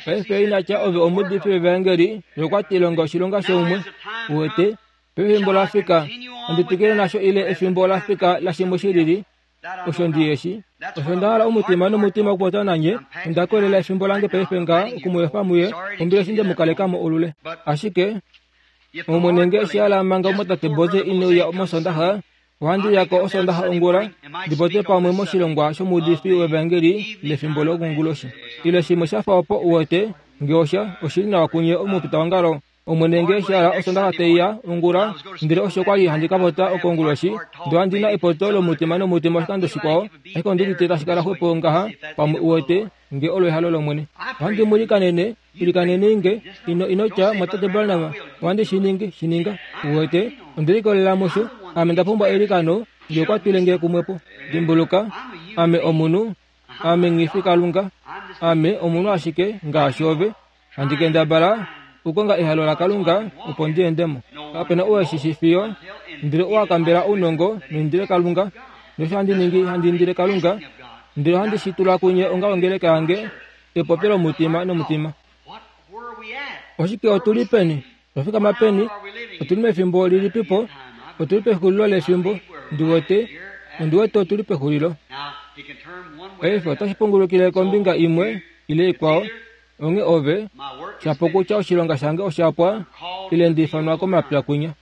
Paife ina tya ove omuudifi wevaengeli, ye okwa ti longa oshilonga shoumwe. Uwete, pefimbo la fika, nandi twikile nasho ile efimbo la fika lashimwe shi lili, osho ndi yeshi. Osho nda hala omutima nomutima okupopya nanye, onda kolela efimbo lange paife ngaha oku mu efa muye, ombili eshi nde mu kaleka mo olule. Ashike, Omwene nge eshi hala manga omwatate Boze ine uya mOsondaxa, Ohandi uya ko Osoondaxa ongula ndi popye pamwe moshilongwa shomuudifi wevaengeli lefimbo lokonguloshi. Ile shimwe sha fa opo, uwete, nge osha, oshi li nawa kunye omufitaongalo. Omwene nge eshi hala Osoondaxa tai ya ongula, ndele osho kwa li handi ka popya okonguloshi, ndele ohandi na epopyo lomutima nomutima oshikando shikwao, ashike ondi udite tashi kala xwepo ngaha, pamwe, uwete, nge olo ehalo lOmwene. Ohandi mu ilikanene, ilikaneni nge, ino, ino tya, Mwatate Branham, ohandi shi ningi, shi ninga. Uwete, onde likolelela musho. Ame nda pumbwa eilikano, nge okwa twile nge kumwe po. Dimbuluka, ame omunhu. Ame nghi fi Kalunga. Ame omunhu ashike, ngaashi ove. Handi kendabala okukonga ehalo laKalunga, opo ndi ende mo. Kape na ou e shi shi fiyo, ndele ou a kambela ounongo, noindile Kalunga. Nosho handi ningi, handi indile Kalunga, ndele ohandi shi tula kunye onga ongeleka yange, epopyo lomutima nomutima. Oshike otu li peni? Otwa fikama peni? Otu li mefimbo lilipipo? Otu li pexulilo lefimbo. Ndi wete, ondi wete otu li pexulilo. Paife otashi pungulukile kombinga imwe ile ikwao. Onghee ove, shapo kutya oshilonga shange osha pwa, ile nda ifanwa komapya kwinya.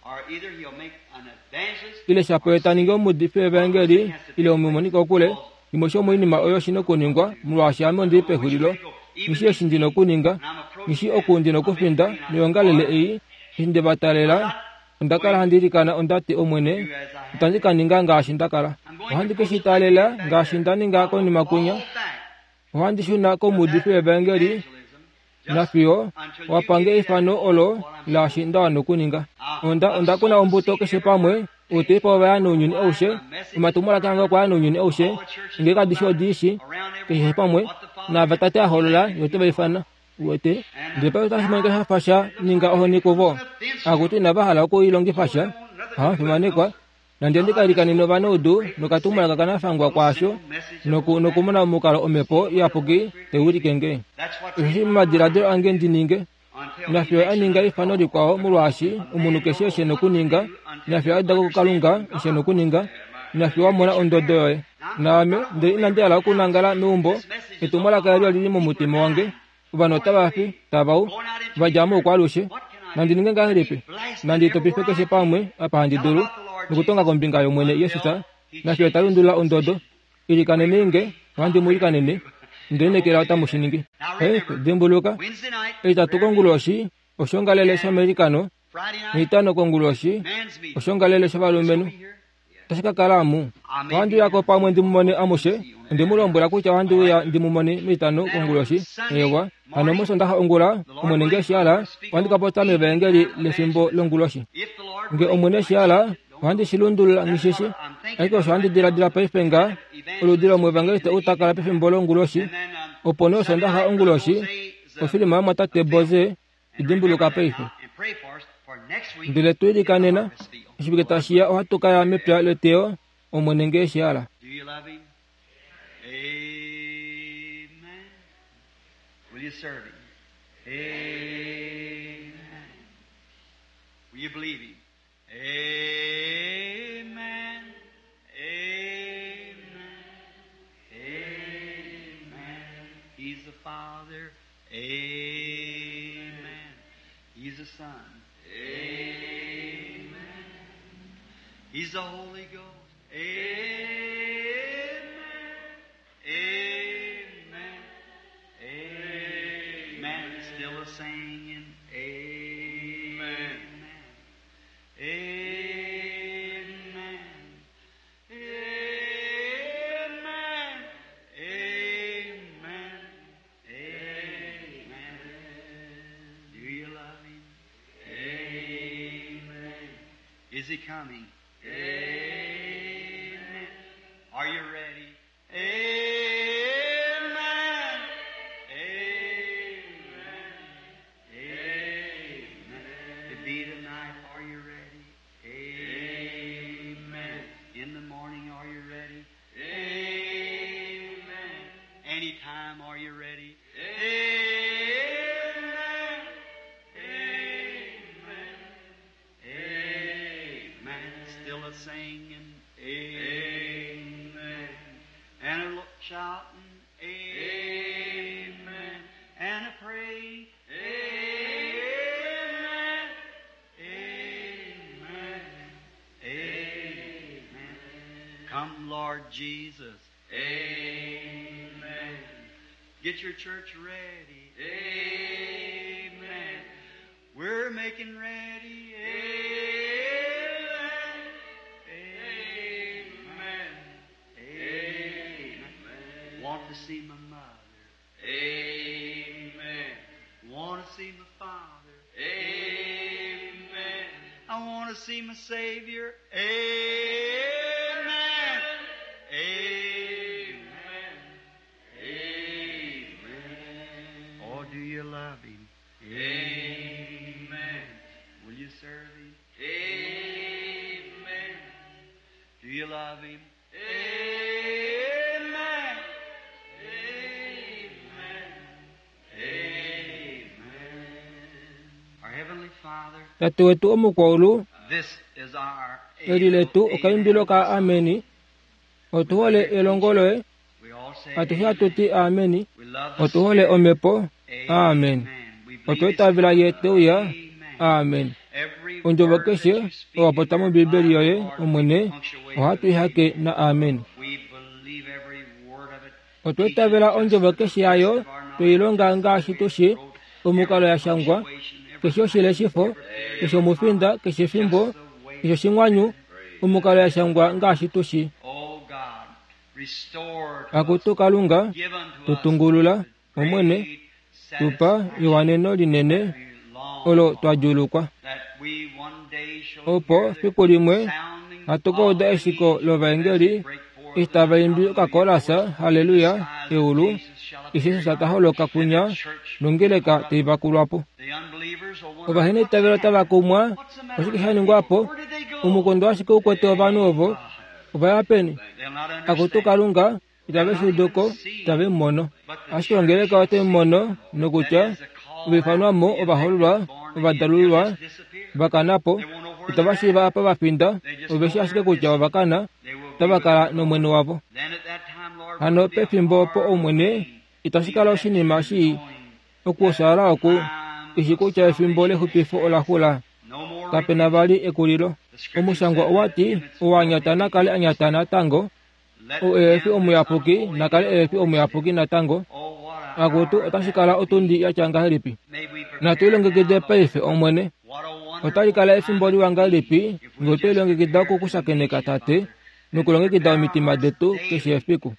Ile shapo ye ta ningi omuudifi wevaengeli ile omumonikokule, Shimwe shomoinima oyo shi nokuningwa, molwaashi ame ondi li pexulilo. Nghi shii eshi ndi nokuninga. Nghi shii oku ndi nokufinda. Noyoongalele ei, eshi nde va talela, onda kala handi ilikana, onda ti, Omwene, itandi ka ninga ngaashi nda kala. Ohandi ke shi taalela ngaashi nda ninga konima kwinya. Ohandi shuna komuudifi wevaengeli, nafiyo wa pange eifano olo laashi nda wana okuninga. Onda, onda kuna ombuto keshe pamwe, outeipa ova ya nounyuni aushe, omatumwalaka ange okwa ya nounyuni aushe, nge kadi shi odi shi, keshe pamwe, naava Tate a holola, Ye ote va ifana. Uwete? Ndele paife otashi monika sha fa sha ninga ohoni kuvo. Akutu inava hala oku i longifa sha. Ohamu Nande ndi ka ilikanene ovanaudu nokatumwalaka kanafangwa kwaasho noku, nokumona omukalo Omhepo Iyapuki tai wilike nge. Osheshi momadiladilo ange ndi ninge, nafiyo a ninga eifano likwao molwaashi omunhu keshe oshe nokuninga, nafiyo a uda ko kuKalunga oshe nokuninga, nafiyo wa mona ondodo yoye. Naame ndele inandi hala okunangala meumbo, etumwalaka eli oli li momutima wange. Ovanhu otava fi, tava u, va dja moukwaalushe. Nandi ninge ngahelipi? Nandi topife keshe pamwe apa handi dulu, nokutonga kombinga yOmwene Jesus, nafiyo ta lundulula ondodo. Ilikanenei nge, ohandi mu ilikanene. Nde lineekela otamu shi ningi. Paife, dimbuluka, Etitatu konguloshi, oshoongalele shomeilikano, nEtitano konguloshi, oshoongalele shovalumenhu. Otashi ka kala amu. Ohandi uya ko pamwe ndi mu mone amushe. Onde mu lombwela kutya ohandi uya ndi mu mone mEtitano konguloshi. Eewa. Hano mOsondaxa ongula, Omwene nge eshi hala, ohandi ka popya mEvaengeli lefimbo longuloshi. Nge Omwene eshi hala, ohandi shi lundulula nghi shi shi. Ashike osho handi diladila paife nga, oludi lomuevangeliste ou ta kala pefimbo longuloshi, opo nee Osondaxa onguloshi, ofilima yomwatate Boze, I dimbuluka paife. Ndele tu ilikanena, oshivike tashi ya ohatu ka ya mepya leteyo, Omwene nge eshi hala. Amen. Amen. Amen. He's the Father. Amen. He's the Son. Amen. He's the Holy Ghost. Amen. Amen. Amen. Still a singing. Amen. Amen. Amen. Amen. Amen. Do you love him? Amen. Is he coming? Amen. Are you ready? Amen. Amen. Amen. To be tonight, are you ready? Amen. In the morning, are you ready? Amen. Anytime, are you ready? Amen. Amen. Amen. Still a singing. Amen. And a shouting. Amen. And a praying. Amen. Amen. Amen. Come, Lord Jesus. Amen. Get your church ready. Amen. We're making ready. Amen. Amen. Amen. Want to see my mother. Amen. Want to see my father. Amen. I want to see my Savior. Amen. Amen. Amen. Oh, do you love Him? Amen. Will you serve Him? Amen. Do you love Him? Amen. Amen. Amen. Our Heavenly Father, Tate wetu omukwaulu, this is our eli letu okaimbilo ka ameni. Otu hole elongo loye, We all say atushe hatu ti ameni. we love the Otu hole omhepo, amen. Amen. We Otu believe itavela ye te uya, Amen. amen. Every Ondjovo word that keshe you speak owa popya in your mOmbibeli yoye, Bible, Lord, Omwene, we punctuate ohatu with i hake na amen. We believe every word of it. Otwa itavela ondjovo keshe yayo, twei longa ngaashi tu shi, omukalo ya shangwa, keshe oshileshifo, keshe omufinda, keshe efimbo, keshe oshingwanyu, omukalo ya shangwa ngaashi tu shi. Oh God, restore to Akutu us, Kalunga, give unto us tutungulula, Omwene, great tupa satisfaction ewaneno linene we long olo for, twa djuulukwa. that we one day shall Opo hear the fiku limwe sounding hatu ka uda of the eshiko angels lovaengeli as they break forth eshi tava imbi the okakolasa haleluya skies eulu Jesus shall eshi appear Jesus ta holoka kunya and the church nongeleka caught up. tai vakulwa po. The unbelievers will wonder, Ovahenaitavelo what's otava kumwa happened? What's the matter oshike with sha the ningwa people? po Where did they go? omukondo ashike ukwete ovanhu ovo ova ya peni They'll not akutu understand. Kalunga itave shi udu ko itave mu mono But the ashike ongeleka ote mu mono nokutya that is the call ovaifanwa mo out, the ovahoololwa elect born again, ovadalululwa they'll just disappear. va kana po They won't know where itava they're shiiva at. apa va finda They just ove shi know ashike they're kutya missing. ova kana They will be otava with kala the Lord. nomwene wavo Then at that Hano pefimbo opo Omwene, itashi kala oshinima shii okuoshaala oku ishi kutya efimbo lexupifo ola xula. Kape na vali ekulilo. Omushangwa owa ti, Owanyata na kale anyata natango, ou ehe fi omuyapuki na kale ehe fi omuyapuki natango. Akutu, otashi kala otundi ya tya ngahelipi? Natu lilongekide paife, Omwene. Otali kala efimbo liwa ngahelipi nge otwe lilongekida oku ku shakeneka, Tate, nokulongekida omitima detu keshe efiku.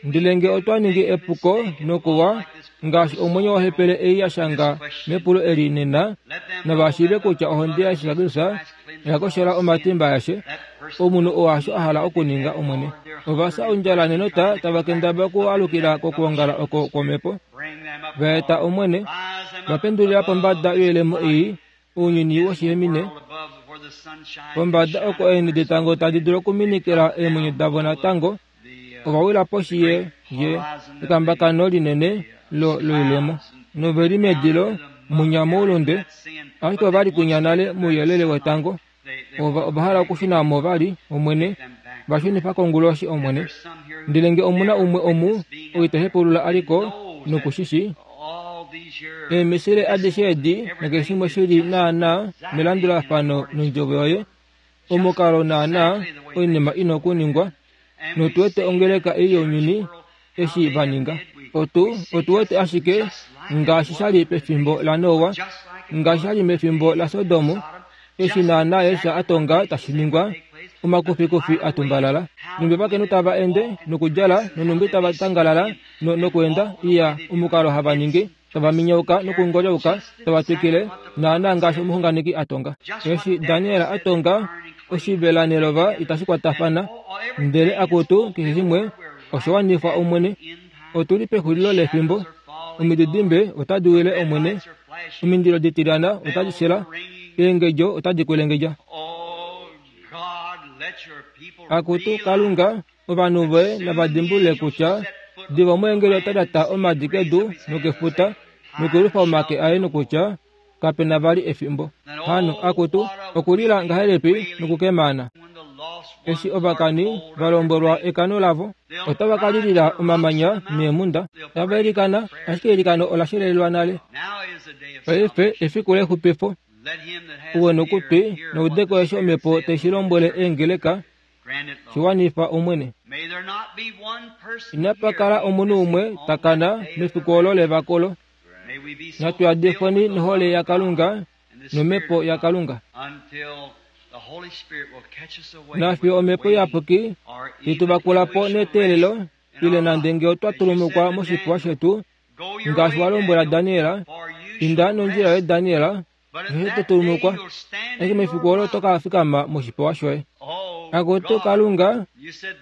Ndele nge otwa ningi epuko nokuwa ngaashi omwenyo wohepele ei ya shanga mepulo eli nena, nava shiive kutya ohonde yaJesus Kristus oya koshola omatimba aeshe omunhu oo hasho a hala okuninga, Omwene. Ova fya ondjala nenota tava kendabala okualukila kokwoongala oko kwomhepo. Va eta, Omwene, va pendulila pombada yoilemo ei ounyuni woshihemine, pombada oko eenhe detango tadi dulu okuminikila eemwenyo davo natango, ova wila poshi ye, ye, ekambakano linene lo, loilemo. Nove li medilo, munya moulunde, ashike ova li kwinya nale mouyelele wetango. Ova, ova hala okushuna mo vali, Omwene. Va shunifa konguloshi, Omwene. Ndele nge omu na umwe omu, ou ita hepaulula a li ko, noku shi shii, Eemisile adishe edi nakeshe shimwe shi li naanaa melandulafano nondjovo yoye, omukalo naanaa oinima i na okuningwa, notu wete ongeleka ei younyuni eshi va ninga. Otu, otu wete ashike ngaashi sha li pefimbo laNoa, ngaashi sha li mefimbo laSodom, Eshi naanaa Elsa a tonga tashi ningwa, omakufikufi a tumbalala, nhumbi ovakainhu tava ende nokudjala nonhumbi tava tangalala no, nokweenda, iya, omukalo hava ningi, tava minyauka nokungolyauka, tava twikile, naanaa ngaashi omuxunganeki a tonga. Eshi Daniel a tonga, oshivela nelova itashi kwatafana, ndele akutu, keshe shimwe osha wanifwa, Omwene. Otu li pexulilo lefimbo. Omididimbe otadi wile, Omwene. Omindilo ditilyana otadi shela, eengedjo otadi kwelengedja. Akutu Kalunga, ovanhu voye nava dimbulule kutya diva omweengeli ota lyata omadi kedu nokefuta nokuyelufa omake aye nokutya kape na vali efimbo. Hano, akutu, okulila ngahelipi nokukemana! Eshi ovakani va lombwelwa ekano lavo, otava ka lilila omamanya neemhunda, tava ilikana, ashike eilikano ola shelelelwa nale. Paife efiku lexupifo. Uwe nokutwi, noudeko eshi Omhepo tai shi lombwele eengeleka, shi wanifa Omwene. Inapa kala omunhu umwe ta kana mefiku olo levakolo. Natu yadifweni nohole yaKalunga nOmhepo yaKalunga. Nafiyo Omhepo Iyapuki te tu vakula po neteelelo, ile nande nge otwa tulumukwa moshipewa shetu, ngaashi wa lombwela Daniel, Inda nondjila yoye Daniel, osheshi to tulumukwa, ashike mefiku olo oto ka fikama moshipewa shoye. Akutu Kalunga,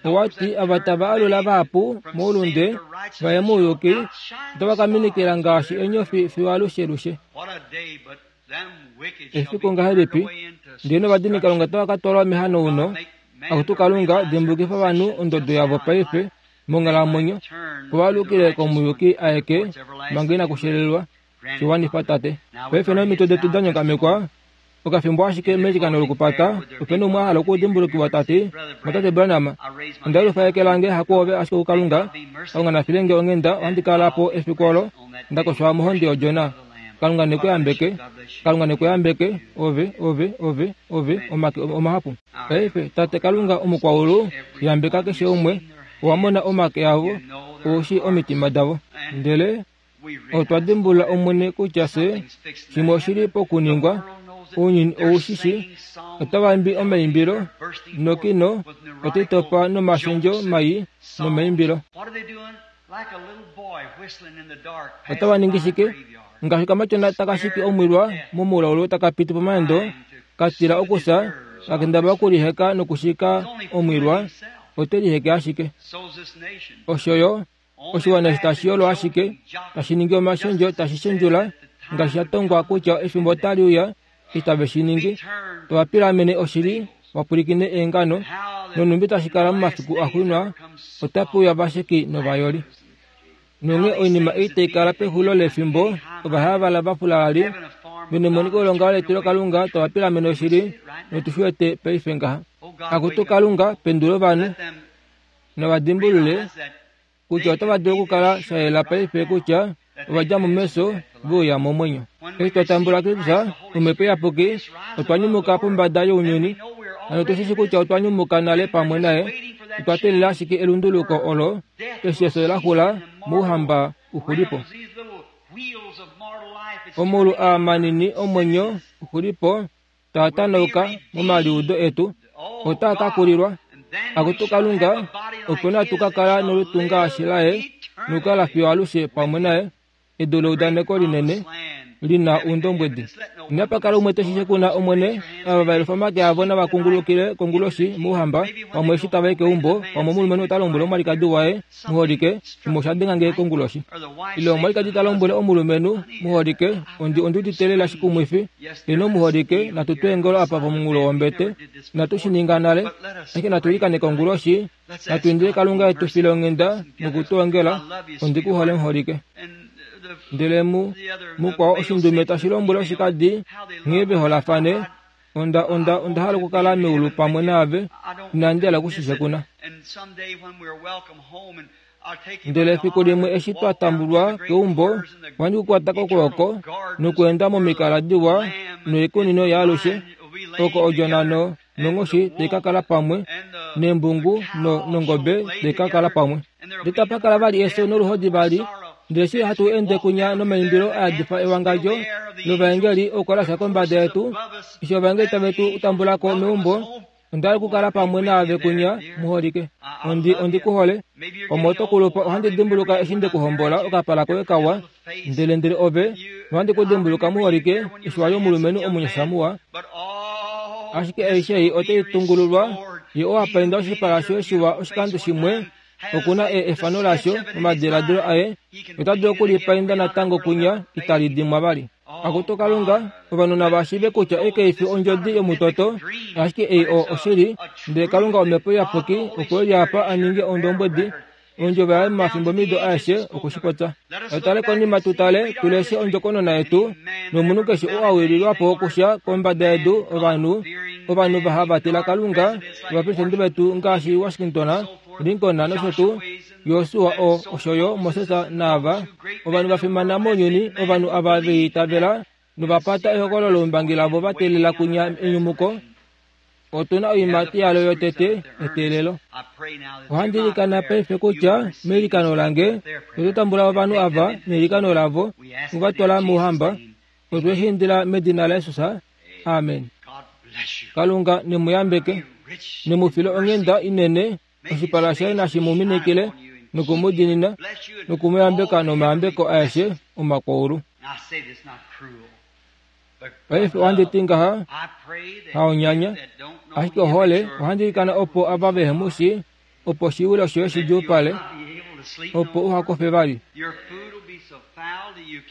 owa ti ava tava alula vahapu moulunde va ye mouyuki, otava ka minikila ngaashi enyofi fiyo alushelushe. Efiku ngahelipi ndele novadinikalunga otava ka twalwa mehanauno. Akutu Kalunga, dimbulukifa ovanhu ondodo yavo paife monghalamwenyo, opo va alukile komuyuki aeke manga inaku shelelwa. Shi wanifa, Tate. Paife nomido detu da nyongamekwa, okafimbo ashike meilikano lokupata, ope na umwe a hala okudimbulukiwa ta ti, Mwatate Branham, onda yelufa eke lange hakuove ashike kuKalunga. Kalunga na file nge onghenda, ohandi kala po efiku olo nda koshwa mohonde yOdjona. Kalunga ne ku yambeke. Kalunga ne ku yambeke, ove, ove, ove, ove, omake omahapu. Paife, Tate Kalunga Omukwaulu, yambeka keshe umwe. Owa mona omake avo, ou shii omitima davo. Ndele Otwa dimbulula, Omwene, kutya fye shimwe oshi li pokuningwa. Ounyuni ou shi shi. Otava imbi omaimbilo, nokino otai topa nomashendjo mai nomaimbilo. Otava ningi shike? Ngaashi okamatyona taka shiki omwilwa momulaulu taka piti pomaendo, ka tila okufya, ka kendabala okuliheka nokushika omwilwa, ote liheke ashike. Osho yo Oshiwana eshi tashi yolo ashike, tashi ningi omashendjo, tashi shendjula, ngaashi sha tongwa kutya efimbo otali uya eshi tave shi ningi, tava pilamene oshili, va pwilikine eengano, nonhumbi tashi kala momafiku axuuninwa, otape uya ovasheki novayoli. Nonghee oinima ei tai kala pexulilo lefimbo, ovahayavala vafulalali, venemoniko lelongalo letilokalunga, tava pilamene oshili, notu shi wete paife ngaha. Akutu Kalunga, pendula ovanhu! Nava dimbulule kutya otava dulu okukala sha yela paife kutya ova dja mo mefyo ve uya momwenyo. Eshi twa tambula Kristus, Omhepo Iyapuki, otwa nyumuka pombada younyuni. Hano otu shi shii kutya otwa nyumuka nale pamwe naye. Otwa teelela ashike elunduluko olo eshi efyo la xula mOuhamba uxulipo. Omaulu aa manini omwenyo uxulipo taa tanauka momaliudo etu, otaa ka kulilwa. Akutu Kalunga, opo natu ka kala nolutu ngaashi laye nokukala fiyo alushe pamwe naye, edu leudaneko linene li na oundombwedi. Inapa kala umwe te shi shekuna Omwene, ava va yelufa omake avo nava kungulukile konguloshi mOuhamba, pamwe eshi tava i keumbo, pamwe omulumenhu ota lombwele omwalikadi waye, Muholike, shimwe osha denga nge konguloshi. Ile omwalikadi ta lombwele omulumenhu, Muholike, ondi ondi udite lela shikumwifi. Ino muholike, natu twe eengolo apa pomunghulo wombete. Inatu shi ninga nale, ashike natu ilikane konguloshi, natu indile Kalunga e tu file onghenda noku tu ongela. Ondi ku hole muholike. Ndele mu, mukwao oshindume tashi lombwele oshikadi nghee ve holafane, Onda, onda, onda hala okukala meulu pamwe naave, inandi hala oku shi shekuna. Ndele efiku limwe eshi twa tambulwa keumbo, ohandi ku kwata kokwooko nokweenda momikala diwa noikunino yaalushe, oko odjona no, nonghoshi tai ka kala pamwe, nembungu no, nongobe tai ka kala pamwe. Ndele tapa kala vali efyo noluhodi vali, ndele eshi hatu ende kunya nomaimbilo a yadifa ewangadjo lovaengeli okukalasa kombada yetu, eshi ovaengeli tave tu tambula ko meumbo, Onda hala okukala pamwe naave kunya, muholike. Ondi, ondi ku hole. Omo to kulupa ohandi dimbuluka eshi nde ku hombola okapala koye kawa, ndele ndele ove, nohandi ku dimbuluka muholike, eshi wa li omulumenhu omunyasha muwa. Ashike aishe ei otai tungululwa, ye oo a painda oshipala shoye shiwa oshikando shimwe, oku na e, efano lasho momadiladilo aye, ota dulu oku li painda natango kunya, itali dimwa vali. Akutu Kalunga, ovanhu nava shiive kutya ei kai fi ondjodi yomutoto, ashike ei o oshili, ndele Kalunga Omhepo Iyapuki okwe li apa a ninge ondombwedi, ondjovo yaye momafimbomido aeshe oku shi popya. Natu tale konima tu tale, tu leshe ondjokonona yetu, nomunhu keshe oo a wililwa po okusha kombada yedu, ovanhu, ovanhu va hava tila Kalunga, ovapresidente vetu ngaashi Washington, Lincoln nosho tuu, Josua o, osho yo Moses naava, ovanhu va fimana mounyuni, ovanhu ava ve itavela nova pata ehokololo loumbangi lavo va teelela kunya enyumuko. Otu na oiimati yalo yotete, eteelelo. Ohandi ilikana paife kutya meilikano lange oto tambula ovanhu ava neilikano lavo, u va twala mOuhamba. Otwe shi indila medina laJesus. Amen. Kalunga ne mu yambeke, ne mu file onghenda inene Oshipala shaye nashi mu minikile noku mu diinina noku mu yambeka nomayambeko aeshe omakwaulu. Paife ohandi ti ngaha, haonyanya, ashike ohole, ohandi ilikana opo ava vehe mu shii, opo oshiwilo shoye shi djuupale, opo uha kofe vali.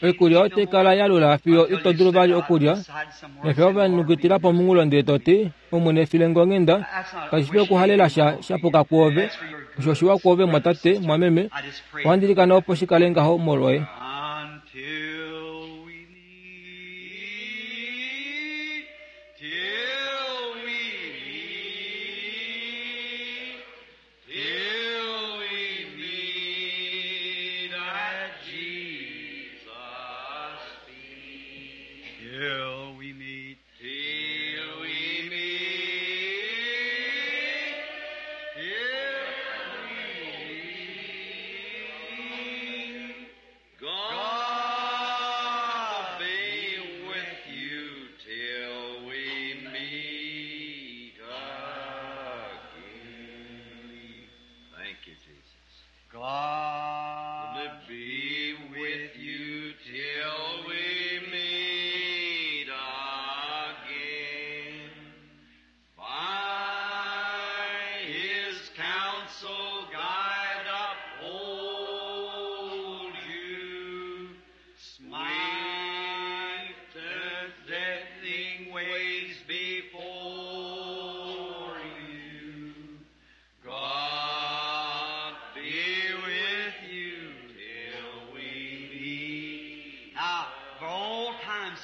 Oikulya otai kala ya lula fiyo ito dulu vali okulya, nefyo ove nukitila pomunghulo ndele to ti, Omwene file nge onghenda, kashi fi okuhalela sha sha puka kwoove. Osho oshiwa kwoove, mwatate, mwameme. Ohandi ilikana opo shi kale ngaho molwoye.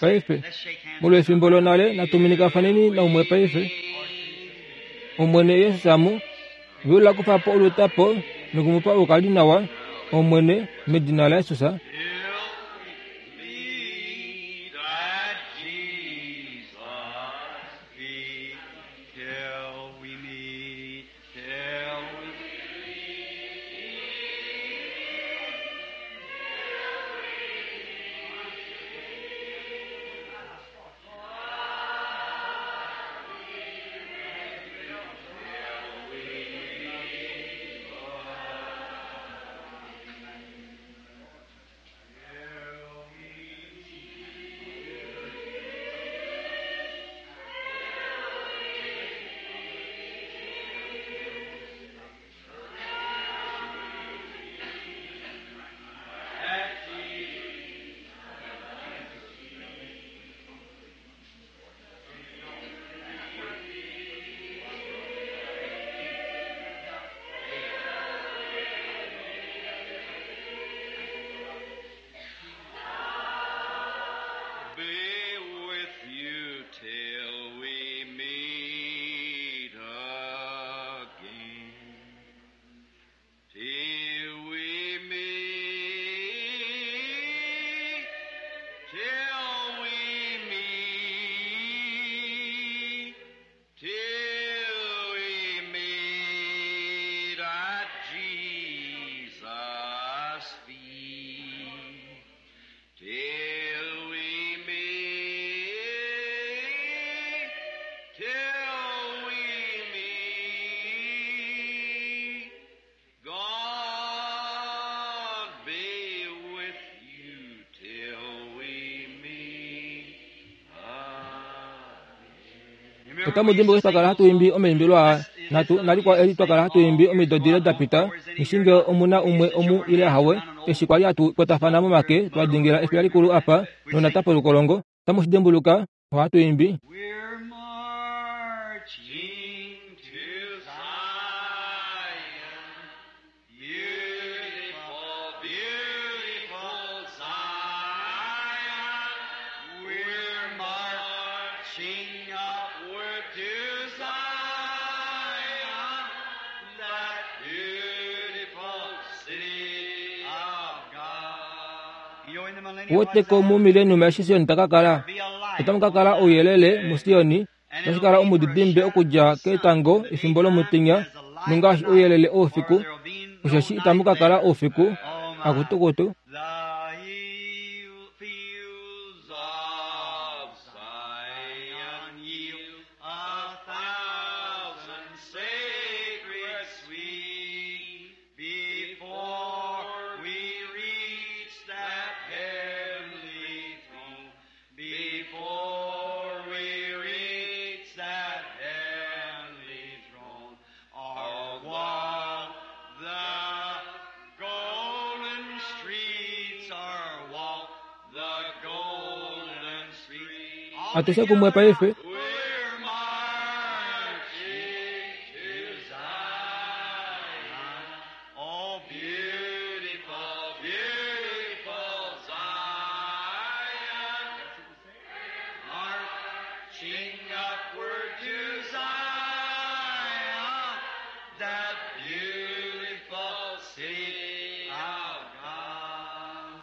Paife, molwefimbo lonale natu minikafaneni naumwe paife. Omwene Jesus mu. Vyula kufa po olutapo noku mu pa oukalinawa, Omwene, medina laJesus. Be with you till we meet again. Till we meet, till we meet, till we meet at Jesus' feet. Till we meet, till we meet, God be with you till we meet again. Otamu dimbuluka eshi twa kala hatu imbi omaimbilo aa natu nalikwao eli twa kala hatu imbi omido dile da pita ngeshi omu na umwe omu ile ahawe eshi kwali hatu kwatafana momake twa dingila efiya likulu apa nonata polukolongo. Otamu shi dimbuluka ohatu imbi. We're marching to Zion, beautiful, beautiful Zion. We're marching upward to Zion, that beautiful city of God. You know, in the millennium, Uweteko mu millennium eshi Sion ta ka kala. Otamu ka kala ouyelele muSioni, tashi kala omudidimbe okudja ketango efimbo lomutenya nongaashi ouyelele oufiku, osheshi itamu ka kala oufiku. Akutukutu. The fields of Zion yield 1,000 sacred sweet before we reach that heavenly throne. Before we reach that heavenly throne, or walk the golden streets, or walk the golden streets. Atushe kumwe paife. We're marching to Zion. Oh, beautiful, beautiful Zion. Marching upward to Zion, that beautiful city of God.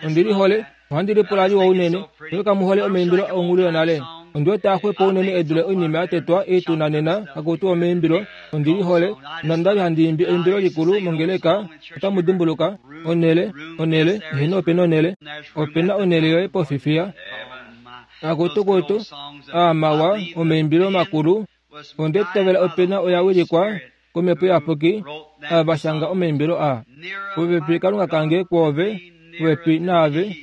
Ondi lihole, ohandi lipula liwa unene, ndele kamu hole omaimbilo onghulu yonale. Ondi wete axwepo unene edule oinima ya tetwa ei tuna nena hakuti omaimbilo. Ondi lihole, nonda li handi imbi eimbilo likulu mongeleka, otamu dimbuluka, onele, onele, eheno opena onele, opena onele yoye pofifiya. Akutukutu, aamawa, omaimbilo makulu, onde tovela opena oya wilikwa komhepo iyapuki, ava va shanga omaimbilo aa. Popepi Kalunga kange kwoove, popepi naave.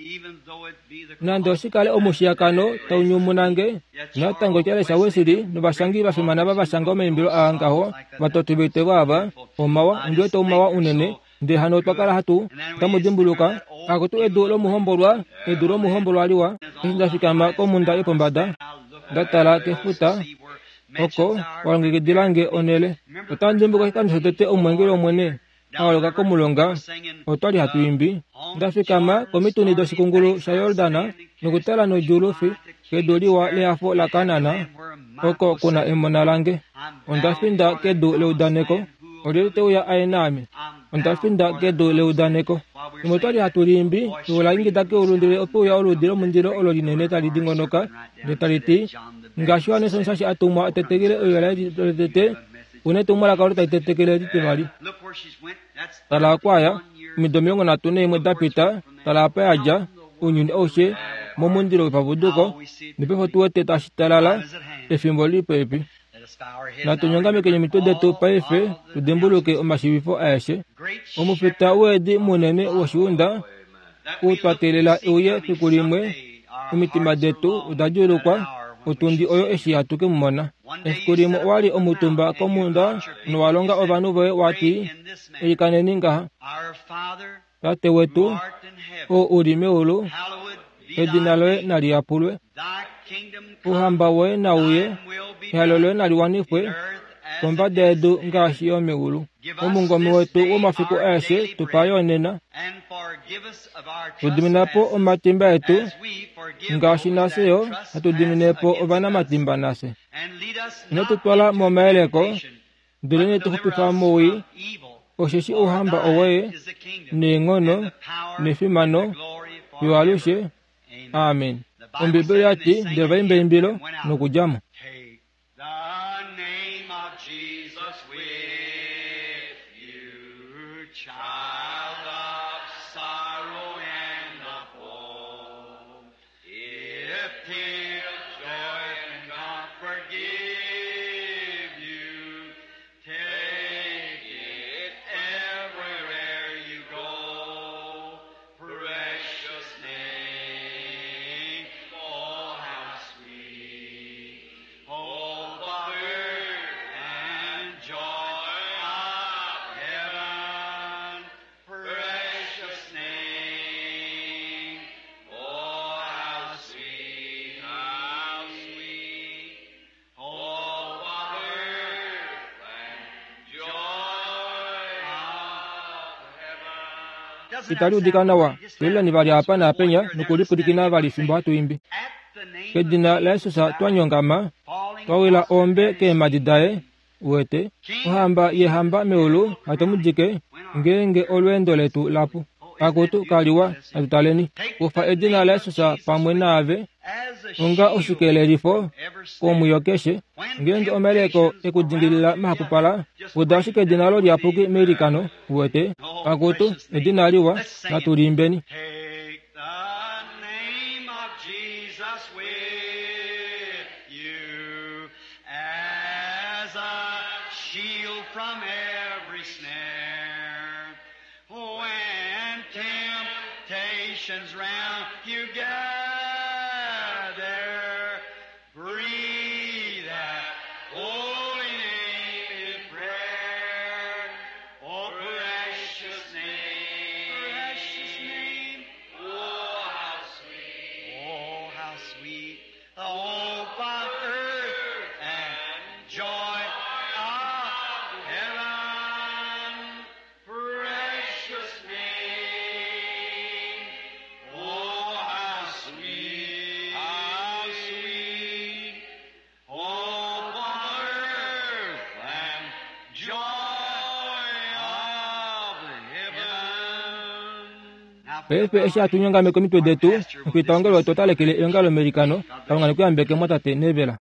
Nande oshikale omushiyakano taunyumunange, natango Charles Wesley novashangi va fimana va shanga omaimbilo aa ngaho, vatoti voitevo ava, omawa, ondi wete omawa unene, ndele hano otwa kala hatu, otamu dimbuluka, akutu edu lomuhombolwa, edu lomuhombolwa liwa, eshi nda fikama komhunda yopombada, nda tala kefuta, oko walongekidila nge onhele. Otamu dimbuluka oshikando shotete omweengeli wOmwene A holoka komulonga, otwa li hatu imbi. Nda fikama komituni doshikungulu shaJordan nokutala nodjuulufi kedu liwa lehafo laKanaan, oko ku na emona lange. Onda finda kedu leudaneko. Olyelye te uya aye naame? Onda finda kedu leudaneko. Fimbo otwa li hatu liimbi, ewi ola ingida keulu ndele ope uya oluudi lomundilo olo linene tali dingonoka, ndele tali ti, Ngaashi Johannes Omushashi a tumwa a tetekele euyo laye lotete, u na etumwalaka olo tali tetekele etitivali. Tala oku a ya, omido 31 da pita, tala apa ya dja, ounyuni aushe, momundilo wepapuduko, nopaife otu wete tashi talala, efimbo li li popepi. Natu nyongamekeni omitwe detu paife tu dimbuluke omashiivifo aeshe. Omufita weedi munene woshiunda, ou twa teelela e uye fiku limwe, omitima detu oda djuulukwa otundi oyo eshi hatu ke mu mona. Efiku limwe owa li omutumba komhunda nowa longa ovanhu voye wa ti, Ilikaneni ngaha, Tate wetu, oo u li meulu, edina loye nali yapulwe. Ouhamba woye nau uye, ehalo loye nali wanifwe kombada yedu ngaashi yo meulu. Omungome wetu womafiku aeshe tu pa yo nena. Tu dimina po omatimba etu ngaashi nafye yo hatu dimine po ovanamatimba nafye. Ino tu twala momayeleko, Ndelenee tu xupifa mowii, osheshi ouhamba owoye, neenghono, nefimano, fiyo alushe. Amen. Ombibeli oya ti, Ndele va imba eimbilo nokudja mo. Itali udika nawa. Tulileni vali apa naapenya nokulipwilikina vali fimbo hatu imbi. Kedina laJesus twa nyongama, twa wila ombe keemhadi daye, Uwete, Ohamba yeehamba meulu hatu mu dike, ngeenge olweendo letu lapu. Akutu, kaliwa, natu taleni. Kufa edina laJesus pamwe naave onga oshikelelifo komwiyo keshe. Ngeenge omayeleko e ku dingilila mahapupala, uda ashike edina olo liyapuki meilikano. Uwete, akutu, edina liwa, natu liimbeni. As a shield from every snare, when temptations round you gather, breathe that holy name in prayer. Oh, precious name, precious name, oh, how sweet, oh, how sweet, the hope of earth and joy of heaven. Precious name, oh, how sweet, how sweet, hope of earth and joy of heaven. Paife eshi hatu nyongameke omitwe detu, omufitaongalo wetu ota lekele eongalo meilikano. Kalunga ne ku yambeke, mwatate Neville.